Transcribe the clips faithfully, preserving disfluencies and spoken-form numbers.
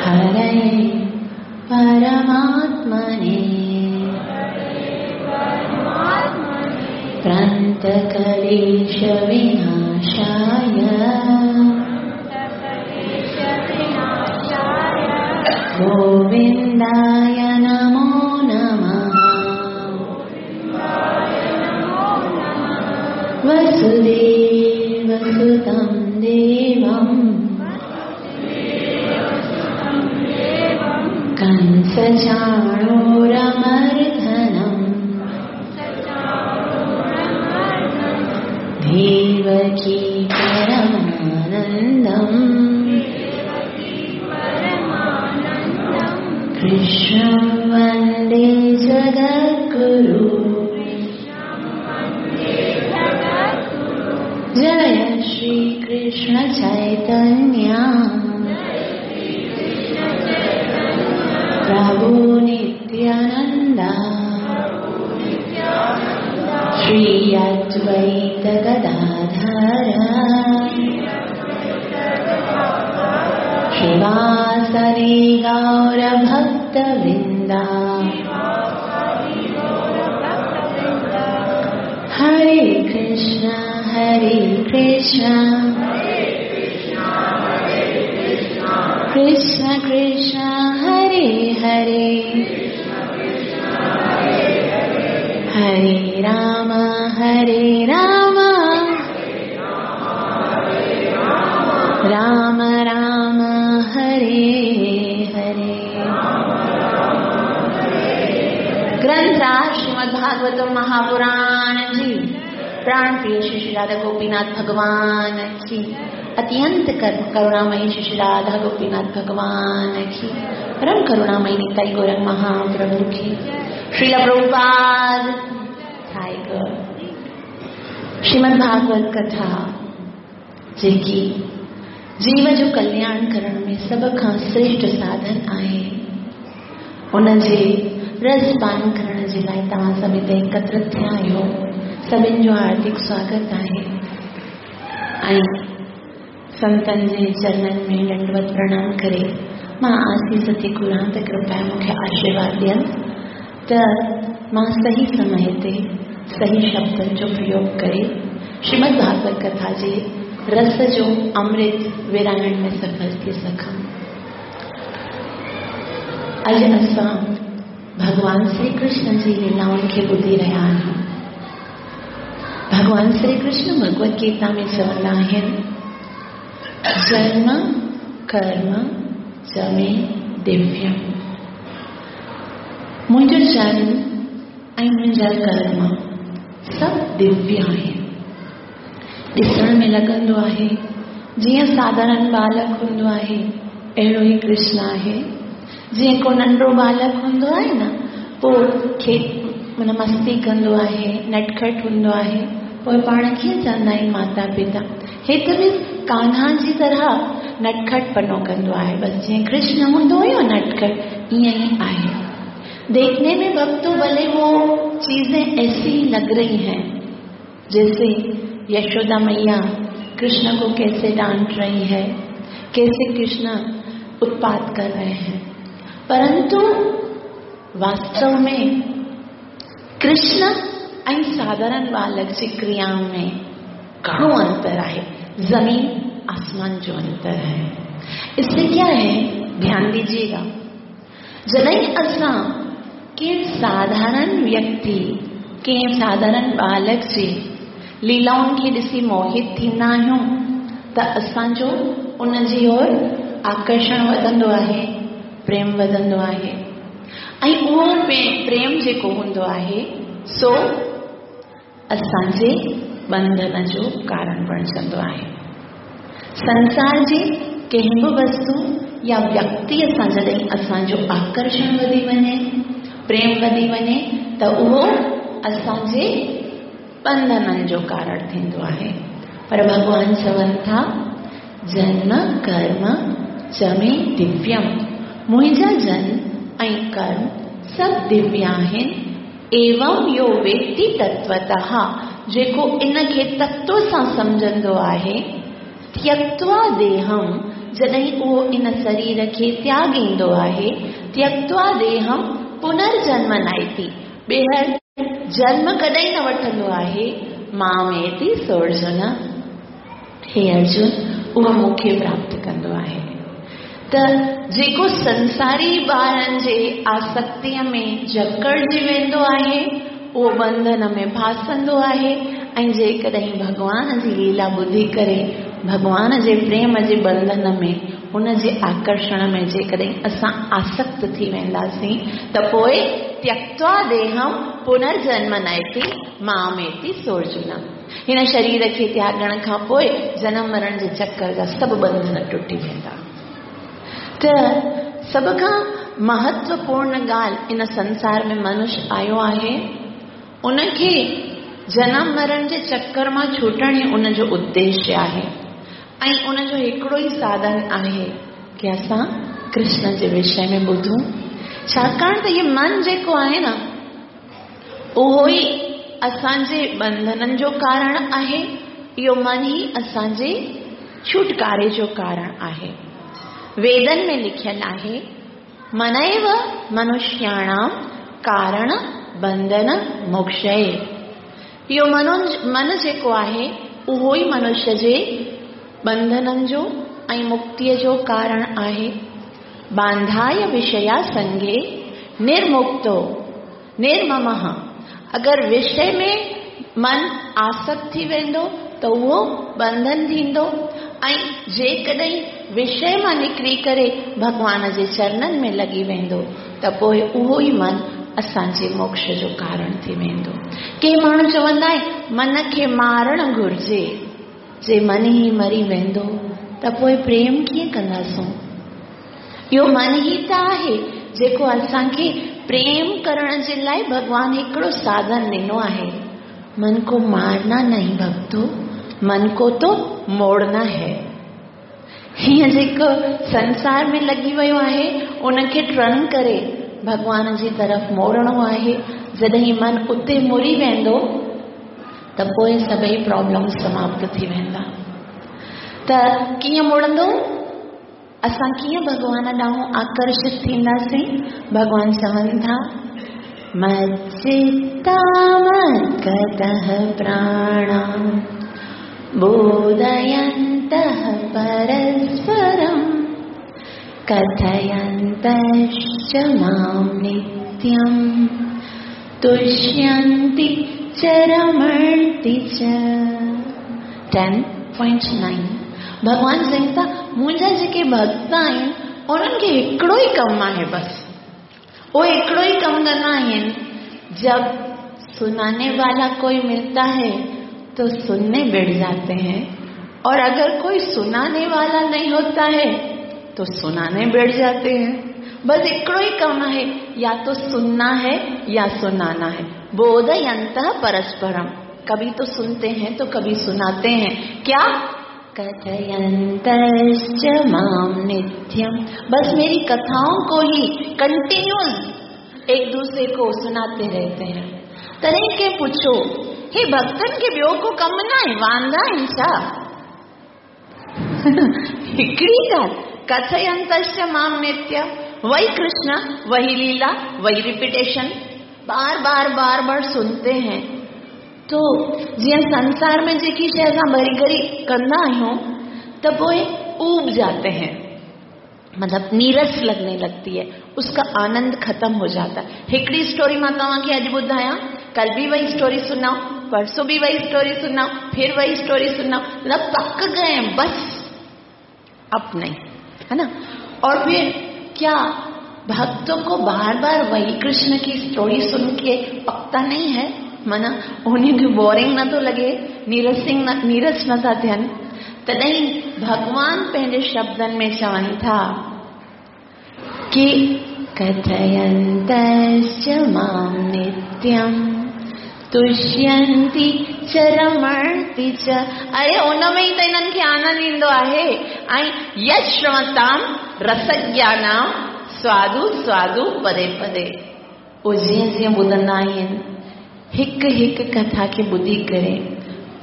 हरये परमात्मने प्रन्तकलेशविनाशाय गोविन्दाय नमो नमः। वसुदेवसुतं देवं कंसचाणूरमर्दनम् देवकी परमानन्दम् कृष्णं वन्दे जगद्गुरु। जय श्री कृष्ण चैतन्य प्रभु नित्यानंद श्री अद्वैत गदाधर श्रीवासदि गौर भक्तवृंदा। हरे कृष्ण हरे कृष्ण कृष्ण कृष्ण हरे हरे हरे राम हरे राम राम राम हरे हरे। ग्रंथराज श्रीमद् भागवत महापुराण जी प्राण प्रिय श्री श्री राधा गोपीनाथ भगवान की, अत्यंत करुणामयी श्री श्री राधा गोपीनाथ भगवान की, परम करुणामयी निताई गौरंग महाप्रभु की, श्रील प्रभुपाद टाइगर। श्रीमद् भागवत कथा जेकी जीव जो कल्याण करण में सभ खां श्रेष्ठ साधन आहे, उनजे रस पान करण जे लाइ तव्हां सभु हिते एकत्रित थिया आहियो। सभिनि जो हार्दिक स्वागत आहे ऐं संतनि जे चरणनि में दंडवत प्रणाम करे मां आशीष थी घुरां त कृपया मूंखे आशीर्वाद ॾियनि त मां सही समय ते सही शब्दनि जो प्रयोग करे श्रीमद् भागवत कथा जे रस जो अमृत विराइण में सफल थी सघां। अॼु असां भॻवान श्री कृष्ण जी लीलाउनि खे ॿुधी रहिया आहियूं। भॻवान श्री कृष्ण भगवत गीता में चवंदा आहिनि, जन्म कर्म च मे दिव्यम। मुंहिंजो जन्म ऐं मुंहिंजा कर्म सभु दिव्य आहिनि। ॾिसण में लॻंदो आहे जीअं साधारण बालक हूंदो आहे अहिड़ो ई कृष्ण आहे। जीअं को नंढो बालक हूंदो आहे न, पोइ खे माना मस्ती कंदो आहे, नटखट हूंदो आहे, पोइ पाण कीअं चवंदा आहिनि माता पिता हे त बि कान्हा जी तरह नटखट पनो कंदो आहे, बसि जीअं कृष्ण हूंदो हुयो नटखट ईअं ई आहे। देखने में भक्तों भले वो चीजें ऐसी लग रही हैं जैसे यशोदा मैया कृष्ण को कैसे डांट रही है, कैसे कृष्ण उत्पात कर रहे हैं, परंतु वास्तव में कृष्ण ऐं साधारण बालक जी क्रियाउनि में घणो अंतर आहे, जमीन आसमान जो अंतर है। इससे क्या है, ध्यान दीजिएगा, जॾहिं असां कंहिं साधारण व्यक्ति कंहिं साधारण बालक जी लीलाउनि खे ॾिसी मोहित थींदा आहियूं त असांजो उनजी ओर आकर्षण वधंदो आहे, प्रेम वधंदो आहे ऐं उहो प्रेम जेको हूंदो आहे सो असांजे बंधन जो कारण बणजंदो आहे। संसार जे कंहिं बि वस्तु या व्यक्तिअ सां जॾहिं असांजो आकर्षण वधी वञे, प्रेम वधी वञे, त उहो असांजे बंधननि जो कारण थींदो आहे। पर भॻवान चवनि था, जन्म कर्म च मे दिव्यम, मुंहिंजा जन्म ऐं कर्म सभु दिव्य आहिनि। एवं यो वेत्ति तत्वतः, जेको इन खे तत्व सां सम्झंदो आहे, त्यक्त्वा देहम, जॾहिं उहो इन शरीर खे त्यागींदो आहे, त्यक्त्वा देहं पुनर्जन्म नाइति, ॿीहर जन्म कॾहिं न वठंदो आहे। मामेति सोऽर्जुन, हे अर्जुन, उहो मूंखे प्राप्त कंदो आहे। त जेको संसारी ॿारनि जे आसक्तीअ में जकड़िजी वेंदो आहे, उहो बंधन में फासंदो आहे। ऐं जेकॾहिं भॻवान जी लीला ॿुधी करे भॻवान जे प्रेम जे बंधन में, उन जे आकर्षण में जेकॾहिं असां आसक्त थी वेंदासीं, त पोइ त्यक्त्वा देहं पुनर्जन्म नयति मामेति सोऽर्जुन। हिन शरीर खे त्यागण खां पोइ जनम मरण जे चक्कर जा सभु बंधन टुटी वेंदा। त सभ खां महत्वपूर्ण ॻाल्हि इन संसार में मनुष्य आयो आहे, उनखे जनम मरण जे चक्कर मां छुटण ई उनजो उद्देश्य आहे। ऐं उनजो हिकिड़ो ई साधन आहे की असां कृष्ण जे विषय में ॿुधूं, छाकाणि त इहो मन जेको आहे न, उहो ई असांजे बंधननि जो कारण आहे। इहो मन ई असांजे छुटकारे जो कारण आहे। वेदन में लिखियल आहे, मनैव मनुष्याणां कारण बंधन मोक्षय। इहो मनो मन जेको आहे उहो ई मनुष्य जे बंधननि जो ऐं मुक्तीअ जो कारण आहे। बांधाय विषया संगे निर्मुक्तो निर्ममः। अगरि विषय में मन आसक्त थी वेंदो त उहो बंधन थींदो, ऐं जेकॾहिं विषय मां निकिरी करे भॻवान जे चरणनि में लॻी वेंदो त पोइ उहो ई मन असांजे मोक्ष जो कारण थी वेंदो। के माण्हू चवंदा आहिनि मन खे मारणु घुर्जे, जे मन ई मरी वेंदो त पोइ प्रेम कीअं कंदासूं? इहो मन ई त आहे जेको असांखे प्रेम करण जे लाइ भॻवान हिकिड़ो साधन ॾिनो आहे। मन को मारना नहीं भक्तो, मन को तो मोड़ना है। हीअं जेको संसार में लॻी वियो आहे उनखे टर्न करे भॻवान जी तरफ़ मोड़णो आहे। जॾहिं मन उते मुड़ी वेंदो त पोइ सभई प्रॉब्लम समाप्त थी वेंदा। त कीअं मुड़ंदो? असां कीअं भॻवान ॾांहुं आकर्षित थींदासीं? भॻवान चवनि था, मच्चित्ता मद्गतः प्राणा बोधयन्तः परस्परं कथयन्तश्च मां नित्यं तुष्यन्ति च रमन्ति च। Ten point nine. भॻवान चवनि था मुंहिंजा जेके भक्त आहिनि उन्हनि खे हिकिड़ो ई कमु आहे, बसि उहे हिकिड़ो ई कमु कंदा आहिनि। जब सुनाने वाला कोई मिलता है तो सुनने बैठ जाते हैं, और अगर कोई सुनाने वाला नहीं होता है तो सुनाने बैठ जाते हैं। बस हिकिड़ो ई कमु आहे, या तो सुनना है या सुनाना है। बोधयन्तः परस्परम, कभी तो सुनते हैं तो कभी सुनाते हैं। क्या? कथयन्तश्च मां नित्यम, बस मेरी कथाओं को ही कंटिन्यूअस एक दूसरे को सुनाते रहते हैं। तॾहिं के पुछो, हे भक्तनि खे ॿियो को कमु न आहे, वांदा आहिनि छा? हिकिड़ी ॻाल्हि, कथयन्तश्च मां नित्यम, वही कृष्ण वही लीला वही रिपीटेशन, बार बार बार बार सुनते हैं। तो जीअं संसार में जेकी शइ असां भरी घरी कंदा आहियूं त पोइ ऊब जाते हैं, मतलब नीरस लगने लगती है, उसका आनंद खत्म हो जाता है। हिकिड़ी स्टोरी मां तव्हांखे अॼु ॿुधायां, कल भी वही स्टोरी सुनाऊं, परसों भी वही स्टोरी सुनाऊं, फिर वही स्टोरी सुनाऊं, मतलब पक गए हैं बस, अब नहीं, है ना। और फिर क्या भक्तों को बार बार वही कृष्ण की स्टोरी सुन के पकता नहीं है? माना उन्हें बोरिंग न तो लगे, नीरसिंग न नीरस न था थियनि। तॾहिं भॻवान पंहिंजे शब्दनि में चवनि था कि कथयन्तश्च मां नित्यं तुष्यन्ति च रमन्ति च। अरे उन में ई त हिननि खे आनंद ईंदो आहे। ऐं यश्रवतां रसज्ञानां स्वादु स्वादु पदे पदे। उहे जीअं जीअं ॿुधंदा आहिनि, हिकु हिकु कथा खे ॿुधी करे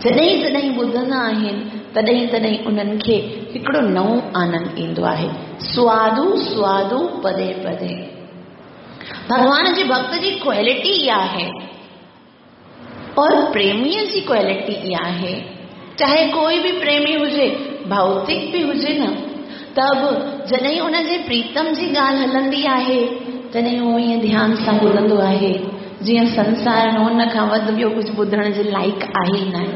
जॾहिं जॾहिं ॿुधंदा आहिनि तॾहिं तॾहिं उन्हनि खे हिकिड़ो नओं आनंद ईंदो आहे। स्वादु स्वादु पदे पदे। भॻवान जे भक्त जी क्वालिटी इहा आहे और प्रेमीअ जी क्वालिटी इहा आहे। चाहे कोई बि प्रेमी हुजे, भौतिक बि हुजे न, त बि जॾहिं उनजे प्रीतम जी ॻाल्हि हलंदी आहे तॾहिं उहो ईअं ध्यान सां ॿुधंदो आहे जीअं संसार में उन खां वधि ॿियो कुझु ॿुधण जे लाइक़ आहे ई न।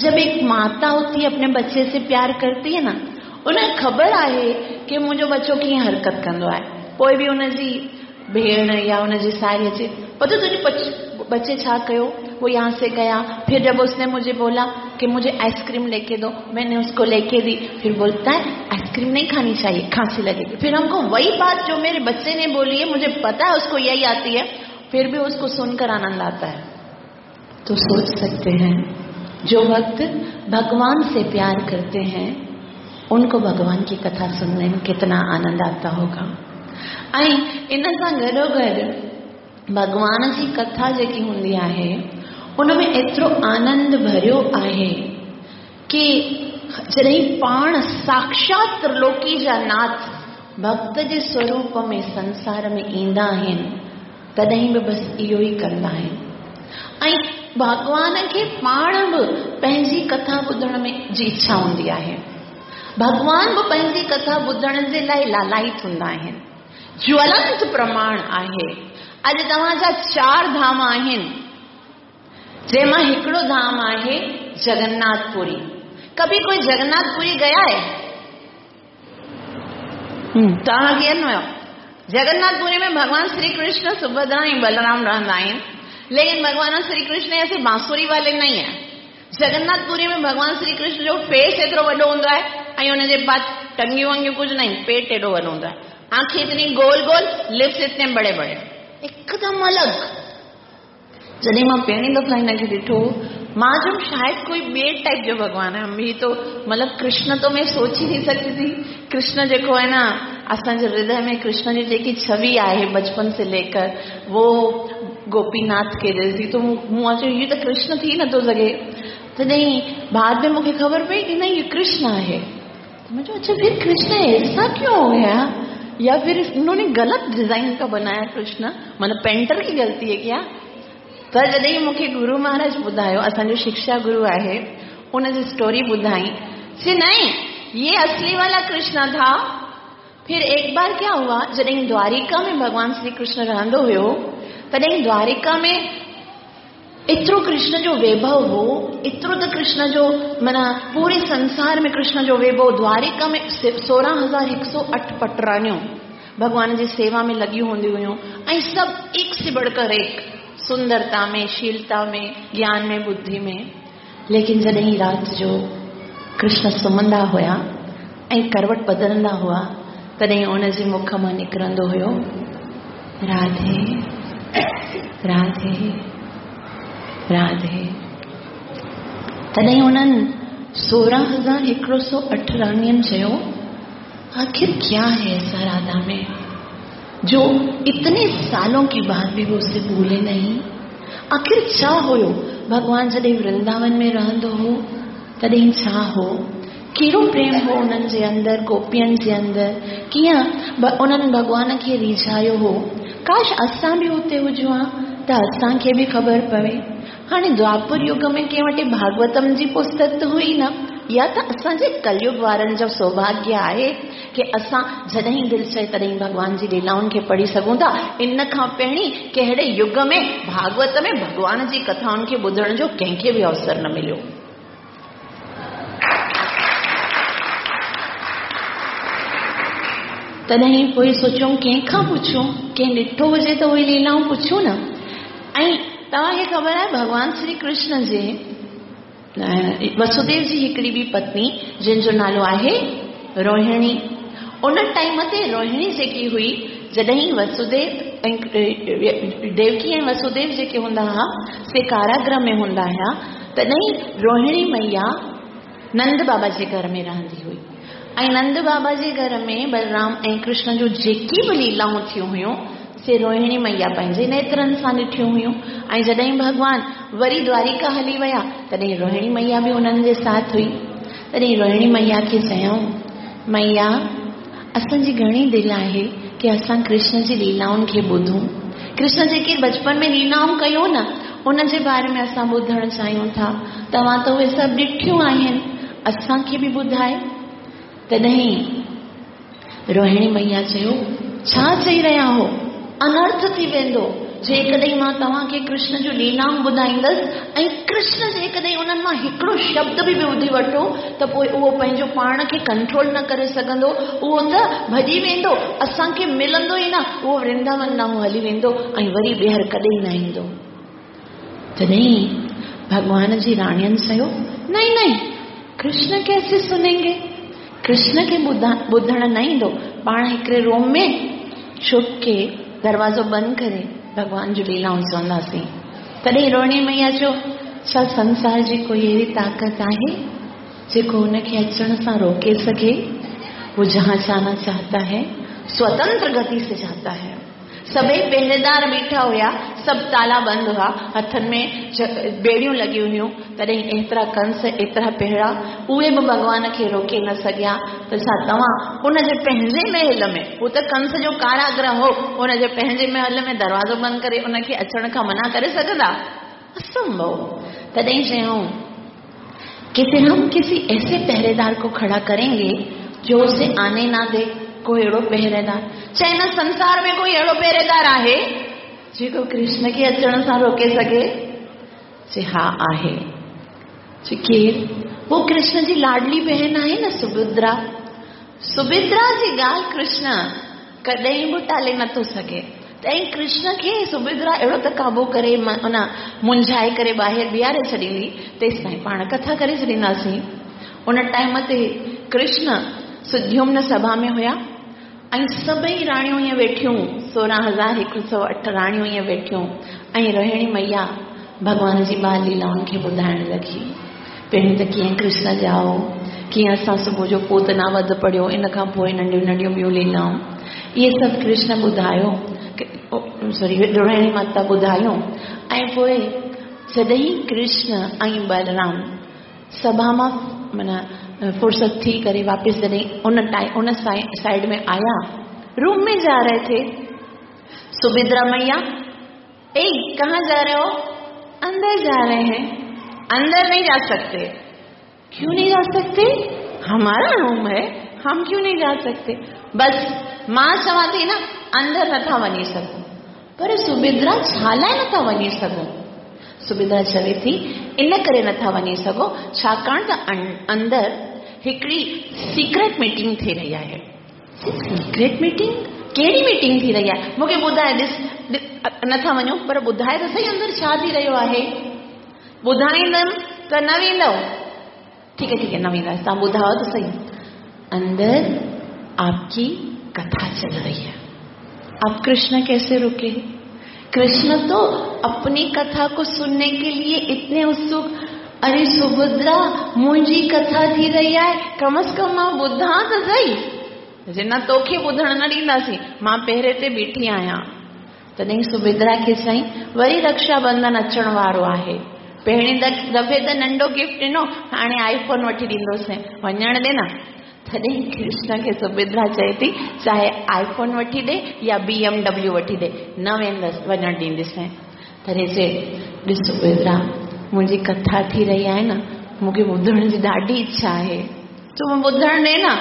जब एक माता होती है अपने बच्चे से प्यार करती है ना, उनखे ख़बर आहे कि मुंहिंजो बच्चो कीअं हरकत कंदो आहे, पोइ बि उनजी भेण या उनजी साहिड़ी अचे, पतो तुंहिंजे बच्चे छा कयो, वो यहाँ से गया, फिर जब उसने मुझे बोला कि मुझे आइसक्रीम लेके दो, मैंने उसको लेके दी, फिर बोलता है आइसक्रीम नहीं खानी चाहिए, खांसी लगेगी। फिर हमको वही बात जो मेरे बच्चे ने बोली है, मुझे पता है उसको यही आती है, फिर भी उसको सुनकर आनंद आता है। तो सोच सकते हैं जो भक्त भगवान से प्यार करते हैं उनको भगवान की कथा सुनने में कितना आनंद आता होगा। ऐं इन सां गॾोगॾु भॻवान जी कथा जेकी हूंदी आहे उन में एतिरो आनंद भरियो आहे कि जॾहिं पाण साक्षात त्रिलोकी जा नाथ भक्त जे स्वरूप में संसार में ईंदा आहिनि तॾहिं बि बसि इहो ई कंदा आहिनि। ऐं भॻवान खे पाण बि पंहिंजी कथा ॿुधण में जी इच्छा हूंदी आहे, भॻवान बि पंहिंजी कथा ॿुधण जे लाइ लालायित हूंदा आहिनि। ज्वलंत प्रमाण आहे। अॼु तव्हांजा चार धाम आहिनि, जंहिंमां हिकिड़ो धाम आहे जगन्नाथपुरी। कभी कोई जगन्नाथपुरी गया है? तव्हां केरु न वियो? जगन्नाथपुरी में भगवान श्री कृष्ण, सुभद्रा ऐं बलराम रहंदा आहिनि, लेकिन भगवान श्री कृष्ण ऐसे बांसुरी वाले नहीं है। जगन्नाथपुरी में भगवान श्री कृष्ण जो फेस एतिरो वॾो हूंदो आहे ऐं हुनजे बाद टंगियूं वंगियूं कुझु न, पेट एॾो वॾो हूंदो आहे, आंखें इतनी गोल गोल, लिप्स इतने बड़े बड़े, एकदम अलॻि। जॾहिं मां पहिरीं दफ़ा हिनखे ॾिठो, मां चयुमि शायदि कोई ॿिए टाइप जो भॻवान आहे, ही तो मतलब कृष्ण तो मैं सोच ही नहीं सकती थी। कृष्ण जेको आहे न, असांजे हृदय में कृष्ण जी जेकी छवि आहे बचपन से लेकर, वो गोपीनाथ के जैसी, तो मूं चयो इहो त कृष्ण थी नथो सघे। तॾहिं बाद में मूंखे ख़बर पई कि न इहो कृष्ण आहे। त मां चयो अच्छा फिर कृष्ण ऐसा क्यों हो गया, या फिर उन्होंने गलत डिजाइन का बनाया कृष्ण, मतलब पेंटर की गलती है क्या? त जॾहिं मूंखे गुरु महाराज ॿुधायो, असांजो शिक्षा गुरु आहे, उनजी स्टोरी ॿुधाई, चे नहीं ये असली वाला कृष्ण था। फिर एक बार क्या हुआ, जॾहिं द्वारिका में भगवान श्री कृष्ण रहंदो हुयो, तॾहिं द्वारिका में एतिरो कृष्ण जो वैभव हो, एतिरो त कृष्ण जो माना पूरे संसार में कृष्ण जो वैभव, द्वारिका में सोरहं हज़ार हिकु सौ अठ पटरानियूं भॻवान जी सेवा में लॻियूं हूंदियूं हुयूं ऐं सभु एक से बढ़कर एक, सुंदरता में, शीलता में, ज्ञान में, बुद्धि में। लेकिन जॾहिं राति जो कृष्ण सुम्हंदा हुया ऐं करवट बदिलंदा हुआ, तॾहिं उनजे मुख मां निकिरंदो हुयो राधे राधे राधे। तॾहिं उन्हनि सोरहं हज़ार हिकिड़ो सौ अठ राणियुनि चयो, आखिर क्या है ऐसा राधा में जो इतने सालों के बाद भी वो उसे भूले नहीं? आखिर छा हुयो? भॻवान जॾहिं वृंदावन में रहंदो हो तॾहिं छा हो, कहिड़ो प्रेम हो उन्हनि जे अंदरि, गोपियुनि जे अंदरि, कीअं उन्हनि भॻवान खे रिझायो हो। काश असां बि हुते हुजूं हा त असांखे बि ख़बर पवे। हाणे द्वापर युग में कंहिं वटि भागवतम जी पुस्तक त हुई न, या त असांजे कलयुग वारनि जो सौभाग्य आहे कि असां जॾहिं दिलि चए तॾहिं भॻवान जी लीलाउनि खे पढ़ी सघूं था। इन खां पहिरीं कहिड़े युग में भागवत में भॻवान जी कथाउनि खे ॿुधण जो कंहिंखे बि अवसर न मिलियो। तॾहिं पोइ सोचियुमि कंहिंखां पुछूं, कंहिं ॾिठो हुजे त उहे लीलाऊं पुछूं न। ऐं तव्हांखे ख़बर आहे भॻवान श्री कृष्ण जे वसुदेव जी हिकिड़ी ॿी पत्नी जंहिंजो नालो आहे रोहिणी, उन टाइम ते रोहिणी जेकी हुई, जॾहिं वसुदेव ऐं देवकी ऐं वसुदेव जेके हूंदा हुआ से कारागृह में हूंदा हुआ, तॾहिं रोहिणी मैया नंद बाबा जे घर में रहंदी हुई। ऐं नंद बाबा जे घर में बलराम ऐं कृष्ण जूं जेकी बि लीलाऊं थियूं हुयूं से रोहिणी मैया पंहिंजे नेत्रनि सां ॾिठियूं हुयूं। ऐं जॾहिं भॻवान वरी द्वारिका हली विया तॾहिं रोहिणी मैया बि उन्हनि जे साथ हुई। तॾहिं रोहिणी मैया खे चयऊं, मैया असांजी घणी दिलि आहे की असां कृष्ण जी लीलाउनि खे ॿुधूं। कृष्ण जेके बचपन में लीलाऊं कयूं न, उन जे बारे में असां ॿुधणु चाहियूं था। तव्हां त उहे सभु ॾिठियूं आहिनि, असांखे बि ॿुधाए। तॾहिं रोहिणी मैया चयो, छा चई रहिया हो? अनर्थ थी वेंदो जेकॾहिं मां तव्हांखे कृष्ण जूं लीलाऊं ॿुधाईंदसि ऐं कृष्ण जेकॾहिं उन्हनि मां हिकिड़ो शब्द बि ॿुधी वठो त पोइ उहो पंहिंजो पाण खे कंट्रोल न करे सघंदो, उहो त भॼी वेंदो, असांखे मिलंदो ई न, उहो वृंदावन ॾांहुं हली वेंदो ऐं वरी ॿीहर कॾहिं न ईंदो। तॾहिं भॻवान जी राणियुनि चयो, नहीं नहीं, कृष्ण कैसे सुनेंगे, कृष्ण खे ॿुधणु न ईंदो। पाण हिकिड़े रूम में छुप के दरवाज़ो बंदि करे भॻवान जूं लीलाऊं चवंदासीं। तॾहिं रोहिणी मैया चयो, छा संसार जी कोई अहिड़ी ताक़त आहे जेको हुनखे अचण सां रोके सघे? वो जहाँ जाना चाहता है स्वतंत्र गति से जाता है। सभई पहरेदार बीठा हुआ, सभु ताला बंदि हुआ, हथनि में बेड़ियूं लॻियूं हुयूं। तॾहिं एतिरा कंस, एतिरा पहरा, उहे बि भॻवान खे रोके न सघिया। त छा तव्हां उनजे पंहिंजे महल में, हू त कंस जो कारागृह हो, उनजे पंहिंजे महल में दरवाज़ो बंदि करे उनखे अचण खां मना करे सघंदा? असंभव। तॾहिं चयऊं कि फिर हम किसी ऐसे पहरेदार को खड़ा करेंगे जो उसे आने ना दे। कोई अहिड़ो पहरेदार, चाहे न संसार में कोई अहिड़ो पहरेदार आहे जेको कृष्ण खे अचण सां रोके सघे? चे हा आहे। चे केरु? वो कृष्ण जी लाडली बहन आहे न सुभद्रा। सुभद्रा जी ॻाल्हि कृष्ण कॾहिं बि टाले नथो सघे। तंहिं कृष्ण खे सुभद्रा अहिड़ो त क़ाबू करे उन मुंझाए करे ॿाहिरि बीहारे छॾींदी, तेसि ताईं पाण कथा करे छॾींदासीं। उन टाइम ते कृष्ण सुद्युम्न सभा में हुया ऐं सभई राणियूं ईअं वेठियूं, सोरहं हज़ार हिकु सौ अठ राणियूं ईअं वेठियूं ऐं रोहिणी मैया भॻवान जी बाल लीलाउनि खे ॿुधाइण लॻी। पहिरीं त कीअं कृष्ण ॼाओ, कीअं असां सुबुह जो पूतना वध पढ़ियो, इन खां पोइ नंढियूं नंढियूं ॿियूं लीलाऊं, इहे सभु कृष्ण ॿुधायो, सॉरी रोहिणी माता ॿुधायूं। ऐं पोइ जॾहिं कृष्ण ऐं बलराम सभा मां माना फुर्सत थी करे वापस जॾहिं उन टाइम उन साइड में आया, रूम में जा रहे थे, सुभद्रा मैया, ए कहाँ जा रहे हो? अंदर जा रहे हैं। अंदर नहीं जा सकते। क्यों नहीं जा सकते? हमारा रूम है, हम क्यों नहीं जा सकते? बस मां चवां थी न, अंदर नथा वञी सघूं। पर सुभद्रा छा लाइ नथा वञी सघूं? सुभद्रा चवे थी, इन करे नथा वञी सघो छाकाणि त अंदरि हिकिड़ी सीक्रेट मीटिंग थी रही आहे। Secret meeting? कहिड़ी मीटिंग थी रही आहे? मूंखे ॿुधाए, ॾिस नथा वञो पर ॿुधाए त सही अंदरि छा थी रहियो आहे। ॿुधाईंदमि त न वेंदव। ठीकु आहे ठीकु आहे, न वेंदासीं, तव्हां ॿुधायो त सही। अंदर आपकी कथा चल रही है, आप कृष्ण कैसे रुके? कृष्ण तो अपनी कथा को सुनने के लिए इतने उत्सुक, अरे सुभद्रा मुंहिंजी कथा थी रही आहे, कम अज़ कम मां ॿुधां त सही। न तोखे ॿुधण न ॾींदासीं, मां पहिरे ते बीठी आहियां। तॾहिं सुभद्रा खे चयईं, वरी रक्षा बंधन अचण वारो आहे, पहिरीं दफ़े त नंढो गिफ्ट ॾिनो, हाणे आईफोन वठी ॾींदोसीं, वञण ॾे न। तॾहिं कृष्ण खे सुभद्रा चए थी, चाहे आईफोन वठी ॾे या बी एम डब्ल्यू वठी ॾे, न वेंदसि, वञण ॾींदीसि। तॾहिं चए, ॾिस सुभद्रा, मुंहिंजी कथा थी रही आहे न, मूंखे ॿुधण जी ॾाढी इच्छा आहे, तूं ॿुधण ॾे न।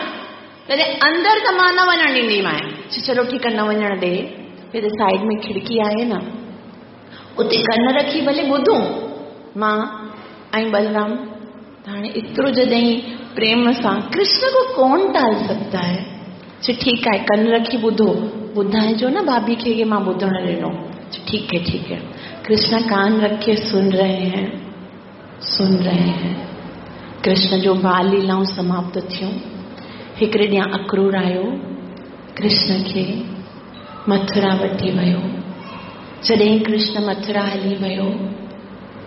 तॾहिं अंदरि त मां न वञण ॾींदीमांइ। चलो ठीकु आहे, न वञण ॾे। फिर साइड में खिड़की आहे न, उते कन रखी भले ॿुधूं मां ऐं बलराम। हाणे एतिरो जॾहिं प्रेम सां, कृष्ण को कौन टाल सकता है? चए ठीकु आहे, कन रखी ॿुधो, ॿुधाइजो न भाभी खे कि मां ॿुधण ॾिनो। ठीक है ठीक है। कृष्ण कान रखे सुन रहे हैं, सुन रहे हैं। कृष्ण जो बाल लीलाऊं समाप्त थियूं। हिकिड़े ॾींहुं अक्रूर आयो, कृष्ण खे मथुरा वठी वियो। जॾहिं कृष्ण मथुरा हली वियो,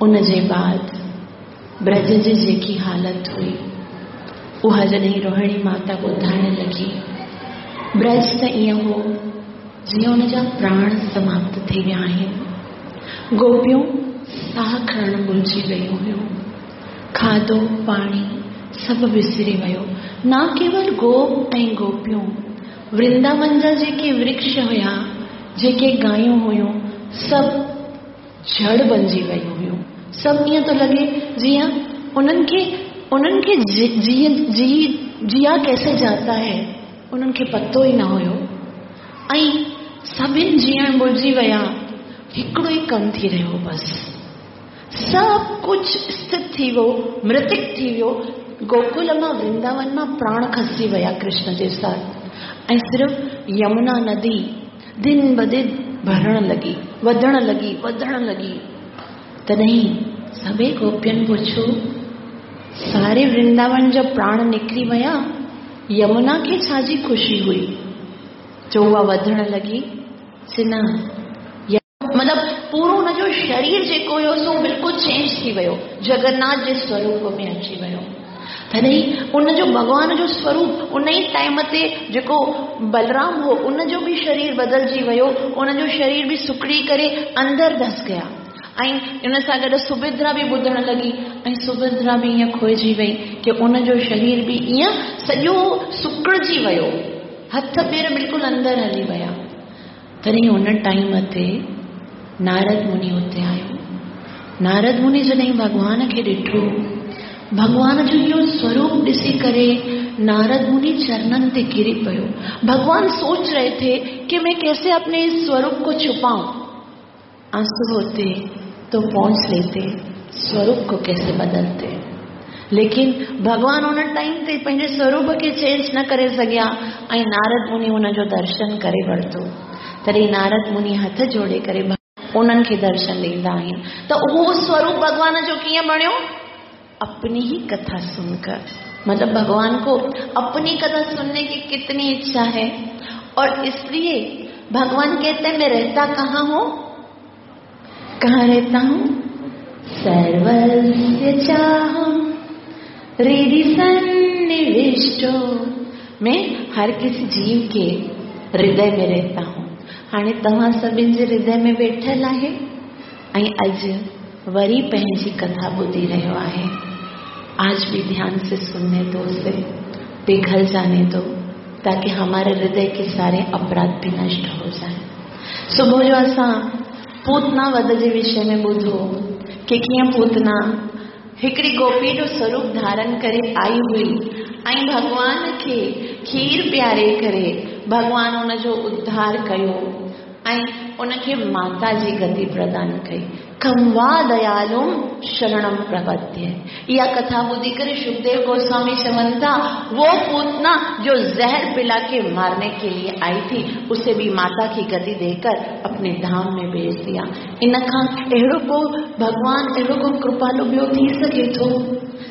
उन जे बाद ब्रज जी जेकी हालत हुई, उहा जॾहिं रोहिणी माता ॿुधाइण लॻी, ब्रज त ईअं हो जीअं हुनजा प्राण समाप्त थी विया आहिनि। गोपियूं साह खणणु भुलिजी वियूं हुयूं, खाधो पाणी सभु विसरी वियो। न केवल गोप ऐं गोपियूं, वृंदावन जा जेके वृक्ष हुया, जेके गायूं हुयूं, सभु जड़ बणिजी वयूं हुयूं। सभु ईअं थो लॻे जीअं उन्हनि खे उन्हनि खे जी जी जिया कैसे जाता है, उन्हनि खे पतो ई न हुयो। ऐं सभिनि जीअण भुलिजी विया, हिकिड़ो ई कमु थी रहियो, बसि सभु कुझु स्थित थी वियो, मृतिक थी वियो। गोकुल मां वृंदावन मां प्राण खसी विया कृष्ण जे साथ, ऐं सिर्फ़ यमुना नदी दिन ब दिन भरण लॻी, वधण लॻी, वधण लॻी। तॾहिं सभई गोपियुनि पुछो, सारे वृंदावन जो प्राण निकिरी विया, यमुना खे छाजी ख़ुशी हुई जो उहा वधण लॻी? चई न, मतिलबु पूरो हुनजो शरीर जेको हुयो सो बिल्कुलु चेंज थी वियो, जगन्नाथ जे स्वरूप में अची वियो। तॾहिं उनजो भॻवान जो स्वरूप उन ई टाइम ते जेको बलराम हो उनजो बि शरीर बदिलजी वियो, उनजो शरीर बि सुकड़ी करे अंदरि धस गया। ऐं उन सां गॾु सुभद्रा बि ॿुधण लॻी, ऐं सुभद्रा बि ईअं खोइजी वई की उनजो शरीर बि ईअं सॼो सुकड़िजी वियो, हथ पेर बिल्कुलु अंदरि हली विया। तॾहिं उन टाइम ते नारद मुनि उते आयो। नारद मुनि जॾहिं भॻवान खे ॾिठो, भॻवान जो इहो स्वरूप ॾिसी करे नारद मुनि चरणनि ते किरी पियो। भगवान सोच रहे थे कि मैं कैसे अपने इस स्वरूप को छुपाऊं, आंसू होते तो पहुंच लेते, स्वरूप को कैसे बदलते। लेकिन भगवान उन टाइम ते पंहिंजे स्वरूप खे चेंज न करे सघिया ऐं नारद मुनि हुनजो दर्शन करे वरितो। तॾहिं नारद मुनि हथ जोड़े करे उन्हनि खे दर्शन ॾींदा आहिनि। त उहो स्वरूप भॻवान जो कीअं बणियो? अपनी ही कथा सुनकर। मतलब भगवान को अपनी कथा सुनने की कितनी इच्छा है, और इसलिए भगवान कहते हैं मैं रहता कहाँ हूँ, कहाँ रहता हूँ? सर्वस्य चाहम हृदि सन्निविष्टो, मैं हर किसी जीव के हृदय में रहता हूँ। हाणे तव्हां सभिनि जे हृदय में वेठल आहे ऐं अॼु वरी पंहिंजी कथा ॿुधी रहियो आहे। आज भी ध्यान से सुनने दो, उसे पिघल जाने दो, ताकि हमारे हृदय के सारे अपराध भी नष्ट हो जाए। सुबुह जो असां पूतना वध जे विषय में ॿुधो की कीअं पूतना हिकिड़ी गोपी जो स्वरूप धारण करे आई हुई ऐं भॻवान खे खीर प्यारे करे भॻवान उनजो उद्धार कयो ऐं उनखे माता जी गति प्रदान कई। कमवा दयालुम शरणम प्रपद्ये। इहा कथा ॿुधी करे सुखदेव गोस्वामी चवनि था, वो पूतना जो जहर पिला के मारने के लिए आई थी उसे भी माता की गति देकर अपने धाम में भेज दिया। इन खां अहिड़ो को भॻवान, अहिड़ो को कृपालु ॿियो थी सघे थो?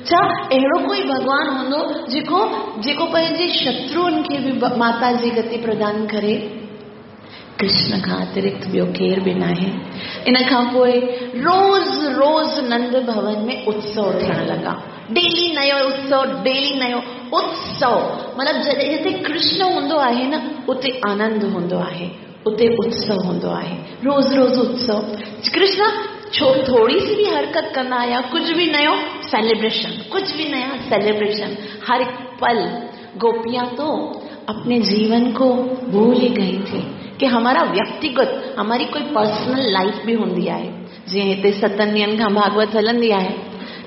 छा अहिड़ो कोई भॻवान हूंदो जेको जेको पंहिंजे शत्रुनि खे बि माता जी गति प्रदान करे? कृष्ण खां अतिरिक्त ॿियो केरु बि नाहे। इन खां पोइ रोज़ रोज़ नंद भवन में उत्सव थियण लॻा। डेली नयो उत्सव, डेली नयो उत्सव। मतिलबु जॾहिं जिते कृष्ण हूंदो आहे न उते आनंद हूंदो आहे, उते उत्सव हूंदो आहे। रोज़ रोज़ उत्सव। कृष्ण छो थोड़ी सी भी हरकत कंदा या कुझु बि नयो सेलिब्रेशन, कुझु बि नया सेलिब्रेशन हर एक पल। गोपियां तो अपने जीवन को भूल ही गई थी कि हमारा व्यक्तिगत, हमारी कोई पर्सनल लाइफ भी हूंदी आहे। जीअं हिते सतनि ॾींहनि खां भागवत हलंदी आहे,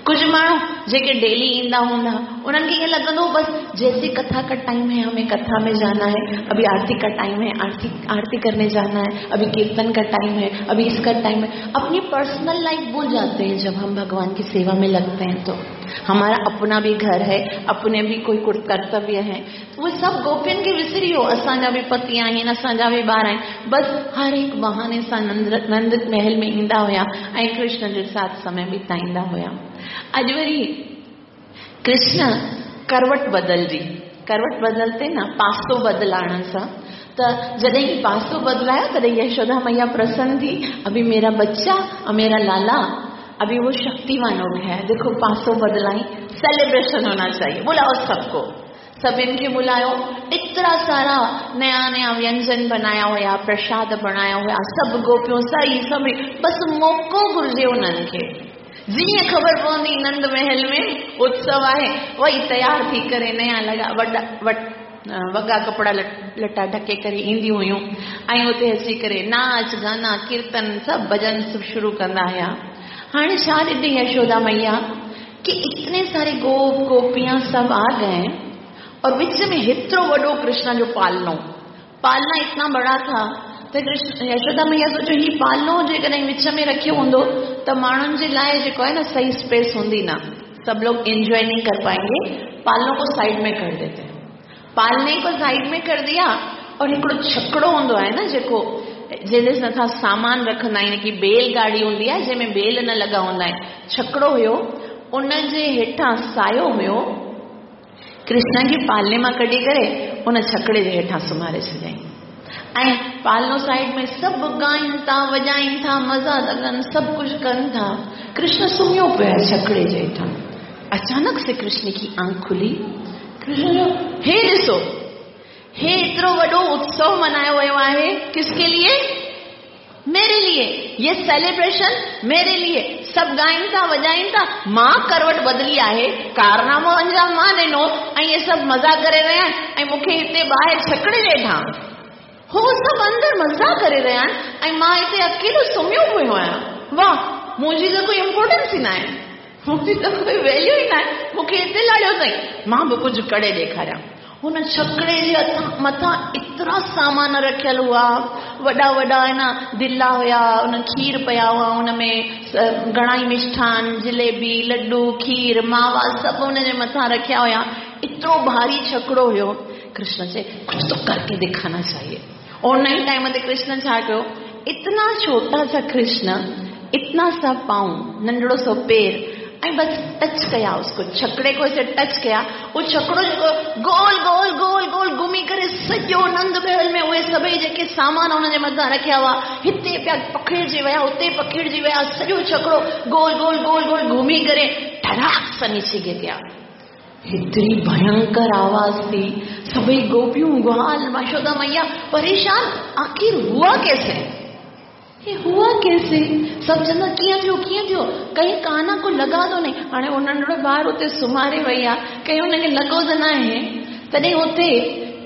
कुझु माण्हू जेके डेली ईंदा हूंदा उन्हनि खे ईअं लॻंदो बसि जैसे कथा का टाइम है हमें कथा में जाना है, अभी आरती का टाइम है आरती आरती करने जाना है, अभी कीर्तन का टाइम है, अभी इसका टाइम है। अपनी पर्सनल लाइफ भूल जाते हैं जब हम भगवान की सेवा में लगते हैं। तो हमारा अपना भी घर है, अपने भी कोई कर्तव्य है, वो सब गोपियनि खे विसरी वियो। असांजा बि पति आहिनि, असांजा बि ॿार आहिनि, बसि हर हिकु बहाने सां नंद नंद महल में ईंदा हुया ऐं कृष्ण जे साथ समय बिताईंदा हुया। अॼु वरी कृष्ण करवट बदलजी, करवट बदलते ना पासो बदलाइण सां, त जॾहिं पासो बदलायो तॾहिं यशोदा मैया प्रसन्न थी, अभी मेरा बच्चा और मेरा लाला अभी वो शक्तिवान हो गया है, देखो पासो बदलाई, सेलिब्रेशन होना चाहिए, बुलाओ सबको, सभिनि खे बुलायो। एतिरा सारा नया नया व्यंजन बनाया हुया, प्रसाद बनाया हुया, सभु गोपियूं सही सभु, बसि मौक़ो घुरिजे उन्हनि खे जीअं ख़बर पवंदी नंद महल में उत्सव आहे, वही तयार थी करे नया लॻा वॾा वॻा कपिड़ा लटा ढके करे ईंदियूं हुयूं ऐं उते अची करे नाच गाना कीर्तन सभु भॼन सभु शुरू कंदा हुया। हाणे छा ॾिठी यशोदा मैया कि इतने सारे गोप गोपियां सब आ गए और विच में हेतिरो वॾो कृष्ण जो पालनो, पालना इतना बड़ा था त कृष्ण यशोदा मैया सोचो ही पालनो जेकॾहिं विच में रखियो हूंदो त माण्हुनि जे लाइ जेको आहे न सही स्पेस हूंदी न, सब लोग एंजॉय नहीं कर पाएंगे। पालनों को साइड में कर देते हैं, पालने को साइड में कर दिया और हिकिड़ो छकड़ो हूंदो आहे न जेको जंहिंजे मथां सामान रखंदा आहिनि, की बेलगाड़ी हूंदी आहे जंहिंमें बेल न लॻा हूंदा आहिनि, छकड़ो हुयो उनजे हेठां सायो हुयो, कृष्ण खे पालने मां कढी करे उन छकड़े जे हेठां सुम्हारे छॾियईं ऐं पालनो साइड में सभु ॻाइनि था वॼाइनि था मज़ा था कनि सभु कुझु कनि था। कृष्ण सुम्हियो पियो आहे छकड़े जे हेठां। अचानक से कृष्ण की आंख खुली, कृष्ण चयो हे ॾिसो, हे एतिरो वॾो उत्सव मनायो वियो आहे, किसके लिए? मेरे लिए, ये सेलिब्रेशन मेरे लिए, सभु ॻाइनि था वॼाइनि था, मां करवट बदिली आहे, कारनामो अंजाम मां ॾिनो ऐं इहे सभु मज़ा करे रहिया आहिनि ऐं मूंखे हिते ॿाहिरि छकड़े जे हेठां हो सभु अंदरि मज़ा करे रहिया आहिनि ऐं मां हिते अकेलो सुम्हियो पियो आहियां। वाह, मुंहिंजी त कोई इम्पोर्टेंस ई न आहे, मुंहिंजी त कोई वैल्यू ई न आहे, मूंखे हिते लाड़ियो अथई, मां बि कुझु करे ॾेखारियां। हुन छकड़े जे मथां एतिरा सामान रखियल हुआ, वॾा वॾा है न दिला हुया, उन खीर पिया हुआ, उन में घणा ई मिष्ठान, जलेबी, लड्डू, खीर, मावा सभु उनजे मथां रखिया हुया। एतिरो भारी छकड़ो हुयो। कृष्ण चए कुछ तो करके दिखाना चाहिए। उन ई टाइम ते कृष्ण छा कयो, इतना छोटा सा कृष्ण, इतना सा पाँव, नंढड़ो सो पेर, ऐं बस टच कया उसको, छकड़े को ऐसे टच कया, उहो छकड़ो जेको गोल गोल गोल गोल घुमी करे सॼो नंद महल में उहे सभई जेके सामान हुनजे मथां रखिया हुआ हिते पिया पखिड़जी विया, हुते पखिड़जी विया, सॼो छकड़ो गोल गोल गोल गोल घुमी करे ठराक सां नीचे गिर गया। हेतिरी भयंकर आवाज़ थी, सभई गोपियूं, ग्वाल, यशोदा मैया परेशान, आखिर हुआ कैसे, ये हुआ कैसे? सभु चवंदा कीअं थियो कीअं थियो, कहीं काना को लॻा तो नहीं। हाणे उहो नंढड़ो ॿार उते सुम्हारे वई आहे, कहीं हुनखे लॻो त न आहे। तॾहिं उते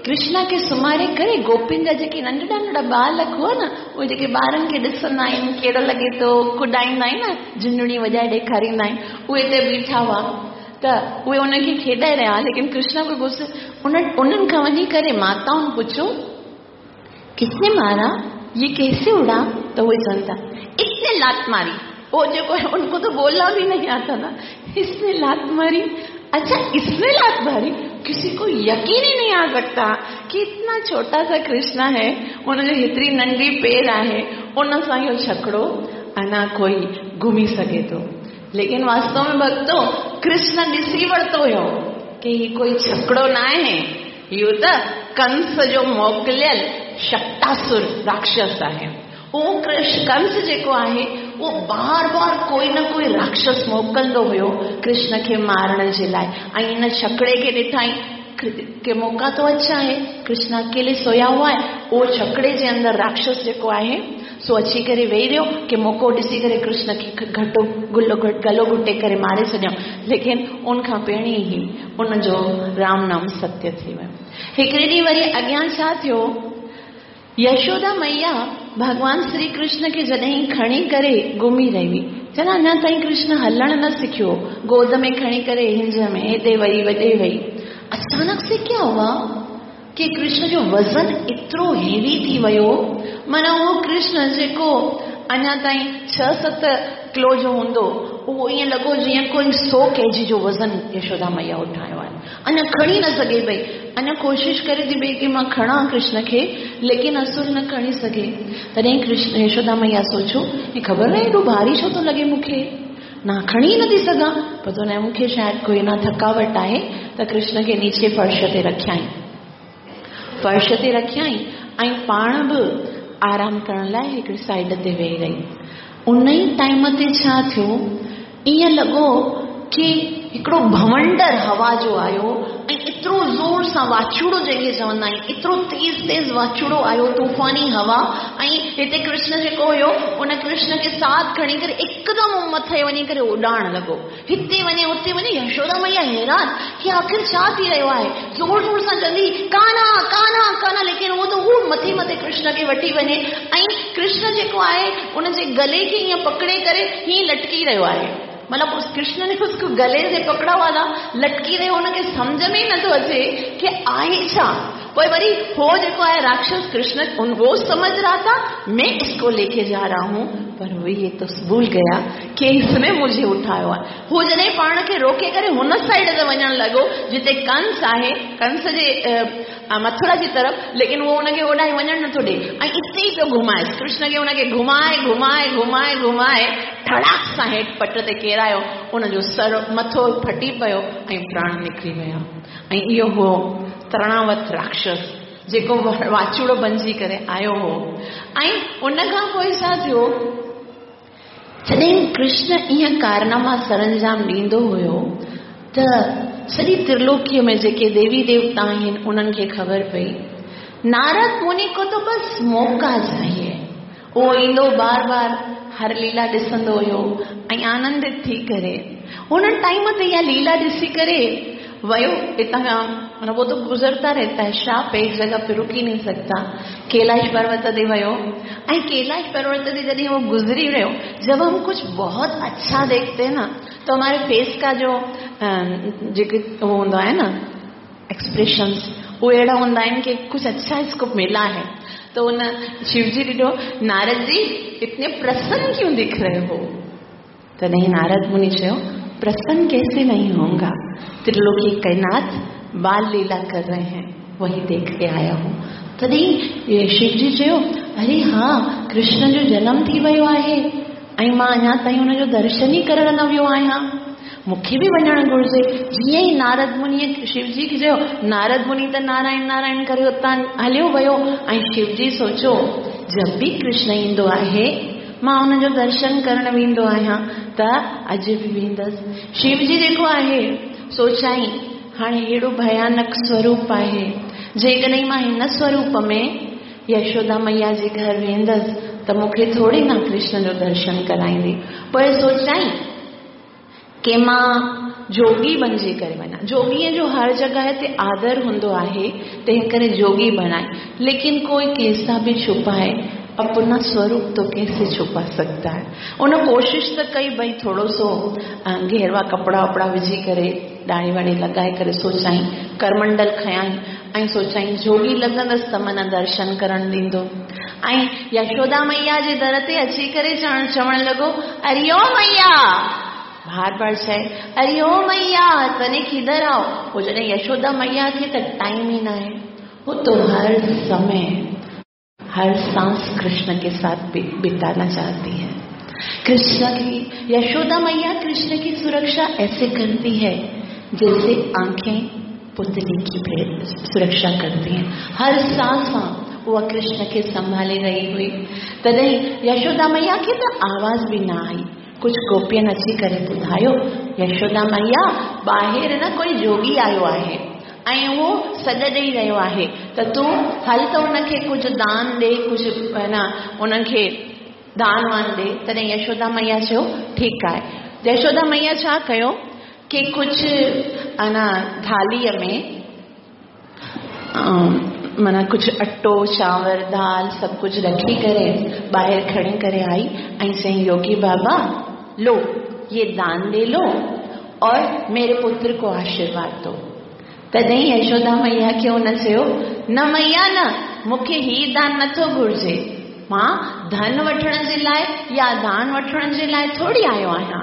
कृष्णा खे सुम्हारे करे गोपियुनि जा जेके नंढड़ा नंढड़ा बालक हुआ न, उहे जेके ॿारनि खे ॾिसंदा आहिनि कहिड़ो लॻे थो, कुॾाईंदा आहिनि न, झुंझुणी वॼाए ॾेखारींदा आहिनि, उहे हिते बीठा हुआ त उहे उनखे खेॾाए रहिया। लेकिन कृष्णा को गुस्सो, उन उन्हनि खां वञी करे माताउनि पुछो किसने मारा, ये कैसे उड़ा? तो वो चवनि था इसने लात मारी। वो जो है उनको तो बोलना भी नहीं आता ना, इसने लात मारी, अच्छा इसने लात मारी, किसी को यकीन ही नहीं आ सकता कि इतना छोटा सा कृष्णा है, उनजो हेतिरी नंढी पेर आहे, उन सां इहो छकड़ो अञा कोई घुमी सघे थो। लेकिन वास्तव में भक्तो कृष्ण ॾिसी वरितो हुयो कि ही कोई छकड़ो न आहे, इहो त कंस जो मोकिलियल शक्तासुर राक्षस आहे। उहो कृष्ण कंस जेको आहे उहो बार बार कोई न कोई राक्षस मोकिलिंदो हुयो कृष्ण खे मारण जे लाइ। ऐं हिन छकड़े खे ॾिठाई कि मौका तो अच्छा है, कृष्ण अकेले सोया हुआ है, उहो छकड़े जे अंदरि राक्षस जेको आहे सो अची करे वेही रहियो कि मौक़ो ॾिसी करे कृष्ण खे घटो गुलो गलो घुटे करे मारे छॾियऊं। लेकिन उन खां पहिरीं ई उनजो राम नाम सत्य थी वियो। हिकिड़े ॾींहुं वरी अॻियां छा थियो, यशोदा मैया भॻवान श्री कृष्ण खे जॾहिं खणी करे घुमी रही हुई, चना अञा ताईं कृष्ण हलणु न सिखियो, गोद में खणी करे हिंज में हेॾे वई वॾे वई। अचानक से क्या हुआ कि कृष्ण जो वज़न एतिरो हेवी थी वियो, माना उहो कृष्ण जेको अञा ताईं छह सत किलो जो हूंदो, उहो ईअं लॻो जीअं कोई सौ केजी जो वज़न यशोदा मैया उठायो आहे। अञा खणी न सघे पई, अञा कोशिश करे थी पई कि मां खणां कृष्ण खे, लेकिन असुर न खणी सघे। तॾहिं कृष्ण यशोदा मैया सोचो, हे ख़बर न एॾो भारी छो थो लॻे मूंखे, ना खणी नथी सघां, पतो न मूंखे शायदि कोई ना थकावट आहे। त कृष्ण खे नीचे फर्श ते रखियाई, फर्श ते रखियाई ऐं पाण बि आराम करण लाइ हिकिड़ी साइड ते वेही रही। उन ई टाइम ते छा थियो, ईअं लॻो कि हिकिड़ो भवंडर हवा जो आयो ऐं एतिरो ज़ोर सां वाचूड़ो जंहिंखे चवंदा आहिनि, एतिरो तेज़ तेज़ वाचूड़ो आयो, तूफ़ानी हवा। ऐं हिते कृष्ण जेको हुयो उन कृष्ण खे साथ खणी करे एकदमि मथे वञी करे उॾाइण लॻो। हिते वञे हुते वञे, यशोदा मैया हैरान की आख़िर छा थी रहियो आहे। ज़ोर ज़ोर सां चवंदी कान्हा कान्हा कान्हा, लेकिन उहो त उहो मथे मथे कृष्ण खे वठी वञे। ऐं कृष्ण जेको आहे उनजे गले खे ईअं पकड़े करे हीअं लटकी रहियो आहे। मतलब उस कृष्ण ने उसको गले से पकड़ा हुआ था, लटकी रहियो, उनखे सम्झ में ई नथो अचे की आहे छा। पोइ वरी हो जेको आहे राक्षस कृष्ण उन वो समझ रहा था मैं इसको लेके जा रहा हूँ, पर वो ये तो भूल गया कि इसने मुझे उठायो आहे। हू जॾहिं पाण खे रोके करे हुन साइड ते वञणु लॻो जिते कंस आहे, कंस जे मथुरा जी तरफ़, लेकिन उहो हुनखे होॾां वञणु नथो ॾिए ऐं इते ई पियो घुमाए कृष्ण खे। हुनखे घुमाए घुमाए घुमाए घुमाए ठड़ाक सां हेठि पट ते केरायो, उनजो सर मथो फटी पियो ऐं प्राण निकिरी विया। ऐं इहो हो तृणावत राक्षस जेको वाचूड़ो बणिजी करे आयो हो। ऐं उन खां पोइ छा थियो, जॾहिं कृष्ण ईअं कारनामा सरंजाम ॾींदो हुयो त सॼी त्रिलोकीअ में जेके देवी देवता आहिनि उन्हनि खे ख़बर पई नारद मुनि को तो बस मौका चाहिए। उहो ईंदो बार बार हर लीला ॾिसंदो हुयो ऐं आनंदित थी करे हुन टाइम ते इहा लीला ॾिसी करे वयो हितां खां। माना वो तो गुज़रता रहता है, श्राप एक जगह पे रुक ही नहीं सकता। कैलाश पर्वत ते वयो ऐं कैलाश पर्वत ते जॾहिं वो गुज़री रहियो, जब हम कुछ बहुत अच्छा देखते हैं ना तो हमारे फेस का जो जेके उहो हूंदो आहे न एक्सप्रेशंस, उहे अहिड़ा हूंदा आहिनि कि कुछ अच्छा इसको मिला है। तो उन शिवजी ॾिठो, नारद जी इतने प्रसन्न क्यों दिख रहे हो? तॾहिं नारद मुनि चयो प्रसन्न कैसे नहीं होऊंगा, त्रिलोकी के नाथ बाल लीला कर रहे हैं, वही देख के आया हूँ। तॾहिं शिवजी चयो अरे हा, कृष्ण जो जनम थी वियो आहे ऐं मां अञा ताईं हुनजो दर्शन ई करण न वियो आहियां, मूंखे बि वञणु घुर्जे। जीअं ई नारद मुनीअ शिवजी खे चयो, नारद मुनि त नारायण नारायण करे उतां हलियो वियो। ऐं शिवजी सोचो जब बि कृष्ण ईंदो आहे मां हुनजो दर्शन करण वेंदो आहियां, त अॼु बि वेंदसि। शिवजी जेको आहे सोचाई हाणे अहिड़ो भयानक स्वरूप आहे, जेकॾहिं मां हिन स्वरूप में यशोदा मैया जे घर वेंदसि त मूंखे थोरी न कृष्ण जो दर्शन कराईंदी। पोइ सोचाई की मां जोगी बणिजी करे वञा। जोगीअ जो हर जॻह ते आदर हूंदो आहे, तंहिं करे जोगी बणाए, लेकिन कोई कैसा भी छुपाए अपना स्वरूप तो कैसे छुपा सकता है। उन कोशिश त कई भई थोरो सो घेरवा कपिड़ा वपिड़ा विझी करे ॾाढ़ी वाढ़ी लॻाए करे सोचाई करमंडल खयाई ऐं सोचाई जोगी लॻंदसि त माना दर्शन करण ॾींदो। ऐं यशोदा मैया जे दर ते अची करे चवण चवणु लॻो अरे ओ मैया, बार बार चए अरे ओ मैया तने किधर आओ। पोइ जॾहिं यशोदा मैया खे त टाइम ई न आहे, वो तो हर समय हर सांस कृष्ण के साथ बिताना चाहती है। कृष्ण की यशोदा मैया कृष्ण की सुरक्षा ऐसे करती है जैसे आंखें पुतली की सुरक्षा करती हैं। हर सांस वह कृष्ण के संभाले रही हुई। तॾहिं यशोदा मैया खे त आवाज़ बि न आई। कुझु गोपियनि अची करे ॿुधायो यशोदा मैया ॿाहिरि न कोई जोगी आयो आहे ऐं उहो सॾ ॾेई रहियो आहे, त तूं हल त हुनखे कुझु दान ॾे, कुझु न उन्हनि दान वान ॾे। तॾहिं यशोदा मैया चयो ठीकु आहे। यशोदा मैया छा कयो की कुझु अना थालीअ में माना कुझु अटो चांवर दाल सभु कुझु रखी करे ॿाहिरि खणी करे आई ऐं चयईं योगी बाबा लो ये दान ले लो और मेरे पुत्र को आशीर्वाद दो। तॾहिं यशोदा मैया खे हुन चयो न मैया न, मूंखे हीउ दान नथो घुर्जे, मां धन वठण जे लाइ या दान वठण जे लाइ थोरी आयो आहियां।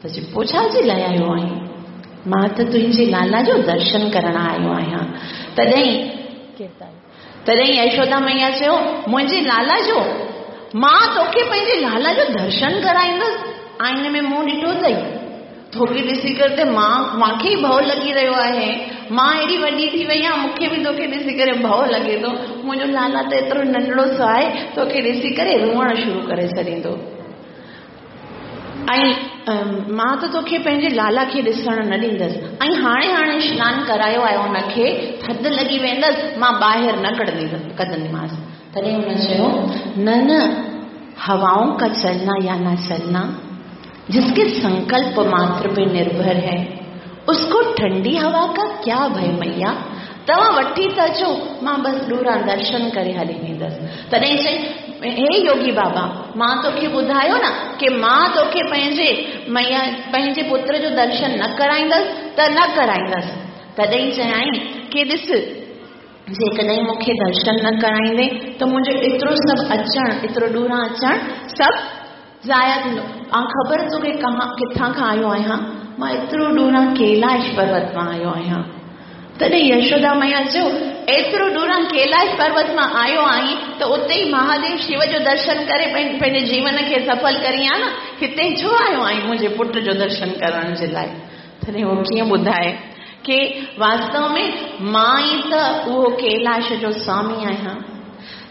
त चए पोइ छा जे लाइ आयो आहीं? मां त तुंहिंजे लाला जो दर्शन करण आयो आहियां। तॾहिं तॾहिं यशोदा मैया चयो मुंहिंजे लाला जो, मां तोखे पंहिंजे लाला जो दर्शन कराईंदसि। आईने में मुंहुं ॾिठो अथई, तोखे ॾिसी करे त मां मूंखे ई भउ लॻी रहियो आहे, मां एॾी वॾी थी वई आहियां, मूंखे बि तोखे ॾिसी करे भउ लॻे थो, मुंहिंजो लाला त एतिरो नंढड़ो सो आहे, तोखे ॾिसी करे रोअणु शुरू करे छॾींदो। ऐं मां त तोखे पंहिंजे लाला खे ॾिसण न ॾींदसि ऐं हाणे हाणे सनानु करायो आहे हुनखे, थधि लॻी वेंदसि, मां ॿाहिरि न कढंदी कढंदीमांसि। तॾहिं हुन चयो, न न, हवाओं का चलना या ना चलना जिसके संकल्प मात्र पे निर्भर है, उसको ठंडी हवा का क्या भय मैया, तव्हां वठी त अचो, मां बसि ॾूरा दर्शन करे हली वेंदसि। तॾहिं चई, हे योगी बाबा, मां तोखे ॿुधायो न की मां तोखे पंहिंजे मैया पंहिंजे पुत्र जो दर्शन न कराईंदसि त न कराईंदसि। तॾहिं चयाईं की ॾिस, जेकॾहिं मूंखे दर्शन न कराईंदे त मुंहिंजो एतिरो सभु अचणु, एतिरो ॾूरा अचणु सभु ज़ाया थींदो। ऐं ख़बर तोखे कहां किथां खां आयो आहियां? मां एतिरो ॾूरा कैलाश पर्वत मां आयो आहियां। तॾहिं यशोदा मैया चयो, एतिरो ॾूरा कैलाश पर्वत मां आयो आहीं त उते ई महादेव शिव जो दर्शन करे पंहिंजे जीवन खे सफल करी आहे न, हिते छो आयो आहीं मुंहिंजे पुट जो दर्शन करण जे लाइ? तॾहिं उहो कीअं ॿुधाए की वास्तव में मां ई त उहो कैलाश जो स्वामी आहियां।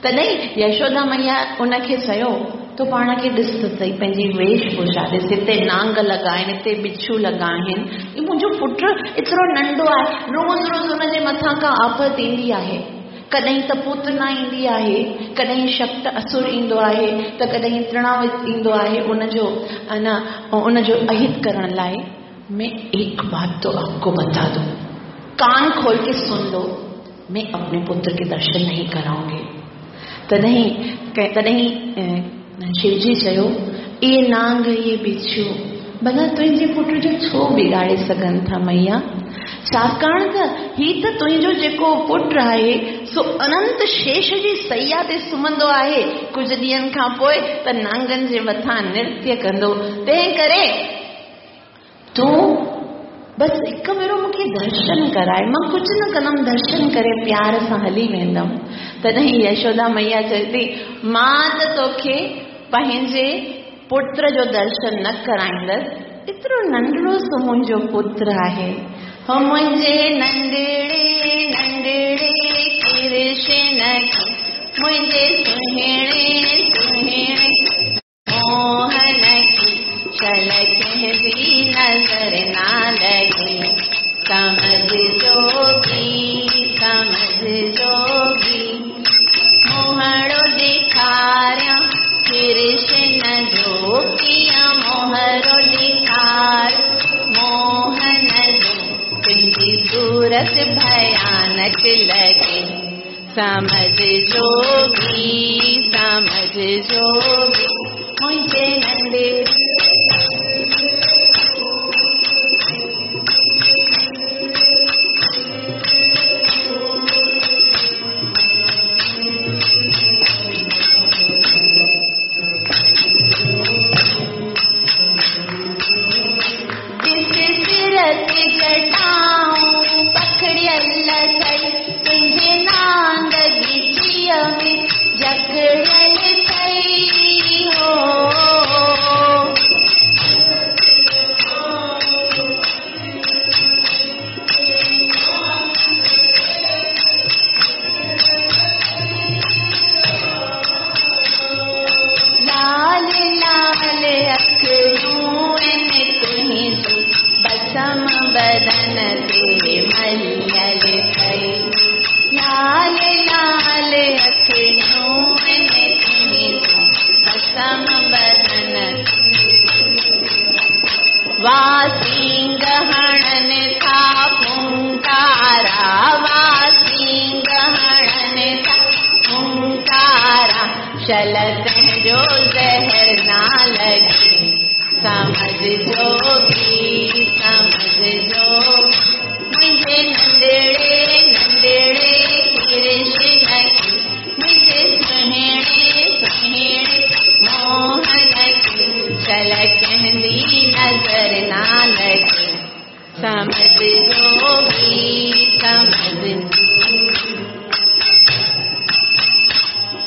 तॾहिं यशोदा मैया उनखे चयो, तो पाण खे ॾिस त सही, पंहिंजी वेशभूषा ॾिस, हिते नांग लॻा आहिनि, हिते बिच्छू लॻा आहिनि, इहो मुंहिंजो पुटु एतिरो नंढो आहे, रोज़ रोज़ हुनजे मथां का आफ़त ईंदी आहे, कॾहिं त पूतना ईंदी आहे, कॾहिं शक्त असुर ईंदो आहे, त कॾहिं तृणावत ईंदो आहे उनजो न उनजो अहित करण लाइ। मैं एक बात तो आपको बता दूं, कान खोल के सुन लो, मैं अपने पुत्र के दर्शन नहीं कराऊंगी। तॾहिं तॾहिं शिवजी चयो, इहे नांग इहे बिच्छू भला तुंहिंजे पुट जो छो बिगाड़े सघनि था मैया? छाकाणि त हीअ त तुंहिंजो जेको पुटु आहे सो अनंत शेष जी सैया ते सुम्हंदो आहे, कुझु ॾींहंनि खां पोइ त नांगनि जे मथां नृत्य कंदो, तंहिं करे तूं बसि हिकु भेरो मूंखे दर्शन कराए, मां कुझु न कंदमि, दर्शन करे प्यार सां हली वेंदमि। तॾहिं यशोदा मैया चए थी, मां त तोखे पंहिंजे पुत्र जो दर्शन न कराईंदसि, एतिरो नंढड़ो सो मुंहिंजो पुत्र आहे। हो मुंहिंजे नंढड़े नंढड़े कृष्ण खे, मुंहिंजे सुहिणे सुहिणे मोहन खे, चल कंहिंजी नज़र ना लॻे, समझ जोगी समझ जोगी, मोहड़ो ॾेखारियां कृष्ण जो, कीअं मोहरो ॾेखार मोहन जो, तुंहिंजी सूरत भयानक लॻे, समझ जोगी समझ जोगी, मुंहिंजे नंढे जटाऊं पखड़ियल अथई, तुंहिंजे नांग ॻिचीअ में जकड़ियल अथई हो। लाल लाल अखियूं आहिनि तुंहिंजी, बसम बदन ते मलियल अथई, लाल लाल अखियूं आहिनि तुंहिंजूं, बसम बदन वासिंग हणनि था फुंकारा, वासिंग हणनि था फुंकारा, शल तुंहिंजो ज़हर ना लॻे, समझ जोगी समझ जोगी, मुंहिंजे नंढड़े नंढड़े कृष्ण खे, मुंहिंजे सुहिणे सुहिणे मोहन खे, चल कंहिंजी नज़र ना लॻे, समझ जोगी समझ।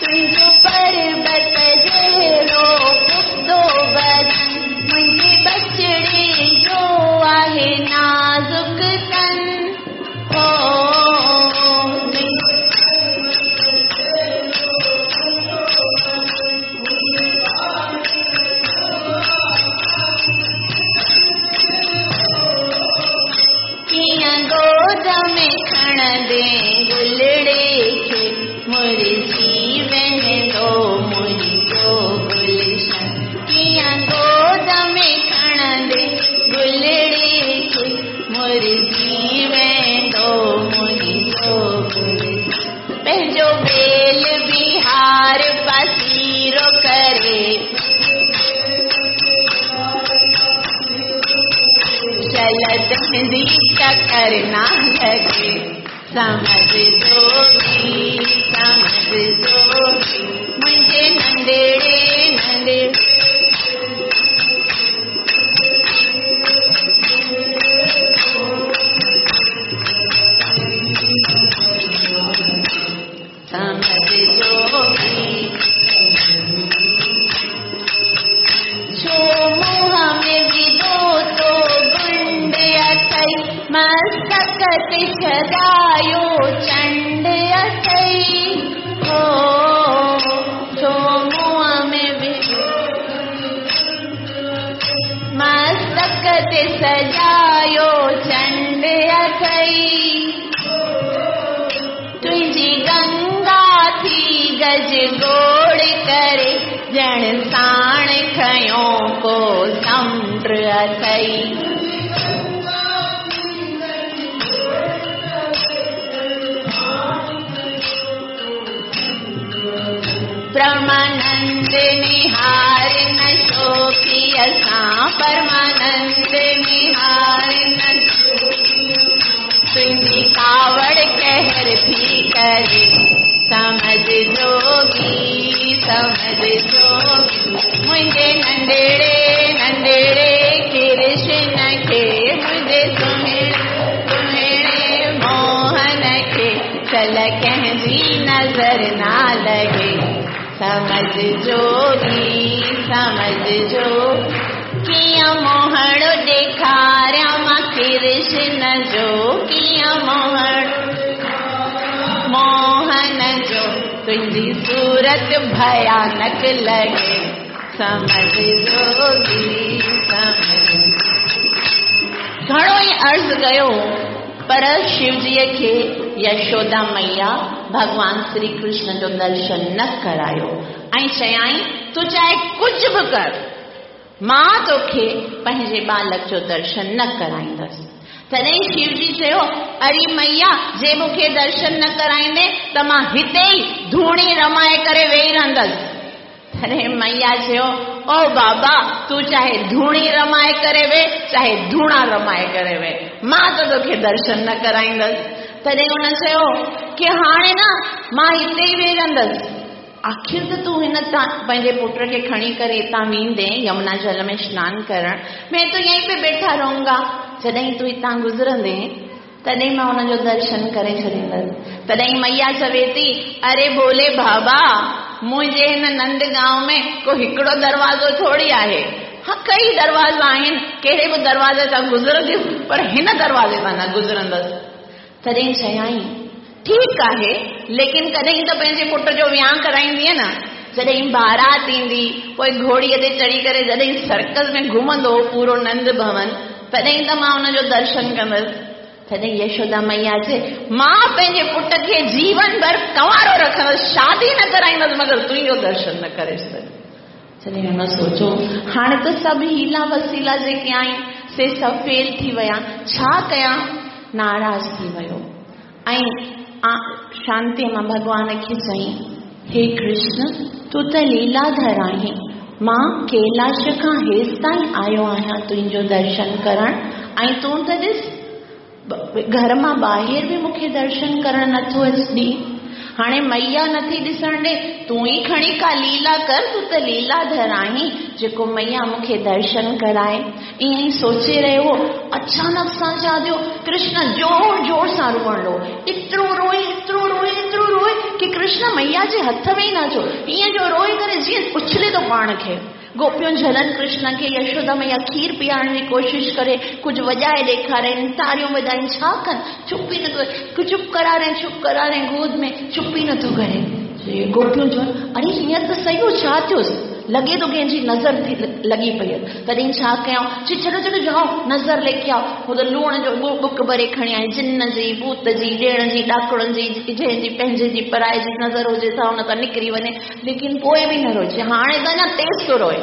तुंहिंजो परबत जहिड़ो पुख़्तो बदन, मुंहिंजे बचड़े जो आहे नाज़ुक तन, हो कंहिंजी टकर न लॻे। समझ जोगी समझ जोगी मुंहिंजे नंढड़े नंढे समझ जोगी। छो मुंह में विधो तो गुंड अथई, मस्तक ते सजायो चंड अथई। हो छो मुंह में विधो मस्तक ते सजायो चंड अथई। तुंहिंजी गंगा थी गज गोड़ करे, ॼण साण खयो को समुंड अथई। परमानंद निहार न शोकी असां, परमानंद निहार न तुंहिंजी कावड़ कहर थी करे। समझ जोगी समझ जोगी मुंहिंजे नंढड़े नंढड़े कृष्ण खे, मुंहिंजे सुहिणे सुहिणे मोहन खे, चल कंहिंजी नज़र न लॻे। समझ जोगी समझ जो कीअं मोहण ॾेखारियां मां कृष्ण जो, कीअं मोहण मोहन जो, तुंहिंजी सूरत भयानक लॻे। समझ जोगी समझ। घणो ई अर्ज़ कयो पर शिवजीअ खे यशोदा मैया भॻवान श्री कृष्ण जो दर्शन न करायो ऐं चयाई तूं चाहे कुझु बि कर, मां तोखे पंहिंजे बालक जो दर्शन न कराईंदसि। तॾहिं शिवजी चयो अरे मैया, जे मूंखे दर्शन न कराईंदे त मां हिते ई धूणी रमाए करे वेही रहंदसि। तॾहिं मैया चयो ओ बाबा, तूं चाहे धूणी रमाए करे वे चाहे धूणा रमाए करे वे, मां त तोखे दर्शन न कराईंदसि। तॾहिं हुन चयो की हाणे न मां हिते ई वेही रहंदसि, आख़िर त तूं हिन पंहिंजे पुट खे खणी करे हितां वेंदे यमुना जल में स्नान करण, मैं तो यहीं पे बैठा रहूंगा, जॾहिं तूं हितां गुज़रंदे तॾहिं मां हुनजो दर्शन करे छॾींदसि। तॾहिं मैया चवे थी अरे भोले बाबा, मुंहिंजे हिन नंद गांव में को हिकिड़ो दरवाज़ो थोरी आहे, हा कई दरवाज़ा आहिनि, कहिड़े बि दरवाज़े तां गुज़रंदियुसि पर हिन दरवाज़े तां न गुज़रंदसि। तॾहिं चयाई ठीकु आहे, लेकिन कॾहिं त पंहिंजे पुट जो वियांव कराईंदीअ न, जॾहिं बारात ईंदी पोइ घोड़ीअ ते चढ़ी करे जॾहिं सर्कस में घुमंदो पूरो नंद भवन, तॾहिं त मां हुनजो दर्शन कंदसि। तॾहिं यशोदा मैया चए मां पंहिंजे पुट खे जीवन भर कंवारो रखंदसि, शादी न कराईंदसि, मगर तुंहिंजो दर्शन न करे छॾंदसि। जॾहिं हुन सोचो हाणे त सभु हीला वसीला जेके आहिनि से सभु फेल थी विया, छा कयां, नाराज़ थी वियो ऐं शांतीअ मां भॻवान खे चयईं हे कृष्ण, तूं त लीलाधर आहीं, मां कैलाश खां हेसि ताईं आयो आहियां तुंहिंजो दर्शन करण ऐं तूं त ॾिस घर मां ॿाहिरि बि मूंखे दर्शन करण नथो ॾी, हाणे मैया नथी ॾिसण ॾे, तूं ई खणी का लीला कर, तूं त लीलाधर आहीं जेको मैया मूंखे दर्शन कराए। ईअं ई सोचे रहियो हो, अचानक सां छा थियो, कृष्ण ज़ोर ज़ोर सां रोअण लॻो, एतिरो रोए एतिरो रोए एतिरो रोए की कृष्ण मैया जे हथ में ई न अचो, ईअं जो रोए करे जीअं उछले थो पाण खे। गोपियूं झलन कृष्ण खे, यशोदा मैया खीर पीआरण जी कोशिशि करे, कुझु वॼाए ॾेखारनि, ताड़ियूं वॼाइनि, छा कनि, चुप ई नथो, चुप करारे चुप करारे गोद में, चुप ई नथो करे। गोपियूं चवनि अरे हींअर त सही हो, छा थियोसि, लॻे थो कंहिंजी नज़र थी लॻी पई आहे। तॾहिं छा कयऊं, चई चलो चलो जाओ नज़र लेके आओ। हू त लूण जो बुक भरे खणी आए, जिन जी भूत जी ॾेण जी ॾाकणुनि जी जंहिंजी पंहिंजे जी पराए जी नज़र हुजे त हुन तां निकिरी वञे, लेकिन पोइ बि न रोए। हाणे त अञा तेज़ थो रोए,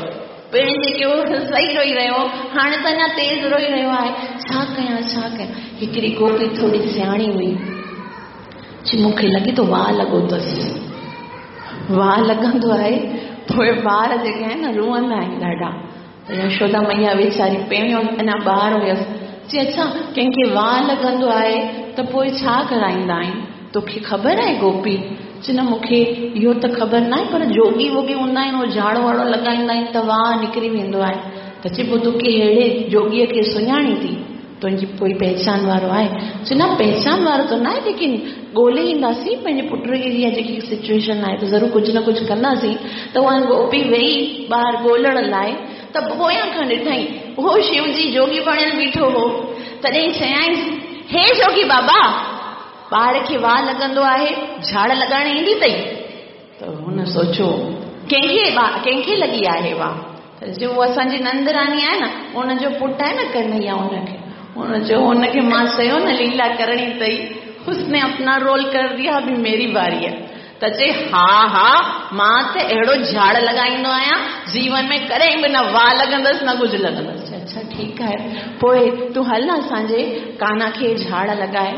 पहिरीं जेके सही रोई रहियो हाणे त अञा तेज़ रोई रहियो आहे, छा कयां छा कयां। हिकिड़ी गोपी थोरी सियाणी हुई, चई मूंखे लॻे थो वाह लॻो अथसि, वाह लॻंदो आहे पोइ ॿार जेके आहिनि न रोअंदा आहिनि ॾाढा। त यशोदा मैया वीचारी पहिरियों अञा ॿार हुयसि, चई अच्छा, कंहिंखे वाह लॻंदो आहे त पोइ छा कराईंदा आहिनि? तोखे ख़बर आहे गोपी? चई न मूंखे इहो त ख़बर न आहे, पर जोगी वोगी हूंदा आहिनि, उहो झाड़ो वाड़ो लॻाईंदा आहिनि त वाह निकिरी वेंदो आहे। त चई पोइ तोखे अहिड़े जोगीअ खे सुञाणी थी? तुंहिंजी कोई पहचान वारो आहे? चई न पहचान वारो त न आहे, लेकिन ॻोल्हे ईंदासीं पंहिंजे पुट खे, इहा जेकी सिचुएशन आहे त ज़रूरु कुझु न कुझु कंदासीं। त उहा गोपी वई ॿाहिरि ॻोल्हण लाइ, त पोयां खां ॾिठई उहो शिवजी जोगी बणियल बीठो हो। तॾहिं चयाईंसि, हे जोगी बाबा, ॿार खे वाह लॻंदो आहे, झाड़ लॻाइण ईंदी अथई? त हुन सोचियो कंहिंखे कंहिंखे लॻी आहे वाह? त चयो उहो असांजी नंद रानी आहे न, हुनजो पुटु आहे न कन्हैया, हुनखे। हुन चयो हुनखे मां चयो न लीला करणी अथई, उसने अपना रोल कर दिया, अभी मेरी बारी है। त चए हा हा, मां त अहिड़ो झाड़ लॻाईंदो आहियां, जीवन में कॾहिं बि न वाह लॻंदसि न कुझु लॻंदसि। अच्छा ठीकु आहे, पोइ तूं हल न असांजे कान्हा खे झाड़ लॻाए।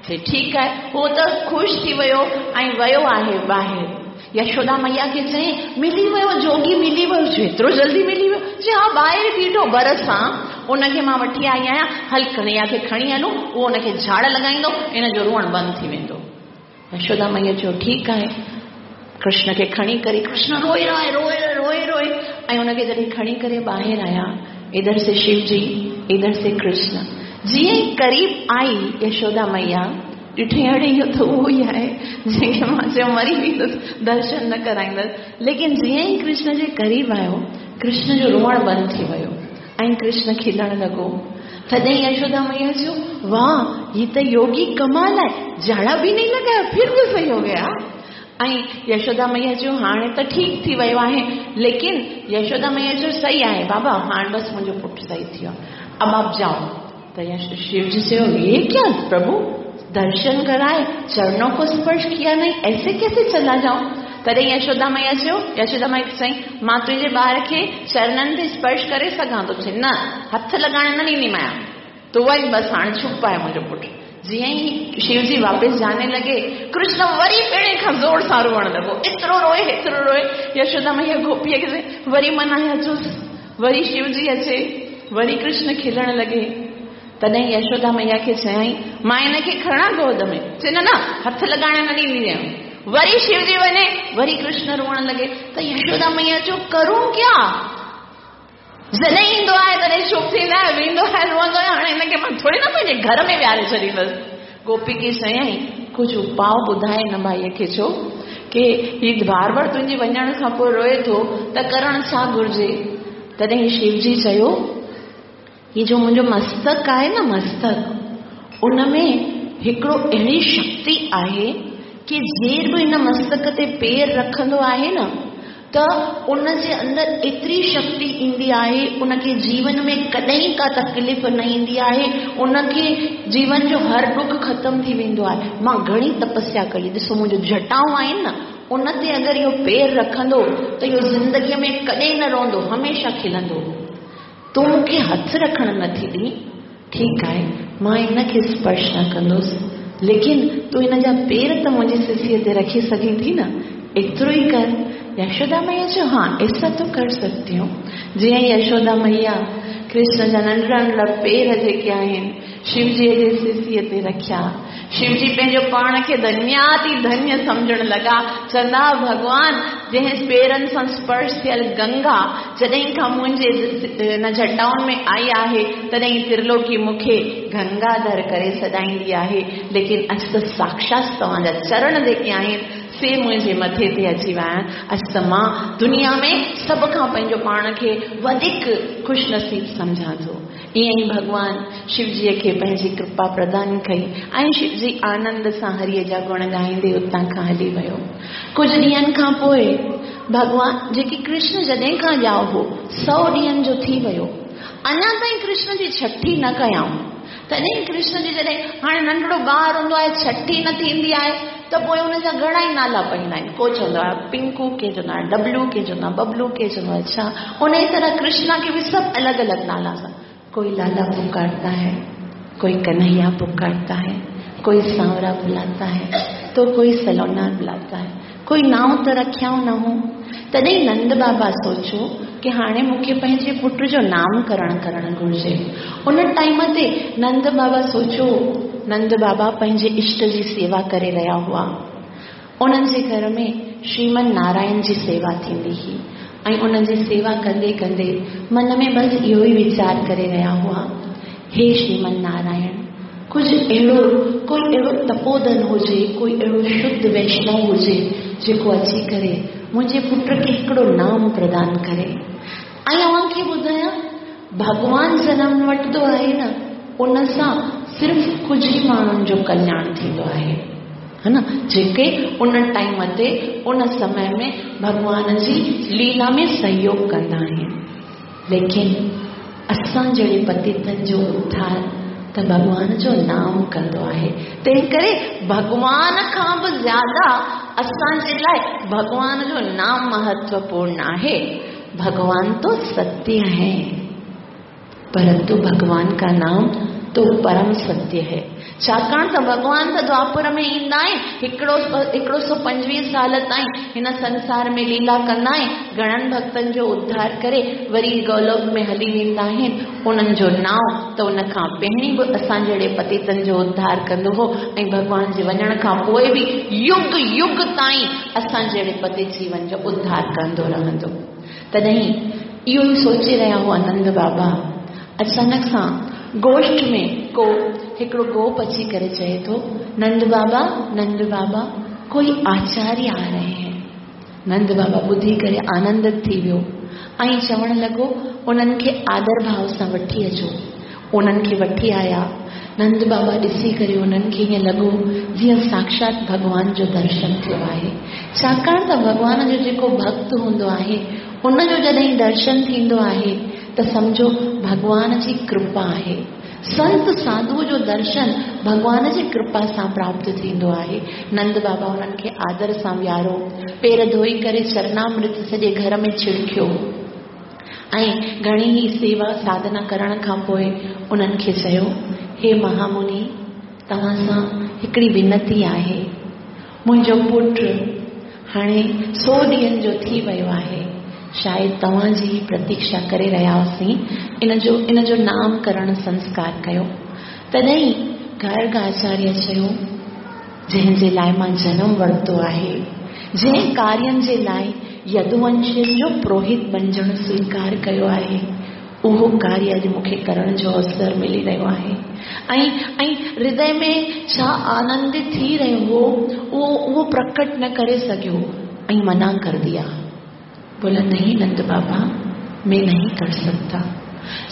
चए ठीकु आहे। उहो त ख़ुशि थी वियो ऐं वियो आहे ॿाहिरि। यशोदा मैया खे चयईं मिली वियो जोगी, मिली वियो। एतिरो जल्दी मिली वियो? चए हा, ॿाहिरि बीठो बर सां, उनखे मां वठी आई आहियां, हल कन्हैया खे खणी हलूं, उहो हुनखे झाड़ लॻाईंदो, इन जो रोअणु बंदि थी वेंदो। यशोदा मैया चयो ठीकु आहे। कृष्ण खे खणी करे, कृष्ण रोए रोए रोए रोए रोए, ऐं हुनखे जॾहिं खणी करे ॿाहिरि आया, इधर से शिवजी इधर से कृष्ण, जीअं ई क़रीब आई यशोदा मैया, ॾिठई अड़े इहो त उहो ई आहे जंहिंखे मां चयो मरी वेंदुसि, दर्शन न कराईंदसि। लेकिन जीअं ई कृष्ण जे क़रीब आयो, कृष्ण जो रोअणु बंदि थी वियो ऐं कृष्ण खिलणु लॻो। तॾहिं यशोदा मैया चयो, वाह, ही त योगी कमाल आहे, झाड़ा बि नहीं लॻाया फिर बि सही हो गया। ऐं यशोदा मैया चयो हाणे त ठीकु थी वियो आहे, लेकिन यशोदा मैया चयो सही आहे बाबा, हाणे बसि मुंहिंजो पुटु सही थी वियो, अब आप जाओ। त शिवजी चयो, ये क्या प्रभु, दर्शन कराए, चरणों को स्पर्श किया नहीं, ऐसे कैसे चला जाऊं? तॾहिं यशोदा मैया चयो, यशोदा मैया चयईं, मां तुंहिंजे ॿार खे चरणनि ते स्पर्श करे सघां थो? चई न, हथ लॻाइण न ॾींदीमांइ, तूं वञ बसि, हाणे चुप आहे मुंहिंजो पुटु। जीअं ई शिवजी वापसि जाने लॻे, कृष्ण वरी पहिरें खां ज़ोर सां रोअणु लॻो, एतिरो रोए एतिरो रोए। यशोदा मैया गोपीअ खे वरी मनाए अचोसि, वरी शिवजी अचे, वरी कृष्ण खिलणु लॻे। तॾहिं यशोदा मैया खे चयाईं, मां हिनखे खणां गोद में? चए न न, हथ लॻाइण न ॾींदी आहियां। वरी शिवजी वञे, वरी कृष्ण रोअणु लॻे। त यशोदा मैया चयो, करूं क्या? जॾहिं ईंदो आहे तॾहिं चुप थींदो आहे, वेंदो आहे रोअंदो आहे, हाणे हिनखे मां थोरी न पंहिंजे घर में विहारे छॾींदसि। गोपी खे चयाईं, कुझु उपाउ ॿुधाए हिन भाईअ खे, छो की हीउ बार बार तुंहिंजे वञण खां पोइ रोए थो, त करणु छा घुरिजे? तॾहिं शिवजी चयो, हीउ जो मुंहिंजो मस्तक आहे न मस्तक, उन में हिकिड़ो अहिड़ी शक्ति आहे की जेर बि हिन मस्तक ते पेर रखंदो आहे न, त उन जे अंदरि एतिरी शक्ति ईंदी आहे, उनखे जीवन में कॾहिं का तकलीफ़ न ईंदी आहे, उनखे जीवन जो हर ॾुख ख़तमु थी वेंदो आहे। मां घणी तपस्या कई, ॾिसो मुंहिंजो जटाऊं आहिनि न, उन ते अगरि इहो पेर रखंदो त इहो ज़िंदगीअ में कॾहिं न रोअंदो, हमेशह खिलंदो। तूं मूंखे हथु रखणु नथी ॾी, ठीकु आहे, मां हिनखे स्पर्श न कंदुसि, लेकिन तूं हिन जा पेर त मुंहिंजी सिसीअ ते रखी सघीं थी न, एतिरो ई कर। यशोदा मैया चयो, हा ऐसा तो कर सकती हूँ। जीअं यशोदा मैया कृष्ण जा नंढड़ा नंढड़ा पेर जेके आहिनि शिवजीअ जे सिसीअ ते रखिया, शिवजी पंहिंजो पाण खे धन्याति धन्य सम्झण लॻा। चवंदा, भॻवान जंहिं पेरनि सां स्पर्श थियल गंगा जॾहिं खां मुंहिंजे हिन जटाउनि में आई आहे, तॾहिं त्रिलोकी मूंखे गंगाधर करे सॾाईंदी आहे, लेकिन अॼु त साक्षात तव्हांजा चरण जेके आहिनि से मुंहिंजे मथे ते अची विया आहिनि। अॼु त मां दुनिया में सभ खां पंहिंजो पाण खे वधीक ख़ुशनसीब सम्झां थो। ईअं ई भॻवान शिवजीअ खे पंहिंजी कृपा प्रदान कई ऐं शिवजी आनंद सां हरीअ जा गुण ॻाईंदे उतां खां हली वियो। कुझु ॾींहंनि खां पोइ भॻवान जेकी कृष्ण जॾहिं खां ॼाओ हो, सौ ॾींहंनि जो थी वियो, अञा ताईं कृष्ण जी छठी न कयाऊं। तॾहिं कृष्ण जी जॾहिं हाणे नंढड़ो ॿार हूंदो आहे, छठी न थींदी आहे त पोइ हुनजा घणा ई नाला पवंदा आहिनि। को चवंदो आहे पिंकू, के चवंदो आहे डबलू, के चवंदो आहे बबलू, के चवंदो आहे छा। उन ई तरह कृष्णा खे बि सभु अलॻि अलॻि नाला सां, कोई लाला पुकारता है, कोई कन्हैया पुकारता है, कोई सांवरा बुलाता है, तो कोई सलोना बुलाता है। कोई नाम त रखियाऊं न हो। तॾहिं नंद बाबा सोचियो की हाणे मूंखे पंहिंजे पुट जो नामकरण करणु घुर्जे। उन टाइम ते नंद बाबा सोचियो, नंद बाबा पंहिंजे इष्ट जी सेवा करे रहिया हुआ। उन्हनि जे घर में श्रीमन नारायण जी सेवा थींदी हुई ऐं उन्हनि जी सेवा कंदे कंदे मन में बसि इहो ई वीचार करे रहिया हुआ, हे श्रीमन नारायण, कुझु अहिड़ो कोई अहिड़ो तपोधन हुजे, कोई अहिड़ो शुद्ध वैष्णव हुजे जेको अची करे मुंहिंजे पुट खे हिकिड़ो नाम प्रदान करे। ऐं तव्हांखे ॿुधायां, भॻवान जनम वठंदो आहे न, उन सां सिर्फ़ कुझु ई माण्हुनि जो कल्याण थींदो आहे, है न, जेके उन टाइम ते उन समय में भॻवान जी लीला में सहयोग कंदा आहिनि। लेकिन असां जहिड़े पतितनि जो उद्धार त भॻवान जो नाम कंदो आहे। तंहिं करे भॻवान खां बि ज़्यादा असांजे लाइ भॻवान जो नाम महत्वपूर्ण आहे। भगवान तो सत्य है, परंतु भगवान का नाम तो परम सत्य है। छाकाणि त भॻवान त द्वापर में ईंदा आहिनि, हिकिड़ो हिकिड़ो सौ पंजवीह साल ताईं हिन संसार में लीला कंदा आहिनि, घणनि भक्तनि जो उद्धार करे वरी गोलोक में हली वेंदा आहिनि। उन्हनि जो नांव त उन खां पहिरीं बि असां जहिड़े पतितनि जो उद्धार कंदो हो ऐं भॻवान जे वञण खां पोइ बि युग युग ताईं असां जहिड़े पतित जीवन जो उद्धार कंदो रहंदो। तॾहिं इहो ई सोचे रहिया हुआ नंद बाबा, अचानक सां गोष्ठ में को हिकिड़ो गोप अची करे चए थो, नंद बाबा नंद बाबा कोई आचार्य आ रहे हैं। नंद बाबा ॿुधी करे आनंदित थी वियो ऐं चवण लॻो, उन्हनि खे आदर भाव सां वठी अचो। उन्हनि खे वठी आया। नंद बाबा ॾिसी करे उन्हनि खे ईअं लॻो जीअं साक्षात भॻवान जो दर्शन थियो आहे। छाकाणि त भॻवान जो जेको भक्त हूंदो आहे उनजो जॾहिं दर्शन थींदो आहे त सम्झो भॻवान जी कृपा आहे। संत साधू जो दर्शन भॻवान जी कृपा सां प्राप्त थींदो आहे। नंद बाबा उन्हनि खे आदर सां विहारो, पेर धोई करे चरणामृत सॼे घर में छिड़कियो ऐं घणी ई सेवा साधना करण खां पोइ उन्हनि खे चयो, हे महामुनि, तव्हां सां हिकिड़ी विनती आहे। मुंहिंजो पुट हाणे सौ ॾींहनि जो थी वियो आहे, शायदि तव्हांजी प्रतीक्षा करे रहिया हुआसीं, इन जो इन जो नामकरण संस्कार कयो। तॾहिं गर्ग आचार्य चयो, जंहिंजे लाइ मां जनम वरितो आहे, जंहिं कार्यनि जे लाइ यदुवंशियुनि जो पुरोहित बणिजणु स्वीकार कयो आहे, उहो कार्य अॼु मूंखे करण जो अवसर मिली रहियो आहे। ऐं ऐं हृदय में छा आनंद थी रहियो हो उहो उहो प्रकट न करे सघियो ऐं मना कर दिया। बोला, नहीं नंद बाबा, मैं नहीं कर सकता।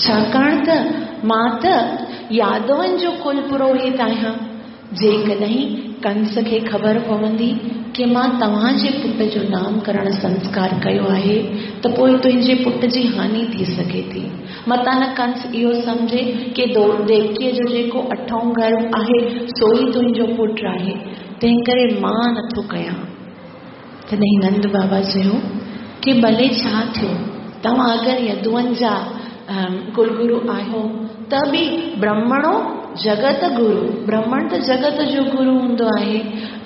छाकाणि त मां त यादवनि जो कुल पुरोहित आहियां। जेकॾहिं कंस खे ख़बर पवंदी की मां तव्हांजे पुट जो नामकरण संस्कार कयो आहे त पोइ तुंहिंजे पुट जी हानि थी सघे थी। मतां न कंस इहो सम्झे की देवकीअ जो जेको अठों गर्भ आहे सो ई तुंहिंजो पुट आहे, तंहिं करे मां नथो कयां। तॾहिं नंद बाबा चयो की भले छा थियो, तव्हां अगरि यदुअनि जा कुलगुरु आहियो त बि ब्राह्मणो जगत गुरु, ब्राह्मण त जगत जो गुरु हूंदो आहे।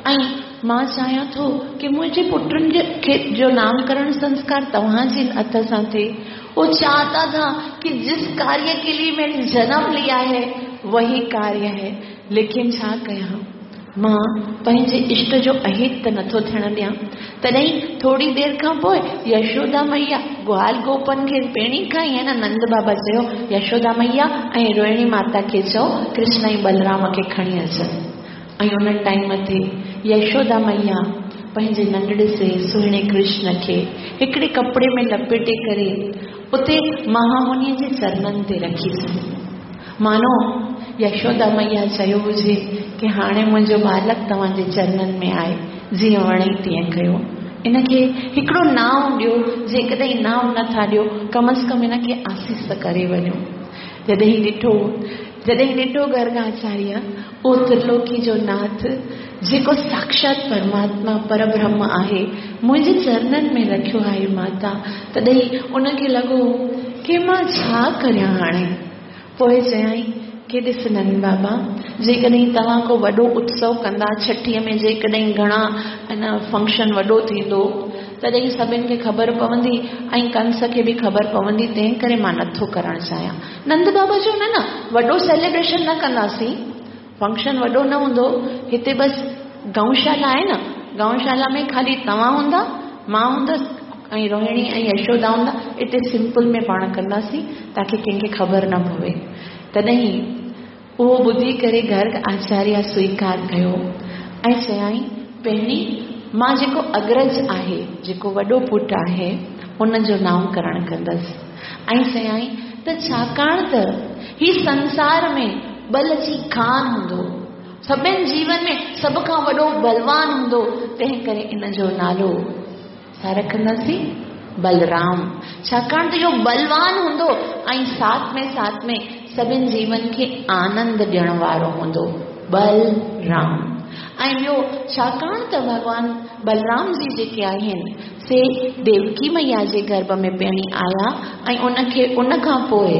ऐं मां चाहियां थो की मुंहिंजे पुटनि जे खे जो नामकरण संस्कार तव्हांजे हथ सां थिए। वो चाहता था कि जिस कार्य के लिए मैंने जन्म लिया है वही कार्य है, लेकिन छा कयां, मां पंहिंजे इष्ट जो अहित त नथो थियण ॾियां। तॾहिं थोरी देरि खां पोइ यशोदा मैया ग्वाल गोपन खे पहिरीं खां ई न नंद बाबा चयो, यशोदा मैया ऐं रोहिणी माता खे चओ कृष्ण ऐं बलराम खे खणी अचनि। ऐं उन टाइम ते यशोदा मैया पंहिंजे नंढड़े से सुहिणे कृष्ण खे हिकिड़े कपिड़े में लपेटे करे उते महामुनीअ जे चरणनि ते रखी छॾियो। मानो यशोदा मैया चयो हुजे की हाणे मुंहिंजो बालक तव्हांजे चरणनि में आहे, जीअं वणे तीअं कयो, इनखे हिकिड़ो नाम ॾियो, जेकॾहिं नाम नथा ॾियो कम अज़ कम इनखे आसीस करे वञो। जॾहिं ॾिठो जॾहिं ॾिठो गर्गाचार्य उहो त्रिलोकी जो नाथ जेको साक्षात परमात्मा परब्रह्म आहे मुंहिंजे चरणनि में रखियो आहे माता, तॾहिं उनखे लॻो की मां छा करियां हाणे। पोइ चयाईं की ॾिस नंद बाबा, जेकॾहिं तव्हां को वॾो उत्सव कंदा छठीअ में, जेकॾहिं घणा इन फंक्शन वॾो थींदो तॾहिं सभिनी खे ख़बर पवंदी ऐं कंस खे बि ख़बर पवंदी, तंहिं करे मां नथो करणु चाहियां। नंद बाबा चयो न न, वॾो सेलिब्रेशन न कंदासीं, फंक्शन वॾो न हूंदो, हिते बसि गौशाला आहे न, गौशाला में ख़ाली तव्हां हूंदा, मां हूंदसि ऐं रोहिणी ऐं यशोदा हूंदा, हिते सिंपल में पाण कंदासीं ताकी कंहिंखे ख़बर न पवे। तॾहिं उहो ॿुधी करे गर्ग आचार्य स्वीकार कयो ऐं चयाईं पहिरीं मां जेको अग्रज आहे, जेको वॾो पुटु आहे, उन जो नामकरण कंदसि। ऐं चयाईं त छाकाणि त ही संसार में बल जी खान हूंदो, सभिनी जीवन में सभ खां वॾो बलवान हूंदो, तंहिं करे इन जो नालो छा रखंदासीं? बलराम। छाकाणि त इहो बलवान हूंदो ऐं साथ में साथ में सभिनी जीवन खे आनंद ॾियण वारो हूंदो, बलराम। ऐं ॿियो छाकाणि त भॻवान बलराम जी जेके आहिनि से देवकी मैया जे गर्भ में पहिरीं आया ऐं उनखे उन खां पोइ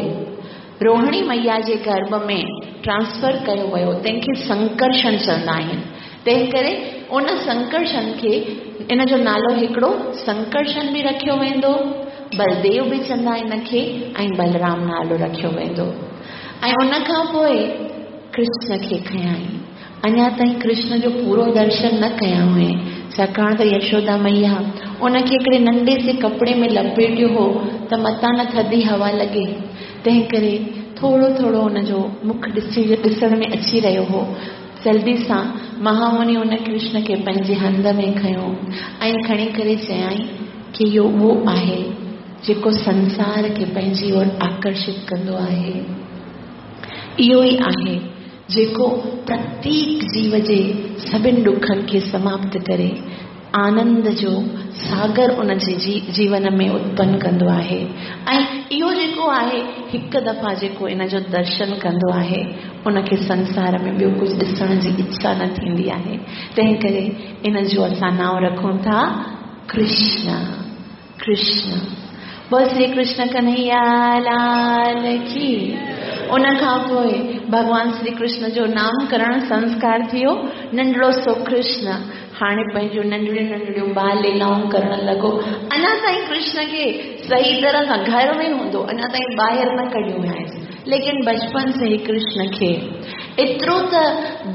रोहिणी मैया जे गर्भ में ट्रांसफर कयो वियो, तंहिंखे संकर्षण चवंदा आहिनि। तंहिं करे उन संकर्षण खे इन जो नालो हिकिड़ो संकर्षण बि रखियो वेंदो, बलदेव बि चवंदा इनखे ऐं बलराम नालो रखियो वेंदो। ऐं उन खां पोइ कृष्ण खे खयाईं। अञा ताईं कृष्ण जो पूरो दर्शन न कया हुए, छाकाणि त यशोदा मैया उनखे हिकिड़े नंढे से कपिड़े में लपेटियो हो त मतां न थधी हवा लॻे, तंहिं करे थोरो थोरो उनजो मुख ॾिसी ॾिसण में अची रहियो हो। जल्दी सां महामुनि उन कृष्ण खे पंहिंजे हंध में खयो ऐं खणी करे चयाईं की इहो उहो आहे जेको संसार खे पंहिंजी ओर आकर्षित कंदो आहे, इहो ई आहे जेको प्रत्येक जीव जे सभिनी ॾुखनि खे समाप्त करे आनंद जो सागर उन जे जीवन में उत्पन्न कंदो आहे। ऐं इहो जेको आहे हिकु दफ़ा जेको इन जो दर्शन कंदो आहे उनखे संसार में ॿियो कुझु ॾिसण जी इच्छा न थींदी आहे। तंहिं करे इन जो असां नाम रखूं था कृष्ण। कृष्ण बोल श्री कृष्ण कन्हैया लाल की। उन खां पोइ भॻवान श्री कृष्ण जो नामकरण संस्कार थियो। नंढड़ो सो कृष्ण हाणे पंहिंजूं नंढड़ियूं नंढड़ियूं बाल लीलाऊं करण लॻो। अञा ताईं कृष्ण खे सही तरह सां घर में हूंदो, अञा ताईं ॿाहिरि न कढियो आहिनि, लेकिन बचपन से ही कृष्ण खे एतिरो त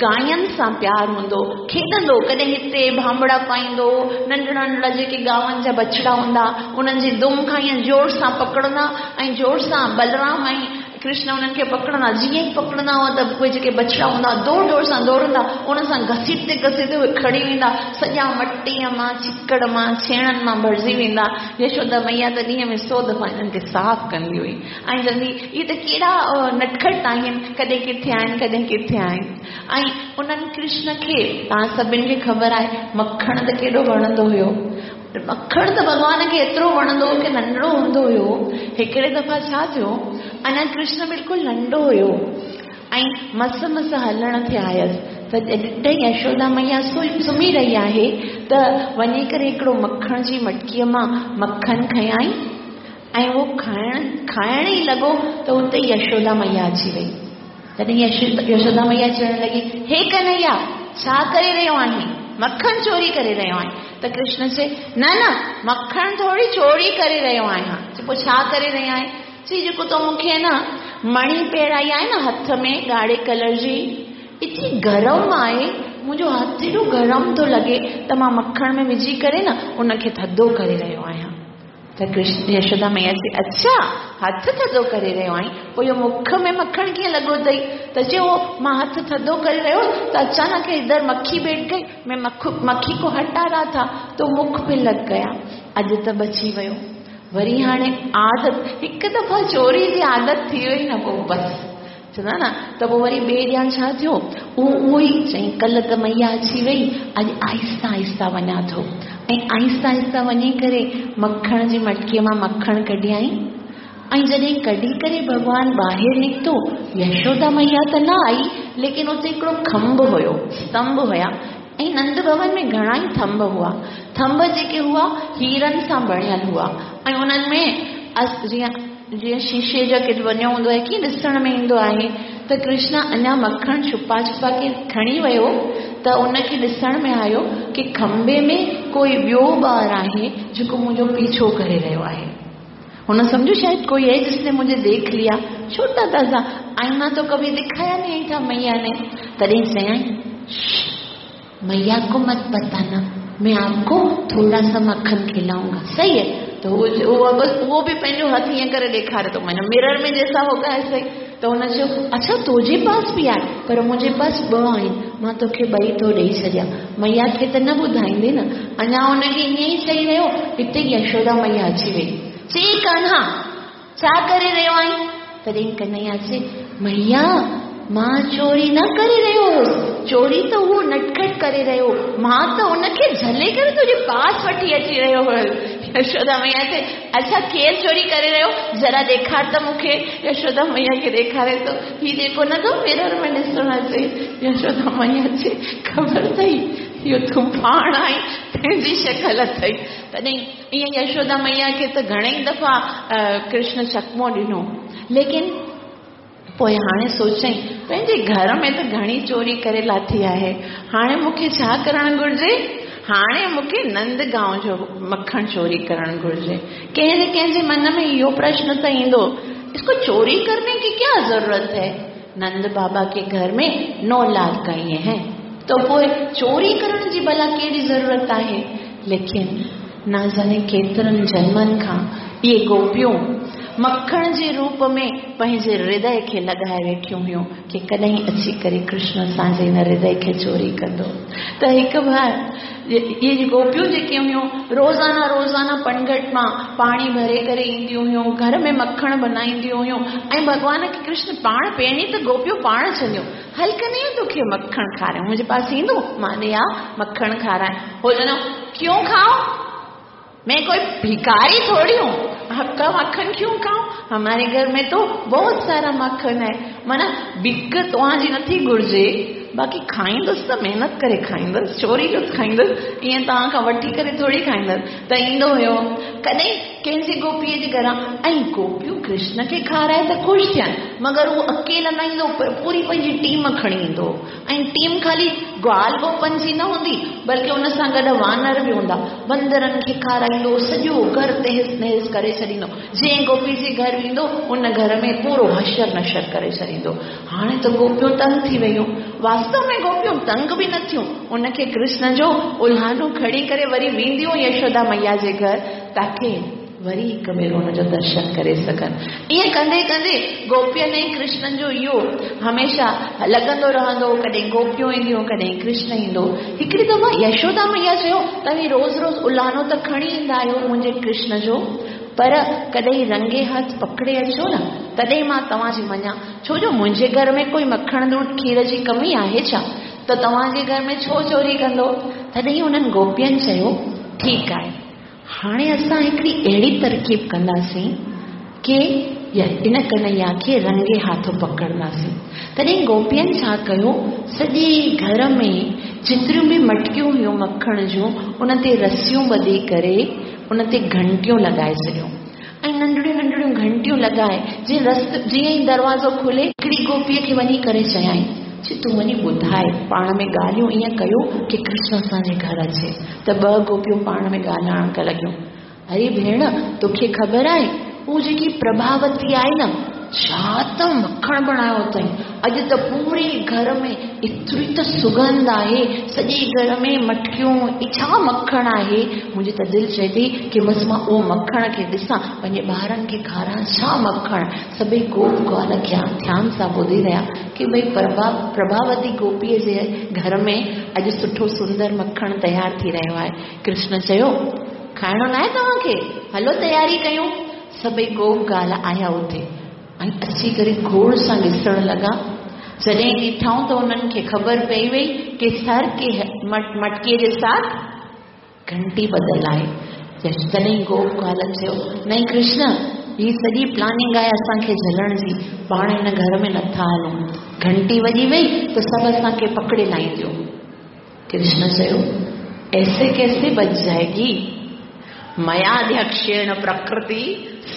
गायनि सां प्यार हूंदो, खेॾंदो, कॾहिं हिते भांबड़ा पाईंदो, नंढड़ा नंढड़ा जेके गांवनि जा बछड़ा हूंदा उन्हनि जी दुम खां ईअं ज़ोर सां पकड़ंदा ऐं ज़ोर सां बलराम ऐं कृष्ण उन्हनि खे पकड़ंदा, जीअं ई पकड़ंदा हुआ त उहे जेके बछड़ा हूंदा दौड़ दौड़ सां दौड़ंदा, उन सां घसीटते घसीटते उहे खणी वेंदा, सॼा मटीअ मां चिकड़ मां छेणनि मां भरिजी वेंदा। यशोदा मैया त ॾींहं में सौ दफ़ा हिननि खे साफ़ कंदी हुई ऐं चवंदी इहे त केॾा नटखट आहिनि, कॾहिं किथे आहिनि कॾहिं किथे आहिनि। ऐं उन्हनि कृष्ण खे तव्हां सभिनी खे ख़बर आहे मखण त केॾो वणंदो हुयो, मखण त भॻवान खे एतिरो वणंदो हो की नंढड़ो हूंदो हुयो। हिकिड़े दफ़ा छा थियो, अञा कृष्ण बिल्कुलु नंढो हुयो ऐं मस मस हलण ते आयसि त जॾहिं यशोदा मैया सुम्ही रही आहे त वञी करे हिकिड़ो मखण जी मटकीअ मां मखन खयाईं ऐं उहो खाइण खाइण ई लॻो त उते यशोदा मैया अची वई। तॾहिं यशोदा मैया चवण लॻी, हे कन्हैया छा करे रहियो आहीं, मखन चोरी करे रहियो आहीं? त कृष्ण चए, न न मखण थोरी चोरी करे रहियो आहियां। पोइ छा करे रहियो आहीं? चई जेको तो मूंखे न मणि पहिराई आहे न हथ में ॻाढ़े कलर जी, एतिरी गरम आहे, मुंहिंजो हथ एॾो गरम थो लॻे त मां मखण में विझी करे न उनखे थधो करे रहियो आहियां। त कृष्ण यशोदा मैया चए, अच्छा हथ थधो करे रहियो आहीं, पोइ इहो मुख में मखण कीअं लॻो अथई? त चयो मां हथ थधो करे रहियो त अचानक इधर मक्खी बैठ गई, मैं मक्खी को हटा रहा था तो मुख पे लग गया, अॼु त बची वियो। वरी हाणे आदत, हिकु दफ़ा चोरी जी आदत थी वई न पोइ बसि चवंदा न। त पोइ वरी ॿिए ॾींहुं छा थियो, उहो उहो ई चई कल्ह त मैया अची वई, अॼु आहिस्ता आहिस्ता वञा थो। ऐं आहिस्ता आहिस्ता वञी करे मखण जी मटकीअ मां मखण कढियाईं ऐं जॾहिं कढी करे भॻवान ॿाहिरि निकितो, यशोदा मैया त न आई, लेकिन उते हिकिड़ो खंभ हुयो, स्तंभ हुया ऐं नंद भवन में घणा ई थंभ हुआ। थंभ जेके हुआ हीरनि सां बणियल हुआ ऐं उन्हनि में जीअं जीअं शीशे जो केॾो वञो हूंदो आहे, कीअं ॾिसण में ईंदो आहे। त कृष्ण अञा मखण छुपा छुपा के खणी वियो त उनखे ॾिसण में आयो कि खंबे में कोई ॿियो ॿार आहे जेको मुंहिंजो पीछो करे रहियो आहे। हुन सम्झो शायद कोई है जिसने मुझे देख लिया। छोटा था सा आईना तो कभी दिखाया नहीं था मैया ने। तॾहिं चयाई, मैया को मत बताना, मैं आपको थोड़ा सा मक्खन खिलाऊंगा। सही है। तो वो वो बस वो बि पंहिंजो हथु ईअं करे ॾेखारे थो, माना मिरर में जैसा होगा ऐसा ही। त हुन चयो, अच्छा तुंहिंजे पास बि आहे, पर मुंहिंजे पास ॿ आहिनि, मां तोखे ॿई थो ॾेई छॾियां। मैया खे त न ॿुधाईंदे न। अञा हुनखे ईअं ई चई रहियो, हिते यशोदा मैया अची वई। चई, कान्हा छा करे रहियो आहीं? तॾहिं कन्हैया चए, मैया मां चोरी न करे रहियो हुउसि, चोरी त उहो नटखट करे रहियो, मां त हुनखे झले करे तुंहिंजे पास वठी अची रहियो हुउसि। यशोदा मैया चए, अच्छा केरु चोरी करे रहियो, ज़रा ॾेखार त मूंखे। यशोदा मैया खे ॾेखारे थो, हीउ जेको नथो मिरर में ॾिसणु अचे। यशोदा मैया चए, ख़बर अथई इहो तूं पाण आहीं, तुंहिंजी शकल अथई। तॾहिं ईअं यशोदा मैया खे त घणेई दफ़ा कृष्ण चकमो ॾिनो, लेकिन पोइ हाणे सोचई, पंहिंजे घर में त घणी चोरी करे लाथी आहे, हाणे मूंखे छा करणु घुरिजे? हाणे मूंखे नंदगांव जो मखण चोरी करणु घुरिजे। कंहिं न कंहिंजे मन में इहो प्रश्न त ईंदो, इसको चोरी करने की क्या जरूरत है? नंद बाबा के घर में नौ लाख गायें हैं, तो पोइ चोरी करण जी भला कहिड़ी ज़रूरत आहे? लेकिन न जाने केतिरनि जन्मनि खां इहे गोपियूं मखण जे रूप में पंहिंजे हृदय खे लॻाए वेठियूं हुयूं कि कॾहिं अची करे कृष्ण असांजे हिन हृदय खे चोरी कंदो। त हिकु बार इहे गोपियूं जेकी हुयूं रोज़ाना रोज़ाना पनघट मां पाणी भरे करे ईंदियूं हुयूं, घर में मखण बनाईंदियूं हुयूं ऐं भॻवान खे कृष्ण पाण पहिरीं त गोपियूं पाण चवंदियूं, हल कन्हैया तोखे मखण खारायूं, मुंहिंजे पास ईंदो मां ॾिया मखण खाराए। हो चवंदो, क्यों खाओ, मैं कोई भिखारी थोड़ी हूँ, आपका मक्खन क्यों खाऊं, हमारे घर में तो बहुत सारा मक्खन है। माना बिक तव्हांजी नथी घुरिजे, बाक़ी खाईंदुसि त महिनत करे खाईंदुसि, चोरी जो खाईंदुसि, ईअं तव्हां खां वठी करे थोरी खाईंदुसि। त ईंदो हुयो कॾहिं कंहिंजे गोपीअ जे घरां, ऐं गोपियूं कृष्ण खे खाराए त ख़ुशि थियनि, मगर उहो अकेला न ईंदो, पूरी पंहिंजी टीम खणी ईंदो। ऐं टीम ख़ाली ग्वाल गोपन जी न हूंदी, बल्कि उन सां गॾु वानर बि हूंदा। बंदरनि खे खाराईंदो, सॼो घर तहस नहस करे छॾींदो। जंहिं गोपी जे घर वेंदो उन घर में पूरो हशर नशर करे छॾींदो। हाणे त गोपियूं तंग थी वयूं। वास्तव में गोपियूं तंग बि न थियूं, उनखे कृष्ण जो उल्हानो खणी करे वरी वेंदियूं यशोदा मैया जे घर, ताकि वरी हिकु भेरो हुनजो दर्शन करे सघनि। ईअं कंदे कंदे गोपियुनि ऐं कृष्ण जो इहो हमेशा लॻंदो रहंदो, कॾहिं गोपियूं ईंदियूं, कॾहिं कृष्ण ईंदो। हिकिड़ी दफ़ा यशोदा मैया चयो, तव्हीं रोज़ रोज़ उल्हानो त खणी ईंदा आहियो मुंहिंजे कृष्ण जो, पर कॾहिं रंगे हथ पकड़े अचो न, तॾहिं मां तव्हांजी मञा। छो जो मुंहिंजे घर में कोई मखण दूध खीर जी कमी आहे छा, त तव्हांजे घर में छो चोरी कंदो? तॾहिं उन्हनि गोपियुनि चयो, ठीकु आहे, हाणे असां हिकिड़ी अहिड़ी तरक़ीब कंदासीं की इन कन्हैया खे रंगे हाथों पकड़ंदासीं। तॾहिं गोपियुनि छा कयो, सॼे घर में जेतिरियूं बि मटकियूं हुयूं मखण जूं, उन ते रसियूं ॿधी करे उन ते घंटियूं लॻाए छॾियूं ऐं नंढड़ियूं नंढड़ियूं घंटियूं लॻाए जीअं रस्त जीअं ई दरवाज़ो खुले, हिकिड़ी गोपीअ खे वञी करे चयाईं, चई तूं वञी ॿुधाए, पाण में ॻाल्हियूं ईअं कयो की कृष्ण असांजे घर अचे। त ॿ गोपियूं पाण में ॻाल्हाइण लॻियूं, अरे भेण तोखे ख़बर आहे उहो जेकी प्रभावती आहे न, छा त मखण बणायो अथई, अॼु त पूरे घर में एतिरी त सुगंध आहे, सॼे घर में मटकियूं, छा मखण आहे। मुंहिंजी त दिलि चए थी की बसि मां उहो मखण खे ॾिसां, पंहिंजे ॿारनि खे खारायां, छा मखण। सभई गोप ग्वाल ध्यान सां ॿुधी रहिया की भई प्रभा प्रभावती गोपीअ जे घर में अॼु सुठो सुंदर मखण तयारु थी रहियो आहे। कृष्ण चयो, खाइणो न आहे तव्हांखे, हलो तयारी कयूं। सभई गोप ग्वाल आया उते ऐं अची करे घोड़ सां ॾिसण लॻा। जॾहिं ॾिठाऊं त उन्हनि खे ख़बर पई वई की सर के मटकीअ जे साथ घंटी ॿधल आहे। तॾहिं गोप ग्वाल चयो, नहीं कृष्ण, हीअ सॼी प्लानिंग आहे असांखे झलण जी, पाण हिन घर में नथा हलूं, घंटी वॼी वई त सभु असांखे पकड़े लाहींदियूं। कृष्ण चयो, ऐसे कैसे बच जाएगी, मयाध्यक्षेण प्रकृति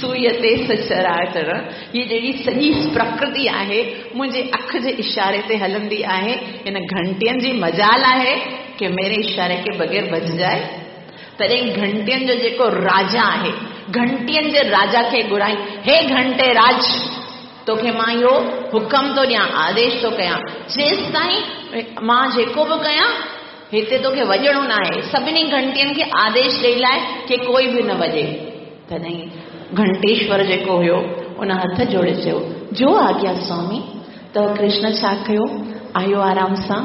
सूयते सचराचर। हीअ जेकी सॼी प्रकृति आहे मुंहिंजे अखि जे इशारे ते हलंदी आहे। हिन घंटियुनि जी मजाल आहे कि मेरे इशारे के बग़ैर बज जाए। तॾहिं घंटियुनि जो जेको राजा आहे, घंटियुनि जे राजा खे घुराई, हे घंटे राज, तोखे मां इहो हुकम थो ॾियां, आदेश थो कयां, जेसि ताईं मां जेको बि कयां हिते तोखे वॼणो न आहे। सभिनी घंटियुनि खे आदेश ॾेई लाइ की कोई बि न वॼे। तॾहिं घंटेश्वर जेको हुयो उन हथ जोड़े चयो, जो आज्ञा स्वामी। त कृष्ण छा कयो, आयो आराम सां,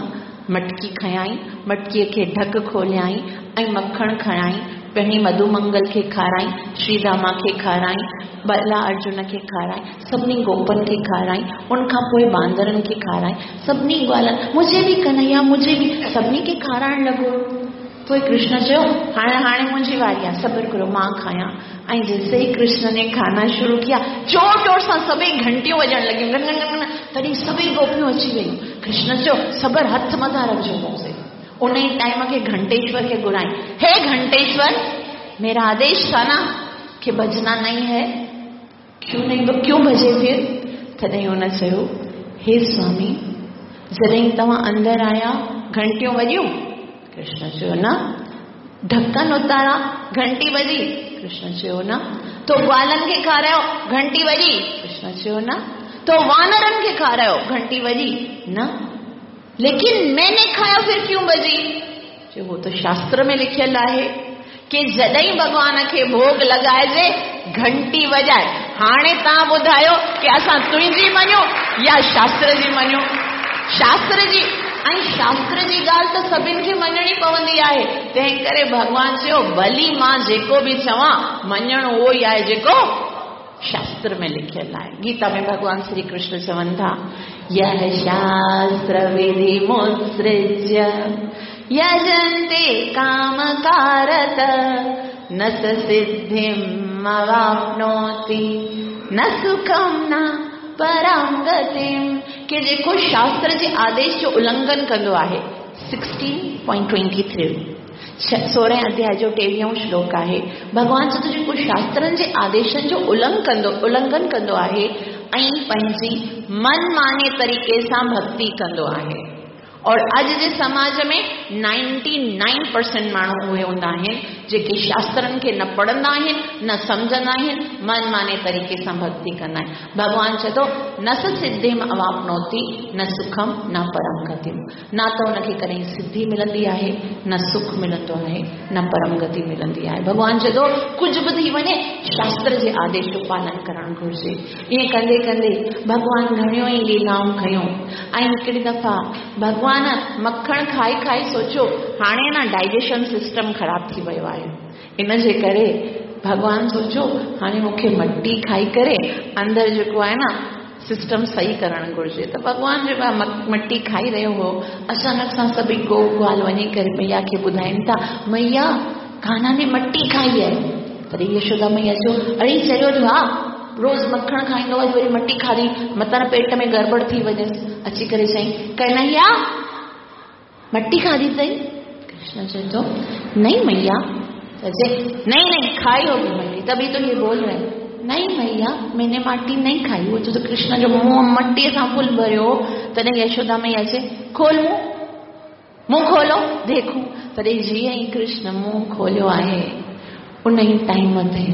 मटकी खयाई, मटकीअ खे ढक खोलियाई ऐं मखण खणाई, पहिरीं मधुमंगल खे खाराई, श्रीदामा खे खाराई, बला अर्जुन खे खाराई, सभिनी गोपन खे खाराई, उन खां पोइ बांदरनि खे खाराई, सभिनी ग्वालनि, मुझे बि कन्हैया मुझे बि, सभिनी खे खाराइण लॻो। पोइ कृष्ण चयो, हाणे हाणे मुंहिंजी वारी आहे, सब्र करो, मां खायां। ऐं जैसे ही कृष्ण ने खाना शुरू किया, जोर जोर सां सभई घंटियूं वॼणु लॻियूं, गन गन गन। तॾहिं सभई गोपियूं अची वयूं। कृष्ण चयो, सब्र हथ मथां रखिजो मूंसे। उन ई टाइम खे घंटेश्वर खे घुराई, हे घंटेश्वर, मेरा आदेश था ना कि बजना नहीं है, क्यों नहीं तो क्यों बजे फिर? तॾहिं हुन चयो, हे स्वामी, जॾहिं तव्हां अंदरि आया घंटियूं वॼियूं? कृष्ण चयो न। ढकन उतारा, घंटी वॼी? कृष्ण चयो न। तो ग्वालनि खे खारायो, घंटी वॼी? कृष्ण चयो न। तो वानरनि खे खारायो, घंटी वॼी? न। लेकिन मैंने खाया फिर क्यों बजी? चयो वो तो शास्त्र में लिखियल आहे कि जॾहिं भॻवान खे भोग लॻाइजे घंटी वॼाए। हाणे तव्हां ॿुधायो कि असां तुंहिंजी मञूं या शास्त्र जी मञूं? शास्त्र जी, ऐं शास्त्र जी ॻाल्हि त सभिनी खे मञणी पवंदी आहे। तंहिं करे भॻवान चयो, भली मां जेको बि चवां, मञणु उहो ई आहे जेको शास्त्र में लिखियल आहे। गीता में भॻवान श्री कृष्ण चवनि था, यह शास्त्र विधि मुत्सृज्य यजन्ते कामकारत न स सिद्धिम् अवाप्नोति न सुखं न परां गतिम्। कि जेको शास्त्र जे आदेश जो उल्लंघन कंदो आहे, सिक्सटीन पॉइंट ट्वेंटी थ्री सोरहं अध्याय जो टेविहों श्लोक आहे। भॻवान चए थो जेको शास्त्रनि जे आदेशनि जो उल्लंघन कंदो उल्लंघन कंदो आहे ऐं पंहिंजी मनमाने तरीक़े सां भक्ति कंदो आहे। और अॼु जे समाज में नाइन्टी नाइन परसेंट माण्हू उहे हूंदा आहिनि जेके शास्त्रनि खे न पढ़ंदा आहिनि, न सम्झंदा आहिनि, मनमाने तरीक़े सां भक्ति कंदा आहिनि। भॻवान चए थो, न स सिद्धिम अवाप्नोति न सुखम न परम गतिम। न त हुनखे कॾहिं सिद्धि मिलंदी आहे, न सुख मिलंदो आहे, न परम गति मिलंदी आहे। भॻवान चए थो, कुझु बि थी वञे शास्त्र जे आदेश जो पालन करणु घुरिजे। ईअं कंदे कंदे भॻवान घणियूं ई लीलाऊं कयूं। ऐं हिकिड़ी दफ़ा भॻवान मखण खाई खाई सोचो, हाणे न डाइजेशन सिस्टम ख़राब थी वियो आहे, इन जे करे भॻवान सोचो हाणे मूंखे मट्टी खाई करे अंदरि जेको आहे न सिस्टम सही करणु घुरिजे। त भॻवान जेको आहे मट्टी खाई रहियो हो, अचानक सां सभई गो ग्वाल वञी करे मैया खे ॿुधाइनि था, मैया कान्हा ने मट्टी खाई आहे। तॾहिं यशोदा मैया चयो, अरे चयो जो हा, रोज़ मखण खाईंदो आहे, वरी मट्टी खाधी, मतां पेट में गड़बड़ थी वञेसि। अची करे चयईं, कन्हैया मट्टी खाधी अथई? कृष्ण चए थो, नहीं मैया। चए, नहीं नहीं खाई होगी मट्टी, तभी तो ये बोल रहे हैं। नहीं मैया मैंने माटी नहीं खाई। उहो चए थो, कृष्ण जो मुंहुं मट्टीअ सां फुल भरियो। तॾहिं यशोदा मैया चए, खोल मुंहुं, मुंहुं खोलो देखूं। तॾहिं जीअं ई कृष्ण मुंहुं खोलियो आहे, उन ई टाइम ते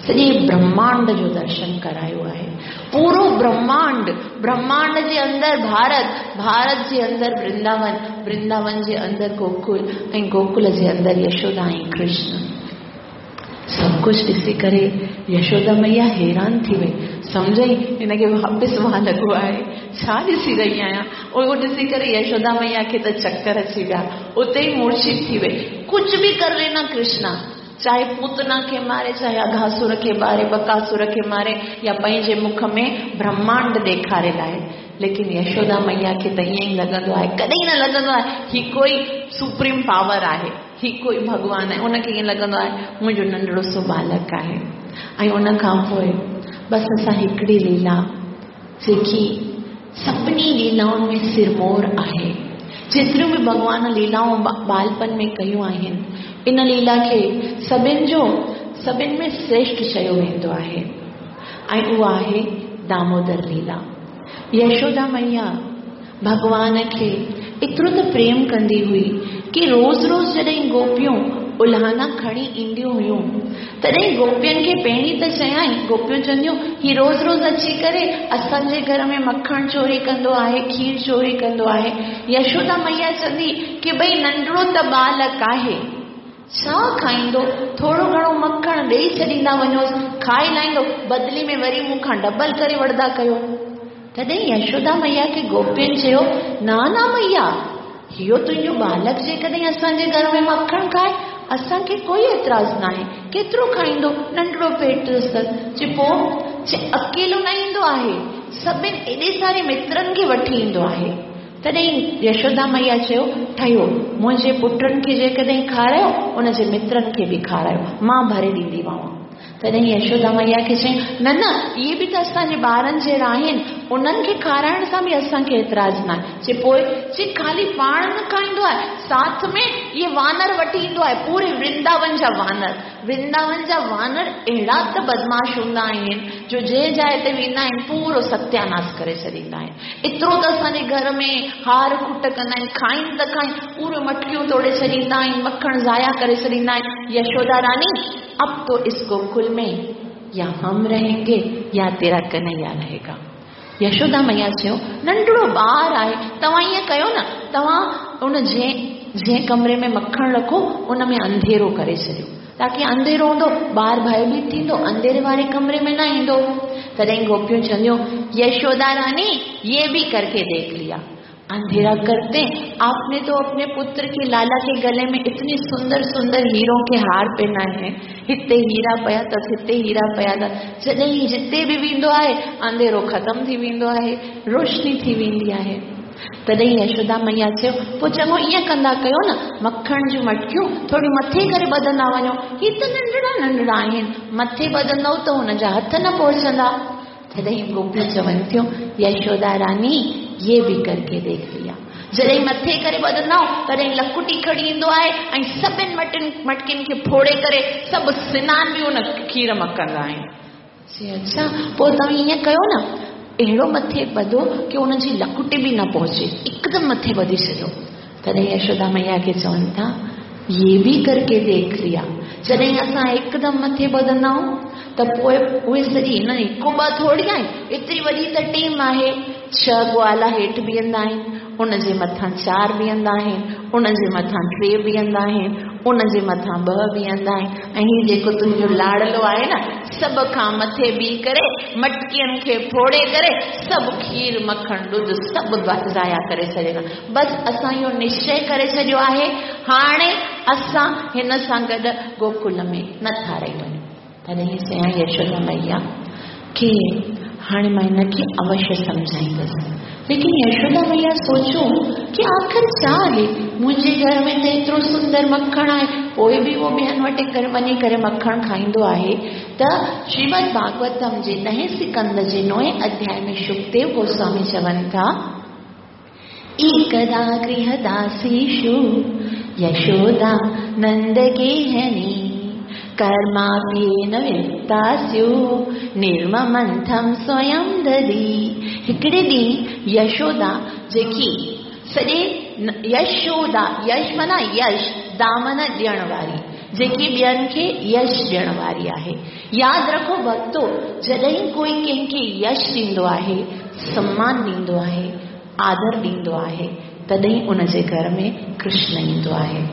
सॼे ब्रह्मांड जो दर्शन करायो आहे। पूरो ब्रह्मांड, ब्रह्मांड जे अंदरि भारत, भारत जे अंदरि वृंदावन, वृंदावन जे अंदरि गोकुल ऐं गोकुल जे अंदरि यशोदा ऐं कृष्ण। सभु कुझु ॾिसी करे यशोदा मैया हैरान थी वई। सम्झई हिनखे वापसि वाह लॻो आहे, छा ॾिसी रही आहियां। उहो ॾिसी करे यशोदा मैया खे त चक्कर अची विया, उते ई मूर्छित थी वई। कुझु बि कर लेना कृष्णा, चाहे पूतना खे मारे, चाहे अघासुर खे मारे, बकासुर खे मारे, या पंहिंजे मुख में ब्रह्मांड ॾेखारे लाइ, लेकिन यशोदा मैया खे त ईअं ई लॻंदो आहे, कॾहिं न लॻंदो आहे ही कोई सुप्रीम पावर आहे, ही कोई भॻवान आहे। उनखे ईअं लॻंदो आहे मुंहिंजो नंढड़ो सो बालक आहे। ऐं उन खां पोइ बसि असां हिकिड़ी लीला जेकी सभिनी लीलाउनि में सिरमोर आहे, जेतिरियूं बि भॻवान लीलाऊं बालपन में कयूं आहिनि, इन लीला खे सभिनि जो सभिनि में श्रेष्ठ चयो वेंदो आहे ऐं उहा आहे दामोदर लीला। यशोदा मैया भॻवान खे एतिरो त प्रेम कंदी हुई कि रोज़ रोज़ जॾहिं गोपियूं उल्हाना खणी ईंदियूं हुयूं तॾहिं गोपियुनि खे पहिरीं त चयाई, गोपियूं चवंदियूं ही रोज़ रोज़ अची करे असांजे घर में मखण चोरी कंदो आहे, खीर चोरी कंदो आहे। यशोदा मैया चवंदी कि भई नंढड़ो त बालक आहे, छा खाईंदो, थोरो घणो मखण ॾेई छॾींदा वञोसि, खाए लाहींदो, बदिली में वरी मूंखां डबल करे वठंदा कयो। तॾहिं यशोदा मैया खे गोपियुनि चयो, न न मैया, इहो तुंहिंजो बालक जेकॾहिं असांजे घर में मखण खाए असांखे कोई एतिराज़ न आहे, केतिरो खाईंदो, नंढड़ो पेट अथसि। चए पोइ चए अकेलो न ईंदो आहे, सभिनि एॾे सारे मित्रनि खे वठी ईंदो आहे। तॾहिं यशोदा मैया चयो, ठहियो, मुंहिंजे पुटनि खे जेकॾहिं खारायो उनजे मित्रनि खे बि खारायो, मां भरे ॾींदीमांव। तॾहिं यशोदा मैया खे चयईं, न न, इहे बि त असांजे ॿारनि जहिड़ा आहिनि, उन्हनि खे खाराइण सां बि असांखे एतिराज़ न आहे। चए पोइ चए ख़ाली पाण न खाईंदो आहे, साथ में इहे वानर वठी ईंदो आहे, पूरे वृंदावन जा वानर। वृंदावन जा वानर अहिड़ा त बदमाश हूंदा आहिनि जो जंहिं जाइ ते वेंदा आहिनि पूरो सत्यानाश करे छॾींदा आहिनि। एतिरो त असांजे घर में हार खुट कंदा आहिनि, खाइनि त खाइनि, पूरो मटकियूं तोड़े छॾींदा आहिनि, मखण ज़ाया करे छॾींदा आहिनि। यशोदा रानी, अब तो इस गोकुल में या हम रहेंगे या तेरा कन्हैया रहेगा। यशोदा मैया चयो, नंढड़ो ॿार आहे, तव्हां ईअं कयो न, तव्हां उन जंहिं जंहिं कमरे में मखण रखो उन में अंधेरो करे छॾियो, ताकि अंधेरो हूंदो ॿार भयभीत थींदो, अंधेरे वारे कमरे में न ईंदो। तॾहिं गोपियूं चवंदियूं, यशोदा रानी ये भी करके देख लिया, अंधेरा करते आपने तो अपने पुत्र के लाला के गले में इतनी सुंदर सुंदर हीरों के हार पहनाए हैं, हिते हीरा पया अथसि, हिते हीरा पया अथसि। जॾहिं जिते बि वेंदो आहे अंधेरो ख़तमु थी वेंदो आहे, रोशनी थी वेंदी आहे। तॾहिं यशोदा मैया चयो, पोइ चङो ईअं कंदा कयो न, मखण जूं मटकियूं थोरी मथे करे ॿधंदा वञो, ही त नंढड़ा नंढड़ा आहिनि, मथे ॿधंदव त हुनजा हथ न पहुचंदा। तॾहिं गोपियूं चवनि थियूं, यशोदा रानी ये भी करके देख लिया। जॾहिं मथे करे ॿधंदा तॾहिं लकुटी खणी ईंदो आहे ऐं सभिनि मटन मटकियुनि खे फोड़े करे सभु सिनान बि उन खीर मां कंदा आहिनि। चए अच्छा, पोइ तव्हां ईअं कयो न, अहिड़ो मथे ॿधो की उनजी लकुटी बि न पहुचे, एकदमि मथे ॿधी छॾियो। तॾहिं यशोदा मैया खे चवनि था, ये भी करके देख लिया। जॾहिं असां एकदमि मथे ॿधंदा आहियूं त पोइ उहे सॼी न हिकु ॿ थोरी आहिनि, एतिरी वॾी त टीम आहे, छह ग्वाला हेठि बीहंदा आहिनि, उनजे मथां चारि बीहंदा आहिनि, उनजे मथां टे बीहंदा आहिनि, उनजे मथां ॿ बीहंदा आहिनि, ऐं हीउ जेको तुंहिंजो लाड़लो आहे न, सभ खां मथे बीह करे मटकियुनि खे फोड़े करे सभु खीर मखण ॾुध सभु ज़ाया करे छॾींदा। बसि असां इहो निश्चय करे छॾियो आहे, हाणे असां हिन सां गॾु गोकुल में नथा रही वञूं। तॾहिं चयां यशोदा मैया की हाणे मां हिनखे अवश्य सम्झाईंदुसि। लेकिन यशोदा मैया सोचो कि आख़िर छा आहे, मुंहिंजे घर में त एतिरो सुंदर मखण आहे, पोइ बि उहो ॿियनि वटि करे वञी करे मखण खाईंदो आहे। त श्रीमद् भागवतम जे ॾहें स्कंद जे नौएं अध्याय में शुकदेव गोस्वामी चवनि था, एकदा गृहदासीषु यशोदा नंदगेहनी कर्माप्येन वित्तास्यु निर्ममंथम स्वयं दधी। हिकिड़े ॾींहुं यशोदा जेकी सॼे यशोदा, यश माना यश, दामन ॾियण वारी, जेकी ॿियनि खे यश ॾियण वारी आहे। यादि रखो भक्तो, जॾहिं कोई कंहिंखे यश ॾींदो आहे, सम्मान ॾींदो आहे, आदर ॾींदो आहे, तॾहिं उनजे घर में कृष्ण ईंदो आहे।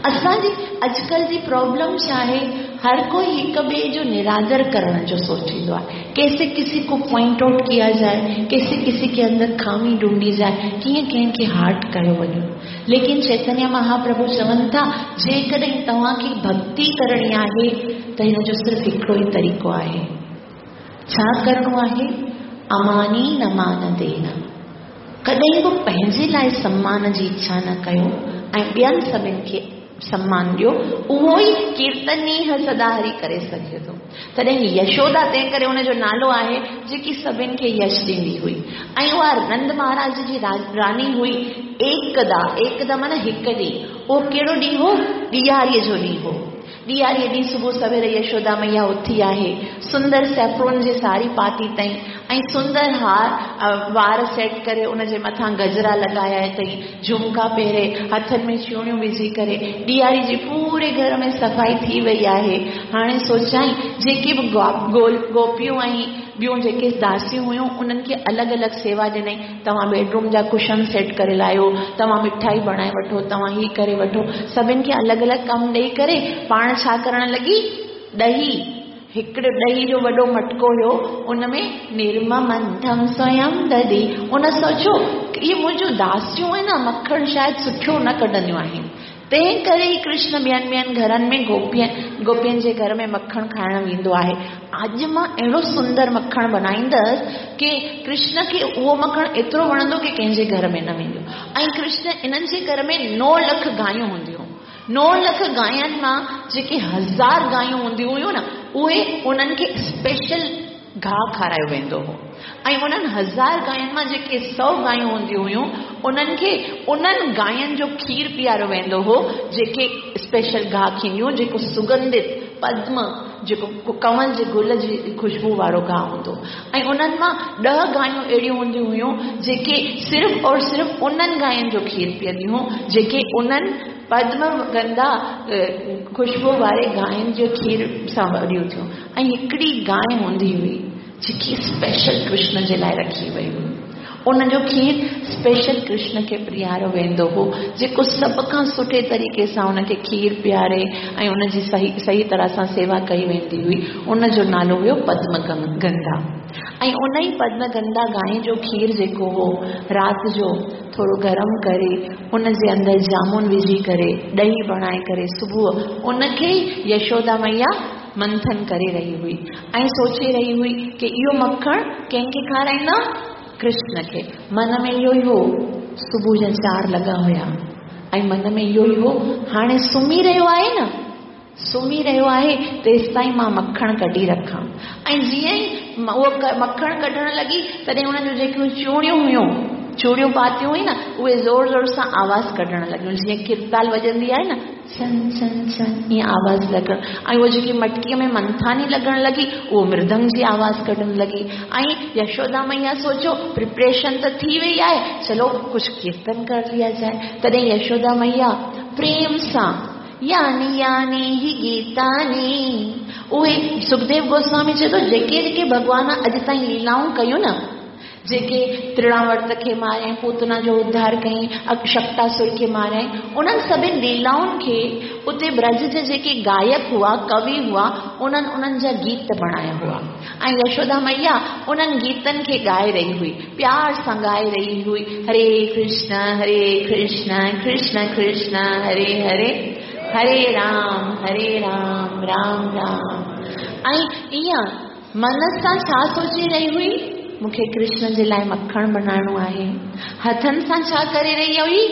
असांजी अॼुकल्ह जी प्रॉब्लम छा आहे, हर कोई हिक ॿिए जो निरादर करण जो सोचींदो आहे, कैसे किसी को पॉइंट आउट किया जाए, कैसे किसी के अंदर खामी ढूंढी जाए, कीअं कंहिंखे हार्ट कयो वञे। लेकिन चैतन्य महाप्रभु चवनि था, जेकॾहिं तव्हांखे भक्ति करणी आहे त हिन जो सिर्फ़ु हिकिड़ो ई तरीक़ो आहे। छा करिणो आहे? अमानी न मान देना। कॾहिं बि पंहिंजे लाइ सम्मान जी इच्छा न कयो ऐं ॿियनि सभिनि खे सम्मान ॾियो, उहो ई कीर्तनीय सदा हरि करे सघे थो। तॾहिं यशोदा तंहिं करे हुनजो नालो आहे, जेकी सभिनि खे यश ॾींदी हुई। ऐं उहा नंद महाराज जी रानी हुई। एकदा, एकदा माना हिकु ॾींहुं, उहो कहिड़ो ॾींहुं हो? ॾियारीअ जो ॾींहुं हो। ॾियारीअ ॾींहुं सुबुह सवेर यशोदा मैया उथी आहे, सुंदर सेफ्रोन जी साड़ी पाती अथई ऐं सुंदर हार वार सेट करे उन जे मथां गजरा लॻाया अथई, झुमका पहिरे, हथनि में चूड़ियूं विझी करे ॾियारी जी पूरे घर में सफ़ाई थी वई आहे। हाणे सोचाई जेके बि गोपियूं ऐं ॿियूं जेके दासियूं हुयूं उन्हनि खे अलॻि अलॻि सेवा ॾिनई। तव्हां बेडरूम जा कुशन सेट करे लायो, तव्हां मिठाई बणाए वठो, तव्हां हीअ करे वठो, सभिनि खे अलॻि अलॻि कमु ॾेई करे पाण छा करण लॻी, ॾही, हिकिड़ो ॾही जो वॾो मटको हुयो उन में निर्ममंथम स्वयं दधी। उन सोचियो इहे मुंहिंजूं दासियूं आहिनि न, मखणु शायदि सुठो न कढंदियूं आहिनि, तंहिं करे ई कृष्ण ॿियनि ॿियनि घरनि में गोपियनि गोपियनि जे घर में मखणु खाइण वेंदो आहे। अॼु मां अहिड़ो सुंदर मखणु बणाईंदसि की कृष्ण खे उहो मखणु एतिरो वणंदो की कंहिंजे घर में न वेंदो। ऐं कृष्ण इन्हनि जे घर में नौ लख गायूं हूंदियूं, नौ लख गायुनि मां जेके हज़ार गायूं हूंदियूं हुयूं न, उहे उन्हनि खे स्पेशल घाह खारायो वेंदो हो। ऐं उन्हनि हज़ार गायुनि मां जेके सौ गायूं हूंदियूं हुयूं उन्हनि खे उन्हनि गायुनि जो खीर पीआरियो वेंदो हो जेके स्पेशल घाह खींदियूं, जेको सुगंधित पद्म जेको कंवल जे गुल जी ख़ुशबू वारो घाह हूंदो। ऐं उन्हनि मां ॾह गायूं अहिड़ियूं हूंदियूं हुयूं जेके सिर्फ़ और सिर्फ़ उन्हनि गायुनि जो खीर पीअंदियूं हुयूं जेके उन्हनि पद्म गंधा ख़ुशबू वारे गायुनि जो खीर सां वॾियूं थियूं। ऐं हिकिड़ी गाय हूंदी हुई जेकी स्पेशल कृष्ण जे लाइ रखी वई हुई, उनजो खीर स्पेशल कृष्ण खे पीआरियो वेंदो हो, जेको सभ खां सुठे तरीक़े सां उनखे खीर पीआरे ऐं उनजी सही सही तरह सां सेवा कई वेंदी हुई। उनजो नालो हुयो पद्मगंधा। ऐं उन ई पद्मगंधा गाय जो खीर जेको हो राति जो थोरो गरम करे उन जे अंदरि जामुन विझी करे ॾही बणाए करे सुबुह उनखे यशोदा मैया मंथन करे रही हुई ऐं सोचे रही हुई कि इहो मखणु कंहिंखे खाराईंदा, कृष्ण खे। मन में इहो ई हो, सुबुह जा चारि लॻा हुया ऐं मन में इहो ई हो हाणे सुम्ही रहियो आहे न, सुम्ही रहियो आहे तेसि ताईं मां मखणु कढी रखां। ऐं जीअं ई उहो मखणु कढण लॻी तॾहिं हुननि जूं जेकियूं चूड़ियूं हुयूं, चूड़ियूं पातियूं हुई न, उहे ज़ोर ज़ोर सां आवाज़ कढण लॻियूं, जीअं किरताल वॼंदी आहे न, छन छन छन ईअं आवाज़ लॻण। ऐं उहा जेकी मटकीअ में मंथानी लॻण लॻी उहो मृदंग जी आवाज़ कढण लॻी। ऐं यशोदा मैया सोचियो प्रिपरेशन त थी वई आहे, चलो कुझु कीर्तन कर लिया जाए। तॾहिं यशोदा मैया प्रेम सां यानी यानी ही गीतानी, उहे सुखदेव गोस्वामी चए थो जेके जेके भॻवान अॼु ताईं लीलाऊं कयूं न, जेके त्रिणावर्त खे मारियईं, पूतना जो उद्धार कयईं, शक्टासुर खे मारियईं, उन्हनि सभिनी लीलाउनि खे उते ब्रज जे जेके गायक हुआ, कवि हुआ, उन्हनि उन्हनि जा गीत बणाया हुआ। ऐं यशोदा मैया उन्हनि गीतनि खे ॻाए रही हुई, प्यार सां ॻाए रही हुई, हरे कृष्ण हरे कृष्ण कृष्ण कृष्ण हरे हरे, हरे राम हरे राम राम राम। ऐं ईअं मन सां छा सोचे रही हुई, मूंखे कृष्ण जे लाइ मखणु बणाइणो आहे। हथनि सां छा करे रही हुई,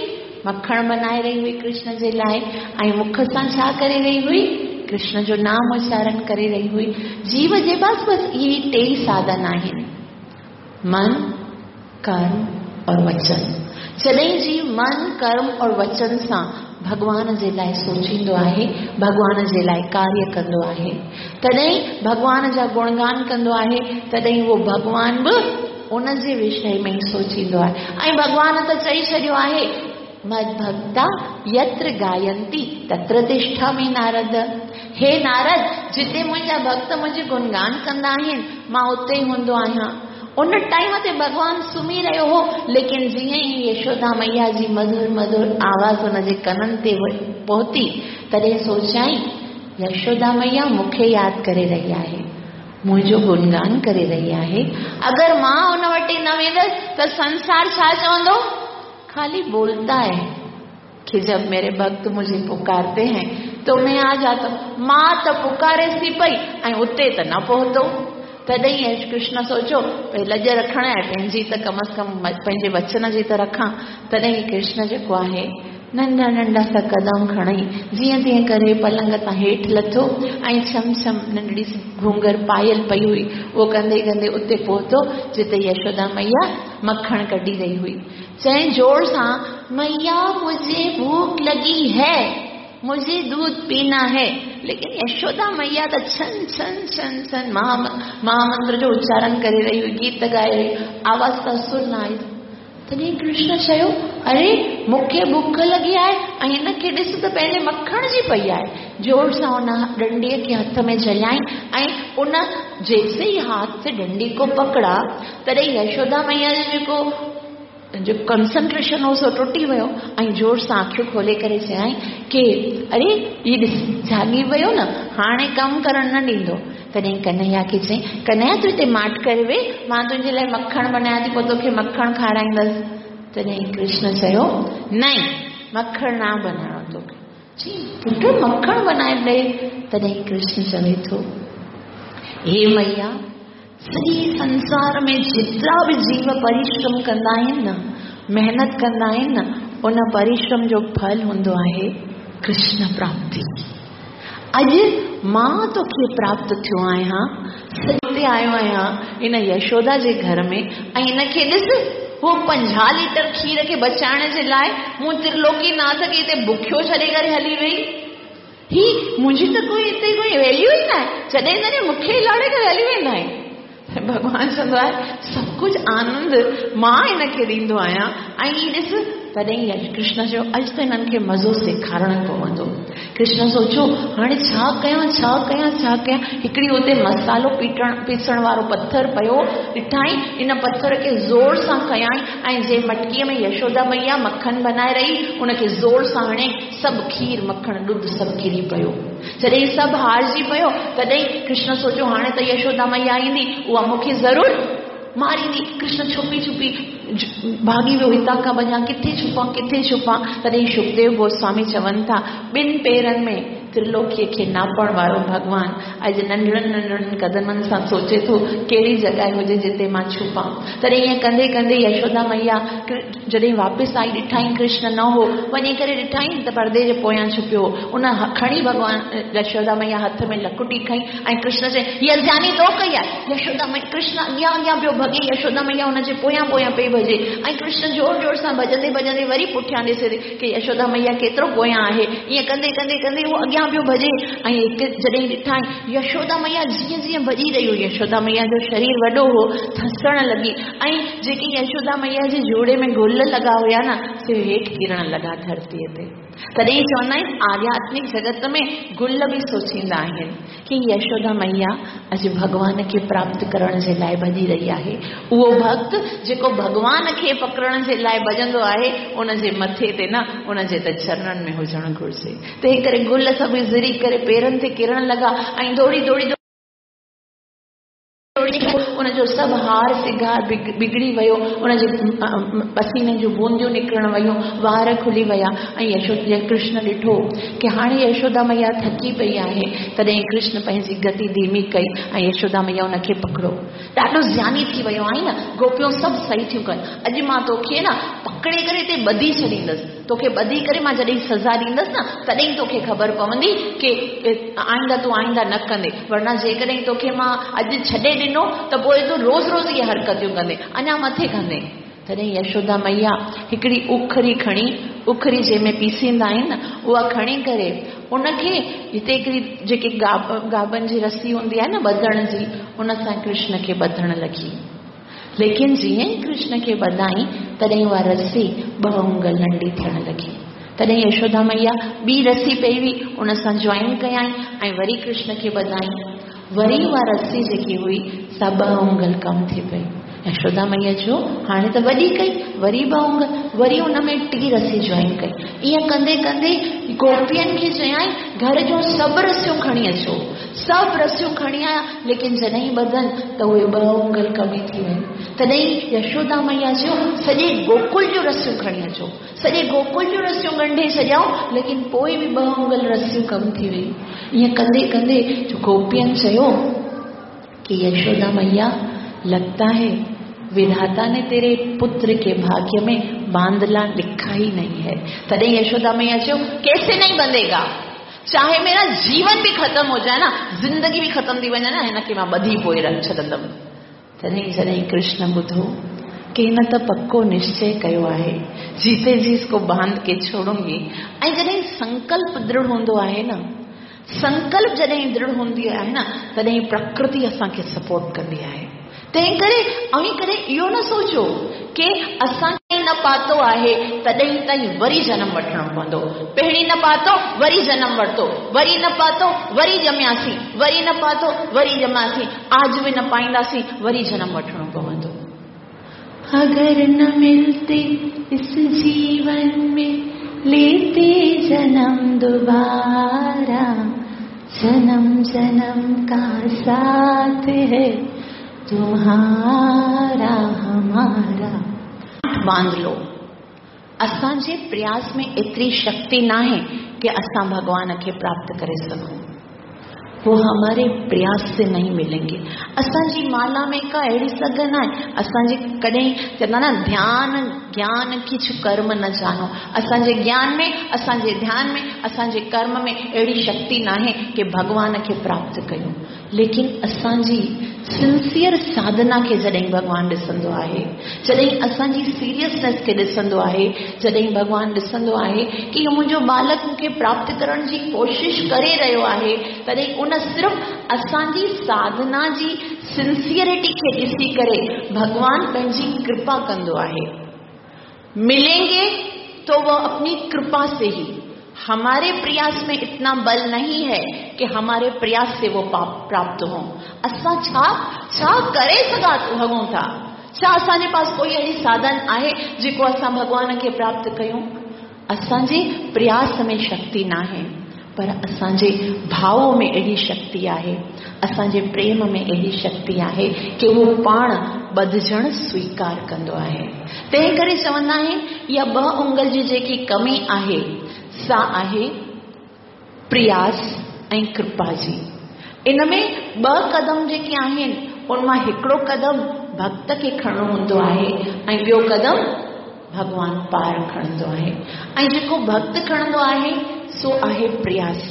मखणु बनाए रही हुई कृष्ण जे लाइ। ऐं मुख सां छा करे रही हुई, कृष्ण जो नाम उच्चारण करे रही हुई। जीव जे पास बसि इहे टे ई साधन आहिनि, मन, कर्म और वचन। जॾहिं जीव मन, कर्म और वचन सां भॻवान जे लाइ सोचींदो आहे, भॻवान जे लाइ कार्य कंदो आहे, तॾहिं भॻवान जा गुणगान कंदो आहे, तॾहिं उहो भॻवान बि उन जे विषय में ई सोचींदो आहे। ऐं भॻवान त चई छॾियो आहे, मद्भक्ता यत्र गायन्ति तत्र तिष्ठामि नारद। हे नारद, जिते मुंहिंजा भक्त मुंहिंजो गुणगान कंदा आहिनि मां उते ई हूंदो आहियां। उन टाइम ते भॻवान सुम्ही रहियो हो, लेकिन जीअं ई यशोदा मैया जी मधुर मधुर आवाज़ हुनजे कननि ते पहुती, तॾहिं सोचाई यशोदा मैया मूंखे यादि करे रही आहे, मुंहिंजो गुणगान करे रही आहे। अगरि मां उन वटि न वेंदसि त संसार छा चवंदो, खाली बोलता है कि जब मेरे भक्त मुझे पुकारते हैं तो मैं आ जाता हूं। मां त पुकारे सी पई ऐं उते त न पहुतो। तॾहिं कृष्ण सोचियो भई लॼ रखण आहे पंहिंजी त कम अज़ कम पंहिंजे वचन जी त रखां। तॾहिं कृष्ण जेको आहे नंढा नंढा सा कदम खणी जीअं तीअं करे पलंग तां हेठि लथो ऐं छम छम नंढड़ी सी घूंघर पायल पई हुई, उहो कंदे कंदे उते पहुतो जिते यशोदा मैया मखण कढी रही हुई। चई ज़ोर सां, मैया मुझे भूख लगी है। मुझे दूध पीना है। लेकिन यशोदा मैया त छन छन छन छन महा महामंत्र जो उच्चारण करे रही हुई, गीत ॻाए रही, आवाज़ त सुर न आई। तॾहिं कृष्ण चयो, अरे मूंखे भुख लॻी आहे ऐं हिनखे ॾिस त पंहिंजे मखण जी पई आहे। ज़ोर सां उन डंडीअ खे हथ में झलियाई ऐं उन जैसे ही हाथ से डंडी को पकड़ा, तॾहिं यशोदा मैया जो जेको जो कंसंट्रेशन हो सो टुटी वियो ऐं ज़ोर सां अखियूं खोले करे चयाईं की अरे हीउ ॾिस जाॻी वियो न, हाणे कमु करणु न ॾींदो। तॾहिं कन्हैया खे चयईं, कन्हैया तूं हिते माठ करे वेह, मां तुंहिंजे लाइ मखणु बनायां थी, पोइ तोखे मखणु खाराईंदसि। तॾहिं कृष्ण चयो, नहीं, मखणु न बनाइणो तोखे। चई, पुट मखणु बनाए ॾे। तॾहिं कृष्ण चवे थो, हे मैया, सॼे संसार में जेतिरा बि जीव परिश्रम कंदा आहिनि न, महिनत कंदा आहिनि न, उन परिश्रम जो फल हूंदो आहे कृष्ण प्राप्ति। अॼु मां तोखे प्राप्त थियो आहियां, सॼे आयो आहियां इन यशोदा जे घर में ऐं हिनखे ॾिस, हू पंजाह लीटर खीर खे बचाइण जे लाइ मूं त्रिलोकीनाथ खे हिते बुखियो छॾे करे हली वई। ही मुंहिंजी त कोई हिते कोई वैल्यू ई न आहे, जॾहिं तॾहिं मूंखे लाड़े करे हली वेंदा आहिनि। भॻवान चवंदो आहे, सभु कुझु आनंद मां हिनखे ॾींदो आहियां ऐं हीअ ॾिस। तॾहिं कृष्ण चयो, अॼु त हिननि खे मज़ो सेखारणो पवंदो। कृष्ण सोचियो, हाणे छा कयां छा कयां छा कयां। हिकिड़ी हुते मसालो पीटण पीसण वारो पथर पियो ॾिठाई, इन पथर खे ज़ोर सां खयाई ऐं जंहिं मटकीअ में यशोदा मैया मखन बनाए रही उनखे ज़ोर सां हणे सभु खीर मखण ॾुध सभु किरी पियो। जॾहिं सभु हारजी पियो तॾहिं कृष्ण सोचियो, हाणे त यशोदा मैया ईंदी, उहा मूंखे ज़रूरु मारींदी। कृष्ण छुपी छुपी भाॻी वियो, हितां खां वञा, किथे छुपां किथे छुपां। तॾहिं सुखदेव गोस्वामी चवनि था, ॿिनि पेरनि में त्रिलोकीअ खे नापण वारो भॻवान अॼु नंढड़नि नंढड़नि कदमनि सां सोचे थो कहिड़ी जॻह हुजे जिते मां छुपां। तॾहिं ईअं कंदे कंदे यशोदा मैया जॾहिं वापसि आई, ॾिठाई कृष्ण न हो, वञी करे ॾिठाई त परदे जे पोयां छुपियो। उन खणी भॻवान यशोदा मैया हथ में लकुटी खई ऐं कृष्ण चए, हीअ ज़्यानी तो कई आहे। यशोदा मैया कृष्ण अॻियां अॻियां पियो भॻे, यशोदा मैया हुनजे पोयां पोयां पई भॼे ऐं कृष्ण ज़ोर ज़ोर सां भॼंदे भॼंदे वरी पुठियां ॾिसे की यशोदा मैया केतिरो पोयां आहे। ईअं कंदे कंदे कंदे उहो अॻियां पियो भॼे ऐं हिकु जॾहिं ॾिठाई यशोदा मैया जीअं जीअं भॼी रही हुई, यशोदा मैया जो शरीर वॾो हो, थसण लॻी ऐं जेके यशोदा मैया जे जोड़े में गुल लॻा हुया न, से हेठि किरण लॻा धरतीअ ते। तॾहिं चवंदा आहिनि आध्यात्मिक जगत में गुल बि सोचींदा आहिनि की यशोदा मैया अॼु भॻवान खे प्राप्त करण जे लाइ भॼी रही आहे। उहो भक्त जेको भॻवान खे पकड़ण जे लाइ भॼंदो आहे, उनजे मथे ते न, उनजे त चरणनि में हुजणु घुरिजे। तंहिं करे गुल सभु ज़िरी करे पेरनि ते किरण लॻा ऐं दौड़ी दौड़ी उनजो सभु हार सिंगार बिगड़ी वियो, उनजे पसीने जूं बूंदियूं निकिरण वयूं, वार खुली विया ऐं यशोदा कृष्ण ॾिठो की हाणे यशोदा मैया थकी पई आहे। तॾहिं कृष्ण पंहिंजी गति धीमी कई ऐं यशोदा मैया उनखे पकड़ो। ॾाढो ज़्यानी थी वियो आहे न, गोपियूं सभु सही थियूं कनि, अॼु मां तोखे न पकड़े करे हिते ॿधी छॾींदसि, तोखे ॿधी करे मां जॾहिं सज़ा ॾींदसि न तॾहिं तोखे ख़बर पवंदी की आइंदा तूं आइंदा न कंदे, वरना जेकॾहिं तोखे मां अॼु छॾे ॾिनो त पोइ तूं रोज़ रोज़ इहे हरकतियूं कंदे, अञा मथे कंदे। तॾहिं यशोदा मैया हिकिड़ी उखरी खणी, उखरी जंहिंमें पीसींदा आहिनि न, उहा खणी करे उनखे हिते हिकिड़ी जेके गाबनि जी रसी हूंदी आहे न ॿधण जी, उन सां कृष्ण खे ॿधण लॻी। लेकिन जीअं ई कृष्ण खे ॿधाई तॾहिं उहा रसी ॿ आङुर नंढी थियण लॻी। तॾहिं यशोदा मैया ॿी रसी पई हुई, उन सां जॉइन कयाई ऐं वरी कृष्ण खे ॿधाई। वरी उहा रसी जेकी हुई सा ॿ आङुर कमु थी पई। यशोदा मैया चयो, हाणे त वॾी कई, वरी ॿ आङुर, वरी उन में टी रसी जॉइन कई। ईअं कंदे कंदे गोपियनि खे चयाई, घर जूं सभु रसियूं खणी अचो। सभु रसियूं खणी आया, लेकिन जॾहिं ॿधनि त उहे ॿ आङुर कमी थी वयूं। तॾहिं यशोदा मैया चयो, सॼे गोकुल जूं रसियूं खणी अचो। सॼे गोकुल जूं रसियूं ॻंढे छॾियऊं, लेकिन पोइ बि ॿ आङुर रसियूं कमु थी वयूं। ईअं कंदे कंदे गोपियनि चयो कि यशोदा मैया, लगता है विधाता ने तेरे पुत्र के भाग्य में बांधला लिखा ही नहीं है। तॾहिं यशोदा मैया चयो, कैसे नहीं बंधेगा, चाहे मेरा जीवन भी खत्म हो जाए ना, जिंदगी भी खत्म थी वञे न, हिनखे मां ॿधी पोइ छॾंदमि। तॾहिं जॾहिं कृष्ण ॿुधो की हिन त पको निश्चय कयो आहे, जीते जी इसको बांध के छोड़ूंगी। ऐं जॾहिं संकल्प दृढ़ हूंदो आहे न, संकल्प जॾहिं दृढ़ हूंदी आहे न, तॾहिं प्रकृति असांखे सपोर्ट कंदी आहे। तंहिं करे अव्हीं कॾहिं इहो न सोचो की असांखे न पातो आहे तॾहिं ताईं वरी जनम वठिणो पवंदो। पहिरीं न पातो वरी जनम वरितो, वरी न पातो वरी ॼमियासीं, वरी न पातो वरी ॼमियासीं, आज बि न पाईंदासीं वरी जनम वठिणो पवंदो। अगर न मिलते इस जीवन में लेते जन्म दोबारा, जन्म जन्म का साथ है तुम्हारा हमारा। बांध लो, असांजे प्रयास में एतिरी शक्ति नाहे कि असां भॻवान खे प्राप्त करे सघूं। वो हमारे प्रयास से नहीं मिलेंगे। असांजी माला में का अहिड़ी सघ न आहे। असांजे कॾहिं चवंदा न ध्यान ज्ञान किछु कर्म न जानो। असांजे ज्ञान में, असांजे ध्यान में, असांजे कर्म में अहिड़ी शक्ति नाहे कि भॻवान खे प्राप्त कयूं। लेकिन असांजी सिंसियर साधना खे जॾहिं भॻवान ॾिसंदो आहे, जॾहिं असांजी सीरियसनेस खे ॾिसंदो आहे, जॾहिं भॻवान ॾिसंदो आहे की इहो मुंहिंजो बालक मूंखे प्राप्त करण जी कोशिश करे रहियो आहे, तॾहिं उन सिर्फ़ असांजी साधना जी सिंसियरिटी खे ॾिसी करे भॻवान पंहिंजी कृपा कंदो आहे। मिलेंगे तो वह अपनी कृपा से ही। हमारे प्रयास में इतना बल नहीं है कि हमारे प्रयास से वो प्राप्त हो। असां छा छा करे सघा सघूं था? छा असांजे पास कोई अहिड़ी साधन आहे जेको असां भॻवान खे प्राप्त कयूं? असांजे प्रयास में शक्ति नाहे, पर असांजे भाव में अहिड़ी शक्ति आहे, असांजे प्रेम में अहिड़ी शक्ति आहे कि उहो पाण ॿधजण स्वीकार कंदो आहे। तंहिं करे चवंदा आहिनि इहा ॿ उंगल जी जेकी कमी आहे सा आहे प्रयास ऐं कृपा जी। इन में ॿ कदम जेके आहिनि उन मां हिकिड़ो कदम भक्त खे खणणो हूंदो आहे ऐं ॿियो कदम भॻवान पाण खणंदो आहे। ऐं जेको भक्त खणंदो आहे सो आहे प्रयास।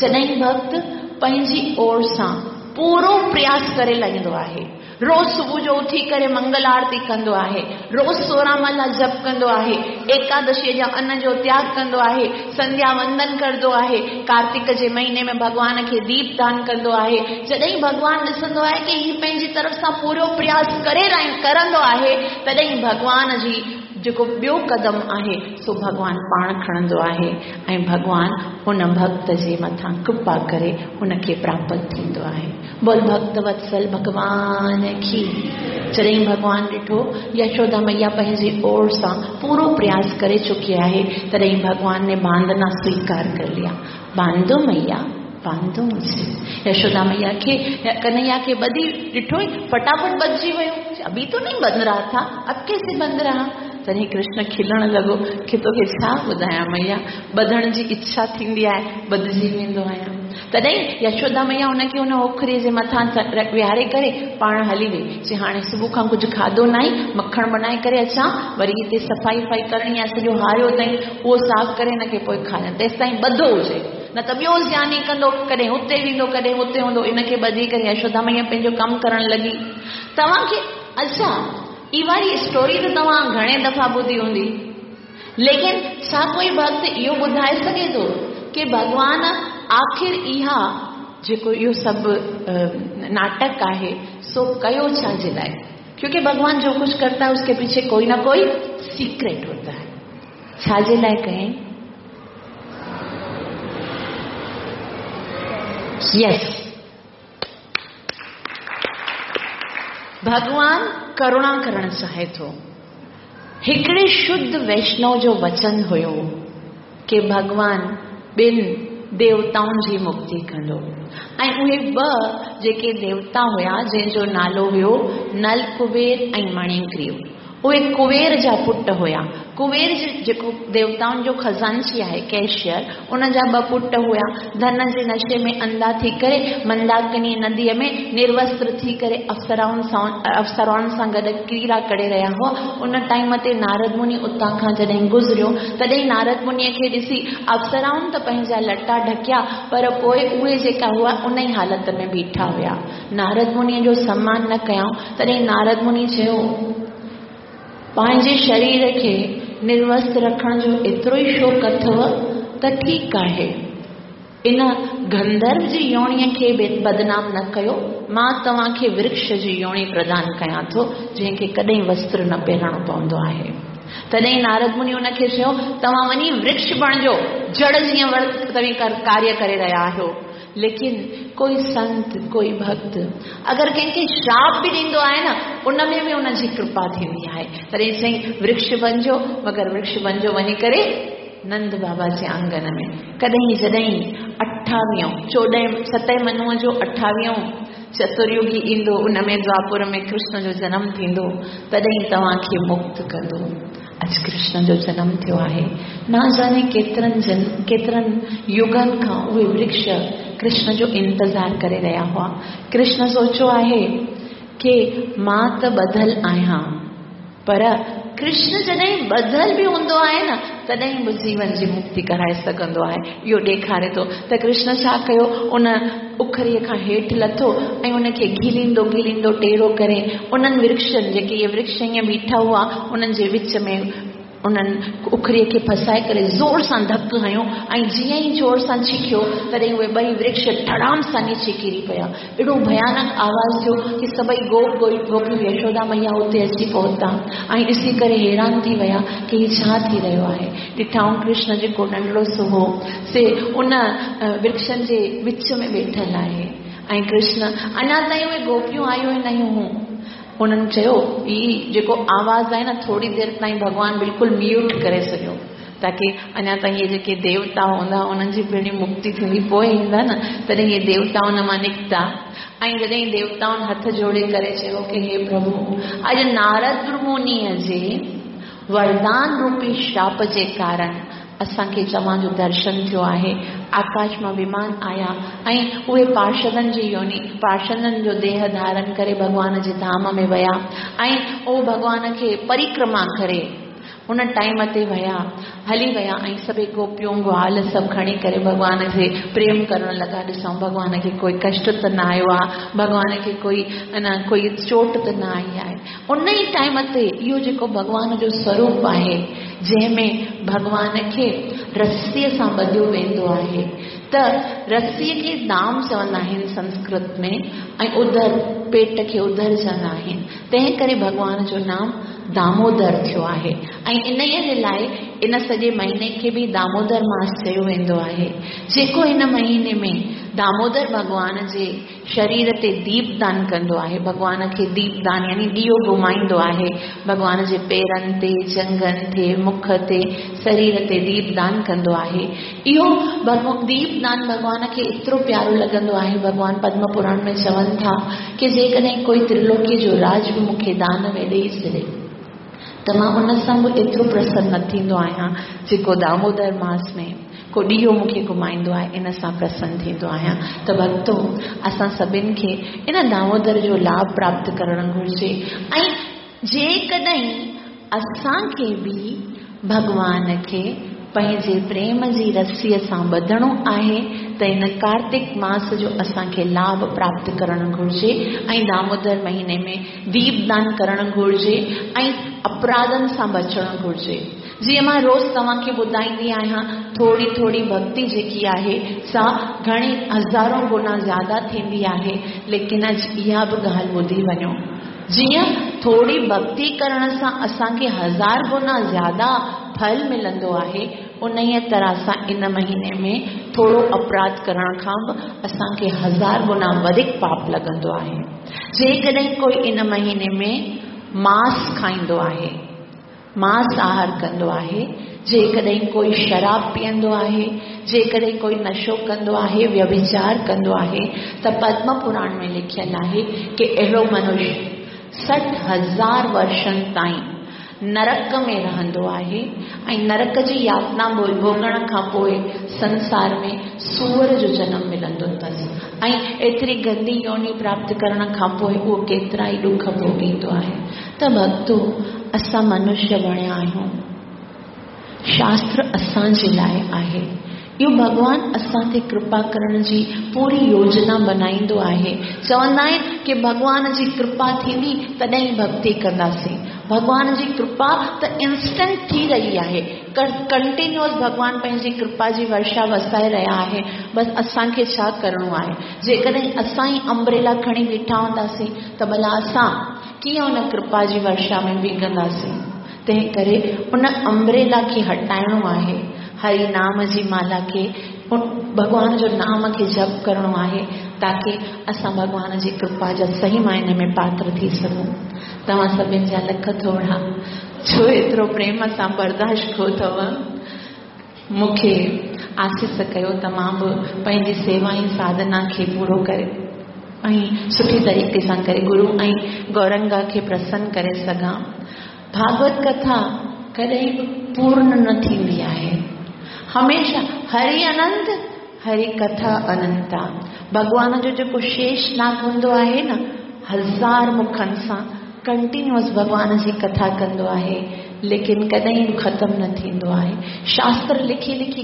जॾहिं भक्त पंहिंजी ओर सां पूरो प्रयास करे लाहींदो आहे, रोज़ सुबुह जो उथी करे मंगल आरती कंदो आहे, रोज़ सोरहं माला जप कंदो आहे, एकादशीअ जा अन्न जो त्याग कंदो आहे, संध्या वंदन कंदो आहे, कार्तिक जे महीने में भॻवान खे दीप दान कंदो आहे। जॾहिं भॻवान ॾिसंदो आहे की हीउ पंहिंजी तरफ़ सां पूरो प्रयास करे करंदो आहे, तॾहिं भॻवान जी जेको ॿियो कदम आहे सो भॻवान पाण खणंदो आहे ऐं भॻवान उन भक्त जे मथां कृपा करे उनखे प्राप्त थींदो आहे। बोल भक्त वत्सल भॻवान की। जॾहिं भॻवान ॾिठो यशोदा मैया पंहिंजी ओर सां पूरो प्रयास करे चुकी आहे, तॾहिं भॻवान ने बांधना स्वीकार कर लिया। बांधो मैया, बांधो मुझे। यशोदा मैया खे कन्हैया खे ॿधी ॾिठो, फटाफट बधिजी वियो। अभी तो नहीं बंध रहा था, अब कैसे बंध रहा? तॾहिं कृष्ण खिलण लॻो की तोखे छा ॿुधायां मैया, ॿधण जी इच्छा थींदी आहे, ॿधिजी वेंदो आहियां। तॾहिं यशोदा मैया हुनखे हुन ओखरीअ जे मथां विहारे करे पाण हली वई। चई हाणे सुबुह खां कुझु खाधो न आहे, मखणु बनाए करे अचां, वरी हिते सफ़ाई वफ़ाई करणी आहे, सॼो हारियो अथई उहो साफ़ करे हिनखे पोइ खाइनि, तेसि ताईं ॿधो हुजे, न त ॿियो ज़ियानी कंदो, कॾहिं हुते वेंदो कॾहिं हुते हूंदो। इनखे ॿधी करे यशोदा मैया पंहिंजो कमु करणु लॻी। तव्हांखे अच्छा ई वारी स्टोरी त तव्हां घणे दफ़ा ॿुधी हूंदी, लेकिन छा कोई भक्त इहो ॿुधाए सघे थो की भॻवान आख़िर इहा जेको इहो सभु नाटक आहे सो कयो छा जे लाइ? क्योंकि भगवान जो कुछ करता है उसके पीछे कोई ना कोई सीक्रेट होता है। छा जे लाइ कयईं? यस, भॻवान करुणा करण चाहे थो। हिकिड़े शुद्ध वैष्णव जो वचन हुयो की भॻवान ॿिनि देवताउनि जी मुक्ति कंदो ऐं उहे ॿ जेके देवता हुया जंहिंजो नालो हुयो नल कुबेर ऐं मणिग्रीव, उहे कुबेर जा पुट हुया। कुबेर जेको देवताउनि जो खज़ानची आहे कैशियर, उन जा ॿ पुट हुया। धन जे नशे में अंधा थी करे मंदाकिनी नदीअ में निर्वस्त्र थी करे अप्सराउनि सां अप्सराउनि सां गॾु क्रीड़ा करे रहिया हुआ। उन टाइम ते नारद मुनि उतां खां जॾहिं गुज़रियो तॾहिं नारद मुनीअ खे ॾिसी अप्सराउनि त पंहिंजा लटा ढकिया, पर पोइ उहे जेका हुआ उन ई हालत में बीठा हुया। नारद मुनीअ जो सम्मान न कयऊं। तॾहिं नारद मुनि चयो पंहिंजे शरीर खे निर्वस्त रखण जो एतिरो ई शौक़ु अथव त ठीकु आहे। इन गंधर्व जी योणीअ खे बदनाम न कयो, मां तव्हांखे वृक्ष जी योणी प्रदान कयां थो जंहिंखे कॾहिं वस्त्र न पहिरणो पवंदो आहे। तॾहिं नारद मुनि उनखे चयो, तव्हां वञी वृक्ष बणिजो, जड़ जीअं तव्हीं कार्य करे रहिया आहियो। लेकिन कोई संत, कोई भक्त अगरि कंहिंखे श्राप बि ॾींदो आहे न, उन में बि उनजी कृपा थींदी आहे। तॾहिं चई वृक्ष बणिजो, मगर वृक्ष बणिजो वञी करे नंद बाबा जे आंगन में। कॾहिं जॾहिं अठावीहों चोॾहं सतें मनुअ जो अठावीहों चतुर्युगी ईंदो, उन में द्वापुर में कृष्ण जो जनम थींदो, तॾहिं तव्हांखे मुक्त कंदो। अॼु कृष्ण जो जनम थियो आहे। न जाने केतिरनि जन केतिरनि युगनि खां उहे वृक्ष कृष्ण जो इंतज़ार करे रहिया हुआ। कृष्ण सोचो आहे की मां त ॿधल आहियां, पर कृष्ण जॾहिं ॿधल बि हूंदो आहे न, तॾहिं बि जीवन जी मुक्ति कराए सघंदो आहे। इहो ॾेखारे थो त कृष्ण छा कयो, उन उखरीअ खां हेठि लथो ऐं उनखे घिलींदो घिलींदो टेढ़ो करे उन्हनि वृक्षनि, जेके इहे वृक्ष ईअं बीठा हुआ, उन्हनि जे विच में उन्हनि उखरीअ खे फसाए करे ज़ोर सां धक हणियो ऐं जीअं ई ज़ोर सां छिकियो तॾहिं उहे ॿई वृक्ष धड़ाम सां नीचे किरी पिया। एॾो भयानक आवाज़ थियो कि सभई गोप गोपियूं यशोदा मैया उते अची पहुता ऐं ॾिसी करे हैरान थी विया कि हीउ छा थी रहियो आहे। ॾिठाऊं कृष्ण जेको नंढड़ो सो हो से उन वृक्षनि जे विच में वेठल आहे ऐं कृष्ण अञा ताईं उहे गोपियूं आयूं ई न हुयूं। उन्हनि चयो, हीउ जेको आवाज़ आहे न, थोरी देरि ताईं भॻवान बिल्कुलु म्यूट करे छॾियो, ताकि अञा ताईं इहे जेके देवता हूंदा उन्हनि जी पहिरीं मुक्ति थींदी, पोइ ईंदा न। तॾहिं इहे देवता उन मां निकिता ऐं जॾहिं देवताउनि हथ जोड़े करे चयो कि हे प्रभु, अॼु नारद मुनीअ जे वरदान रूपी श्राप जे कारण असांखे तव्हांजो दर्शन थियो आहे। आकाश मां विमान आया ऐं उहे पार्षदनि जी योनि, पार्षदनि जो देह धारण करे भॻवान जे धाम में विया ऐं उहो भॻवान खे परिक्रमा करे उन टाइम ते विया, हली विया ऐं सभई गोपियूं ग्वाल सभु खणी करे भॻवान खे प्रेम करण लॻा। ॾिसूं भॻवान खे कोई कष्ट त न आयो आहे, भॻवान खे कोई न कोई चोट त न आई आहे। उन ई टाइम ते इहो जेको भॻवान जो स्वरूप आहे, जंहिंमें भॻवान खे रसीअ सां ॿधियो वेंदो आहे, त रसीअ खे दाम चवंदा आहिनि संस्कृत में ऐं उदर पेट खे उदर चवंदा आहिनि। तंहिं करे भॻवान जो नाम दामोदर थियो आहे ऐं इन जे लाइ इन सॼे महीने खे बि दामोदर मास चयो वेंदो आहे। जेको हिन महीने में दामोदर भॻवान जे शरीर ते दीपदान कंदो आहे, भॻवान खे दीपदान यानी ॾियो घुमाईंदो आहे, भॻवान जे पेरनि ते, जंघनि ते, मुख ते, शरीर ते दीपदान कंदो आहे। इहो दीपदान भॻवान खे एतिरो प्यारो लॻंदो आहे। भॻवान पद्म पुराण में चवनि था कि जेकॾहिं कोई त्रिलोकीअ जो राज बि मूंखे दान में ॾेई छॾे त मां उन सां बि एतिरो प्रसन्न न थींदो आहियां जेको दामोदर मास में को ॾियो मूंखे घुमाईंदो आहे, इन सां प्रसन्न थींदो आहियां। त भक्तो, असां सभिनि खे इन दामोदर जो लाभ प्राप्त करणु घुरिजे ऐं जेकॾहिं असांखे बि भॻवान खे पंहिंजे प्रेम जी रसीअ सां ॿधणो आहे त इन कार्तिक मास जो असांखे लाभ प्राप्त करणु घुरिजे ऐं दामोदर महीने में दीपदान करणु घुरिजे ऐं अपराधनि सां बचणु घुरिजे। जीअं मां रोज़ तव्हांखे ॿुधाईंदी आहियां, थोरी थोरी भक्ति जेकी आहे सा घणी हज़ारों गुना ज़्यादा थींदी आहे। लेकिन अॼु इहा बि ॻाल्हि ॿुधी वञो, जीअं थोरी भक्ति करण सां असांखे हज़ार गुना ज़्यादा फल मिलंदो आहे, उन ई तरह सां इन महीने में थोरो अपराध करण खां बि असांखे हज़ार गुना वधीक पाप लॻंदो आहे। जेकॾहिं कोई इन महीने में मांस खाईंदो आहे, मांस आहार कंदो आहे, जेकॾहिं कोई शराब पीअंदो आहे, जेकॾहिं कोई नशो कंदो आहे, व्यभिचार कंदो आहे, त पद्म पुराण में लिखियल आहे कि अहिड़ो मनुष्य सठि हज़ार वर्षनि ताईं नरक में रहंदो आहे ऐं नरक जी यातना भोगण खां पोइ संसार में सूअर जो जनम मिलंदो अथसि ऐं एतिरी गंदी योनि प्राप्त करण खां पोइ उहो केतिरा ई ॾुख भोगींदो आहे। त भक्तो, असां मनुष्य बणिया आहियूं, शास्त्र असांजे लाइ आहे। इहो भॻवान असां ते कृपा करण जी पूरी योजना बनाईंदो आहे। चवंदा आहिनि की भॻवान जी कृपा थींदी तॾहिं भक्ति कंदासीं। भॻवान जी कृपा त इंस्टेंट थी रही आहे, कंटिन्यूअस भॻवान पंहिंजी कृपा जी वर्षा वसाए रहिया आहे। बसि असांखे छा करिणो आहे? जेकॾहिं असां ई अम्ब्रेला खणी बीठा हूंदासीं त भला असां कीअं उन कृपा जी वर्षा में भीगंदासीं? तंहिं करे उन अम्ब्रेला खे हटाइणो आहे, हरि नाम जी माला खे, भॻवान जो नाम खे जप करिणो आहे, ताकी असां भॻवान जी कृपा जा सही मायने में पात्र थी सघूं। तव्हां सभिनि जा लख थोरा, छो एतिरो प्रेम सां बर्दाश्त कयो अथव। मूंखे आसीस कयो त मां बि पंहिंजी सेवा ऐं साधना खे पूरो करे ऐं सुठी तरीक़े सां करे गुरू ऐं गौरंगा खे प्रसन्न करे सघां। भागवत कथा कॾहिं बि पूर्ण न थींदी आहे, हमेशा हरि अनंत हरि कथा अनंता। भॻवान जो जेको शेषनाग हूंदो आहे न, हज़ार मुखनि सां कंटिन्यूअस भॻवान जी कथा कंदो आहे, लेकिन कॾहिं बि ख़तमु न थींदो आहे। शास्त्र लिखी लिखी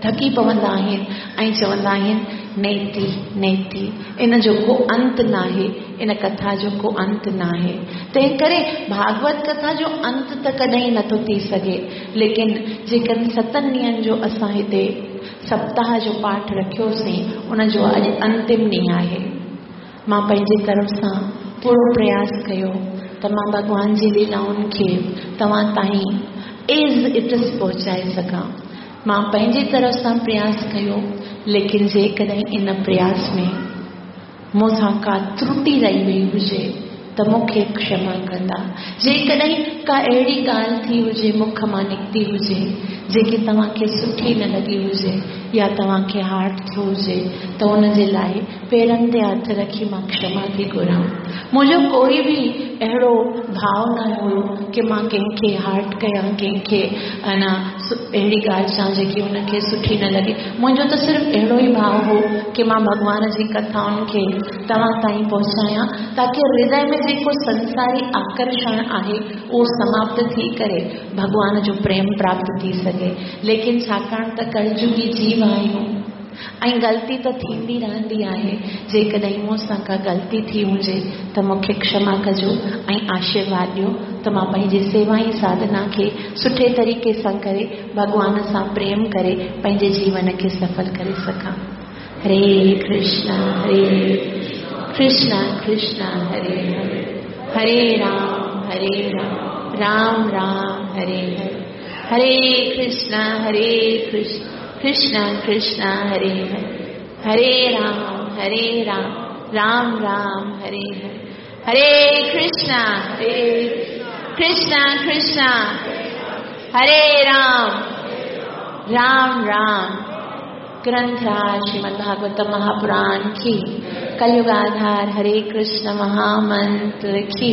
थकी पवंदा आहिनि ऐं चवंदा आहिनि नेति नेति, इन जो को अंत न आहे, इन कथा जो को अंत न आहे। तंहिं करे भागवत कथा जो अंत त कॾहिं नथो थी सघे, लेकिन जेकॾहिं सतनि ॾींहंनि जो असां हिते सप्ताह जो पाठ रखियोसीं, उन जो अॼु अंतिम ॾींहुं आहे। मां पंहिंजी तरफ़ सां पूरो प्रयास कयो त मां भॻवान जी लीलाउनि खे तव्हां ताईं एज़ it is पहुचाए सघां। मां पंहिंजी तरफ़ सां प्रयास कयो, लेकिन जेकॾहिं इन प्रयास में मूंसां का त्रुटि रही वई हुजे त मूंखे क्षमा कंदा। जेकॾहिं का अहिड़ी ॻाल्हि थी हुजे, मुख मां निकिती हुजे, जेकी तव्हांखे सुठी न लॻी हुजे या तव्हांखे हार्ट थियो हुजे, त उनजे लाइ पेरनि ते हथु रखी मां क्षमा थी घुरां। मुंहिंजो कोई बि अहिड़ो भाव न हुयो की मां कंहिंखे हार्ट कयां, कंहिंखे अना अहिड़ी ॻाल्हि चवां जेकी उनखे सुठी न लॻे। मुंहिंजो त सिर्फ़ु अहिड़ो ई भाव हो की मां भॻवान जी कथाउनि खे तव्हां ताईं पहुचायां, ताकी हृदय में जेको संसारी आकर्षण आहे उहो समाप्त थी करे भॻवान जो प्रेम प्राप्त थी सघे। लेकिन छाकाणि त कलयुगी जीव आहियूं ऐं ग़लती त थींदी रहंदी आहे। जेकॾहिं मूंसां का ग़लती थी हुजे त मूंखे क्षमा कजो ऐं आशीर्वाद ॾियो त मां पंहिंजी सेवा ऐं साधना खे सुठे तरीक़े सां करे भॻवान सां प्रेम करे पंहिंजे जीवन खे सफल करे सघां। हरे कृष्णा हरे कृष्णा कृष्णा हरे हरे, हरे राम हरे राम राम राम हरे हरे, हरे कृष्णा हरे कृष्णा कृष्णा कृष्णा हरे हरे, हरे राम हरे राम राम राम हरे हरे, हरे कृष्णा हरे कृष्णा कृष्णा हरे राम राम राम। ग्रंथराज श्रीमद् भागवत महापुराण की, कलयुगाधार हरे कृष्ण महामंत्र की,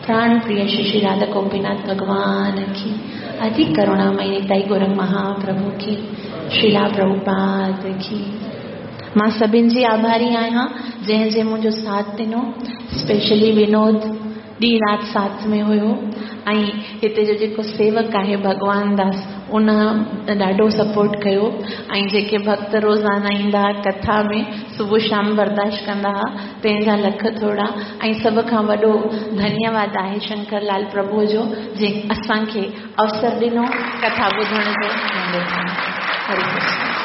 प्राण प्रिय श्री श्री राधा गोपीनाथ भगवान की, अधिक करुणामयी निताई गौरंग महाप्रभु की, श्रीला प्रभुपाद की। मां सभिनि जी आभारी आहियां जंहिं जंहिं मुंहिंजो साथ ॾिनो। स्पेशली विनोद ॾींहुं राति साथ में हुयो ऐं हिते जो जेको सेवक आहे भॻवान दास, उन ॾाढो सपोर्ट कयो ऐं जेके भक्त रोज़ाना ईंदा हुआ कथा में सुबुह शाम बर्दाश्त कंदा हुआ, तंहिंजा लख थोरा। ऐं सभ खां वॾो धन्यवाद आहे शंकर लाल प्रभुअ जो, जंहिं असांखे अवसर ॾिनो कथा ॿुधण जो। हरे कृष्ण।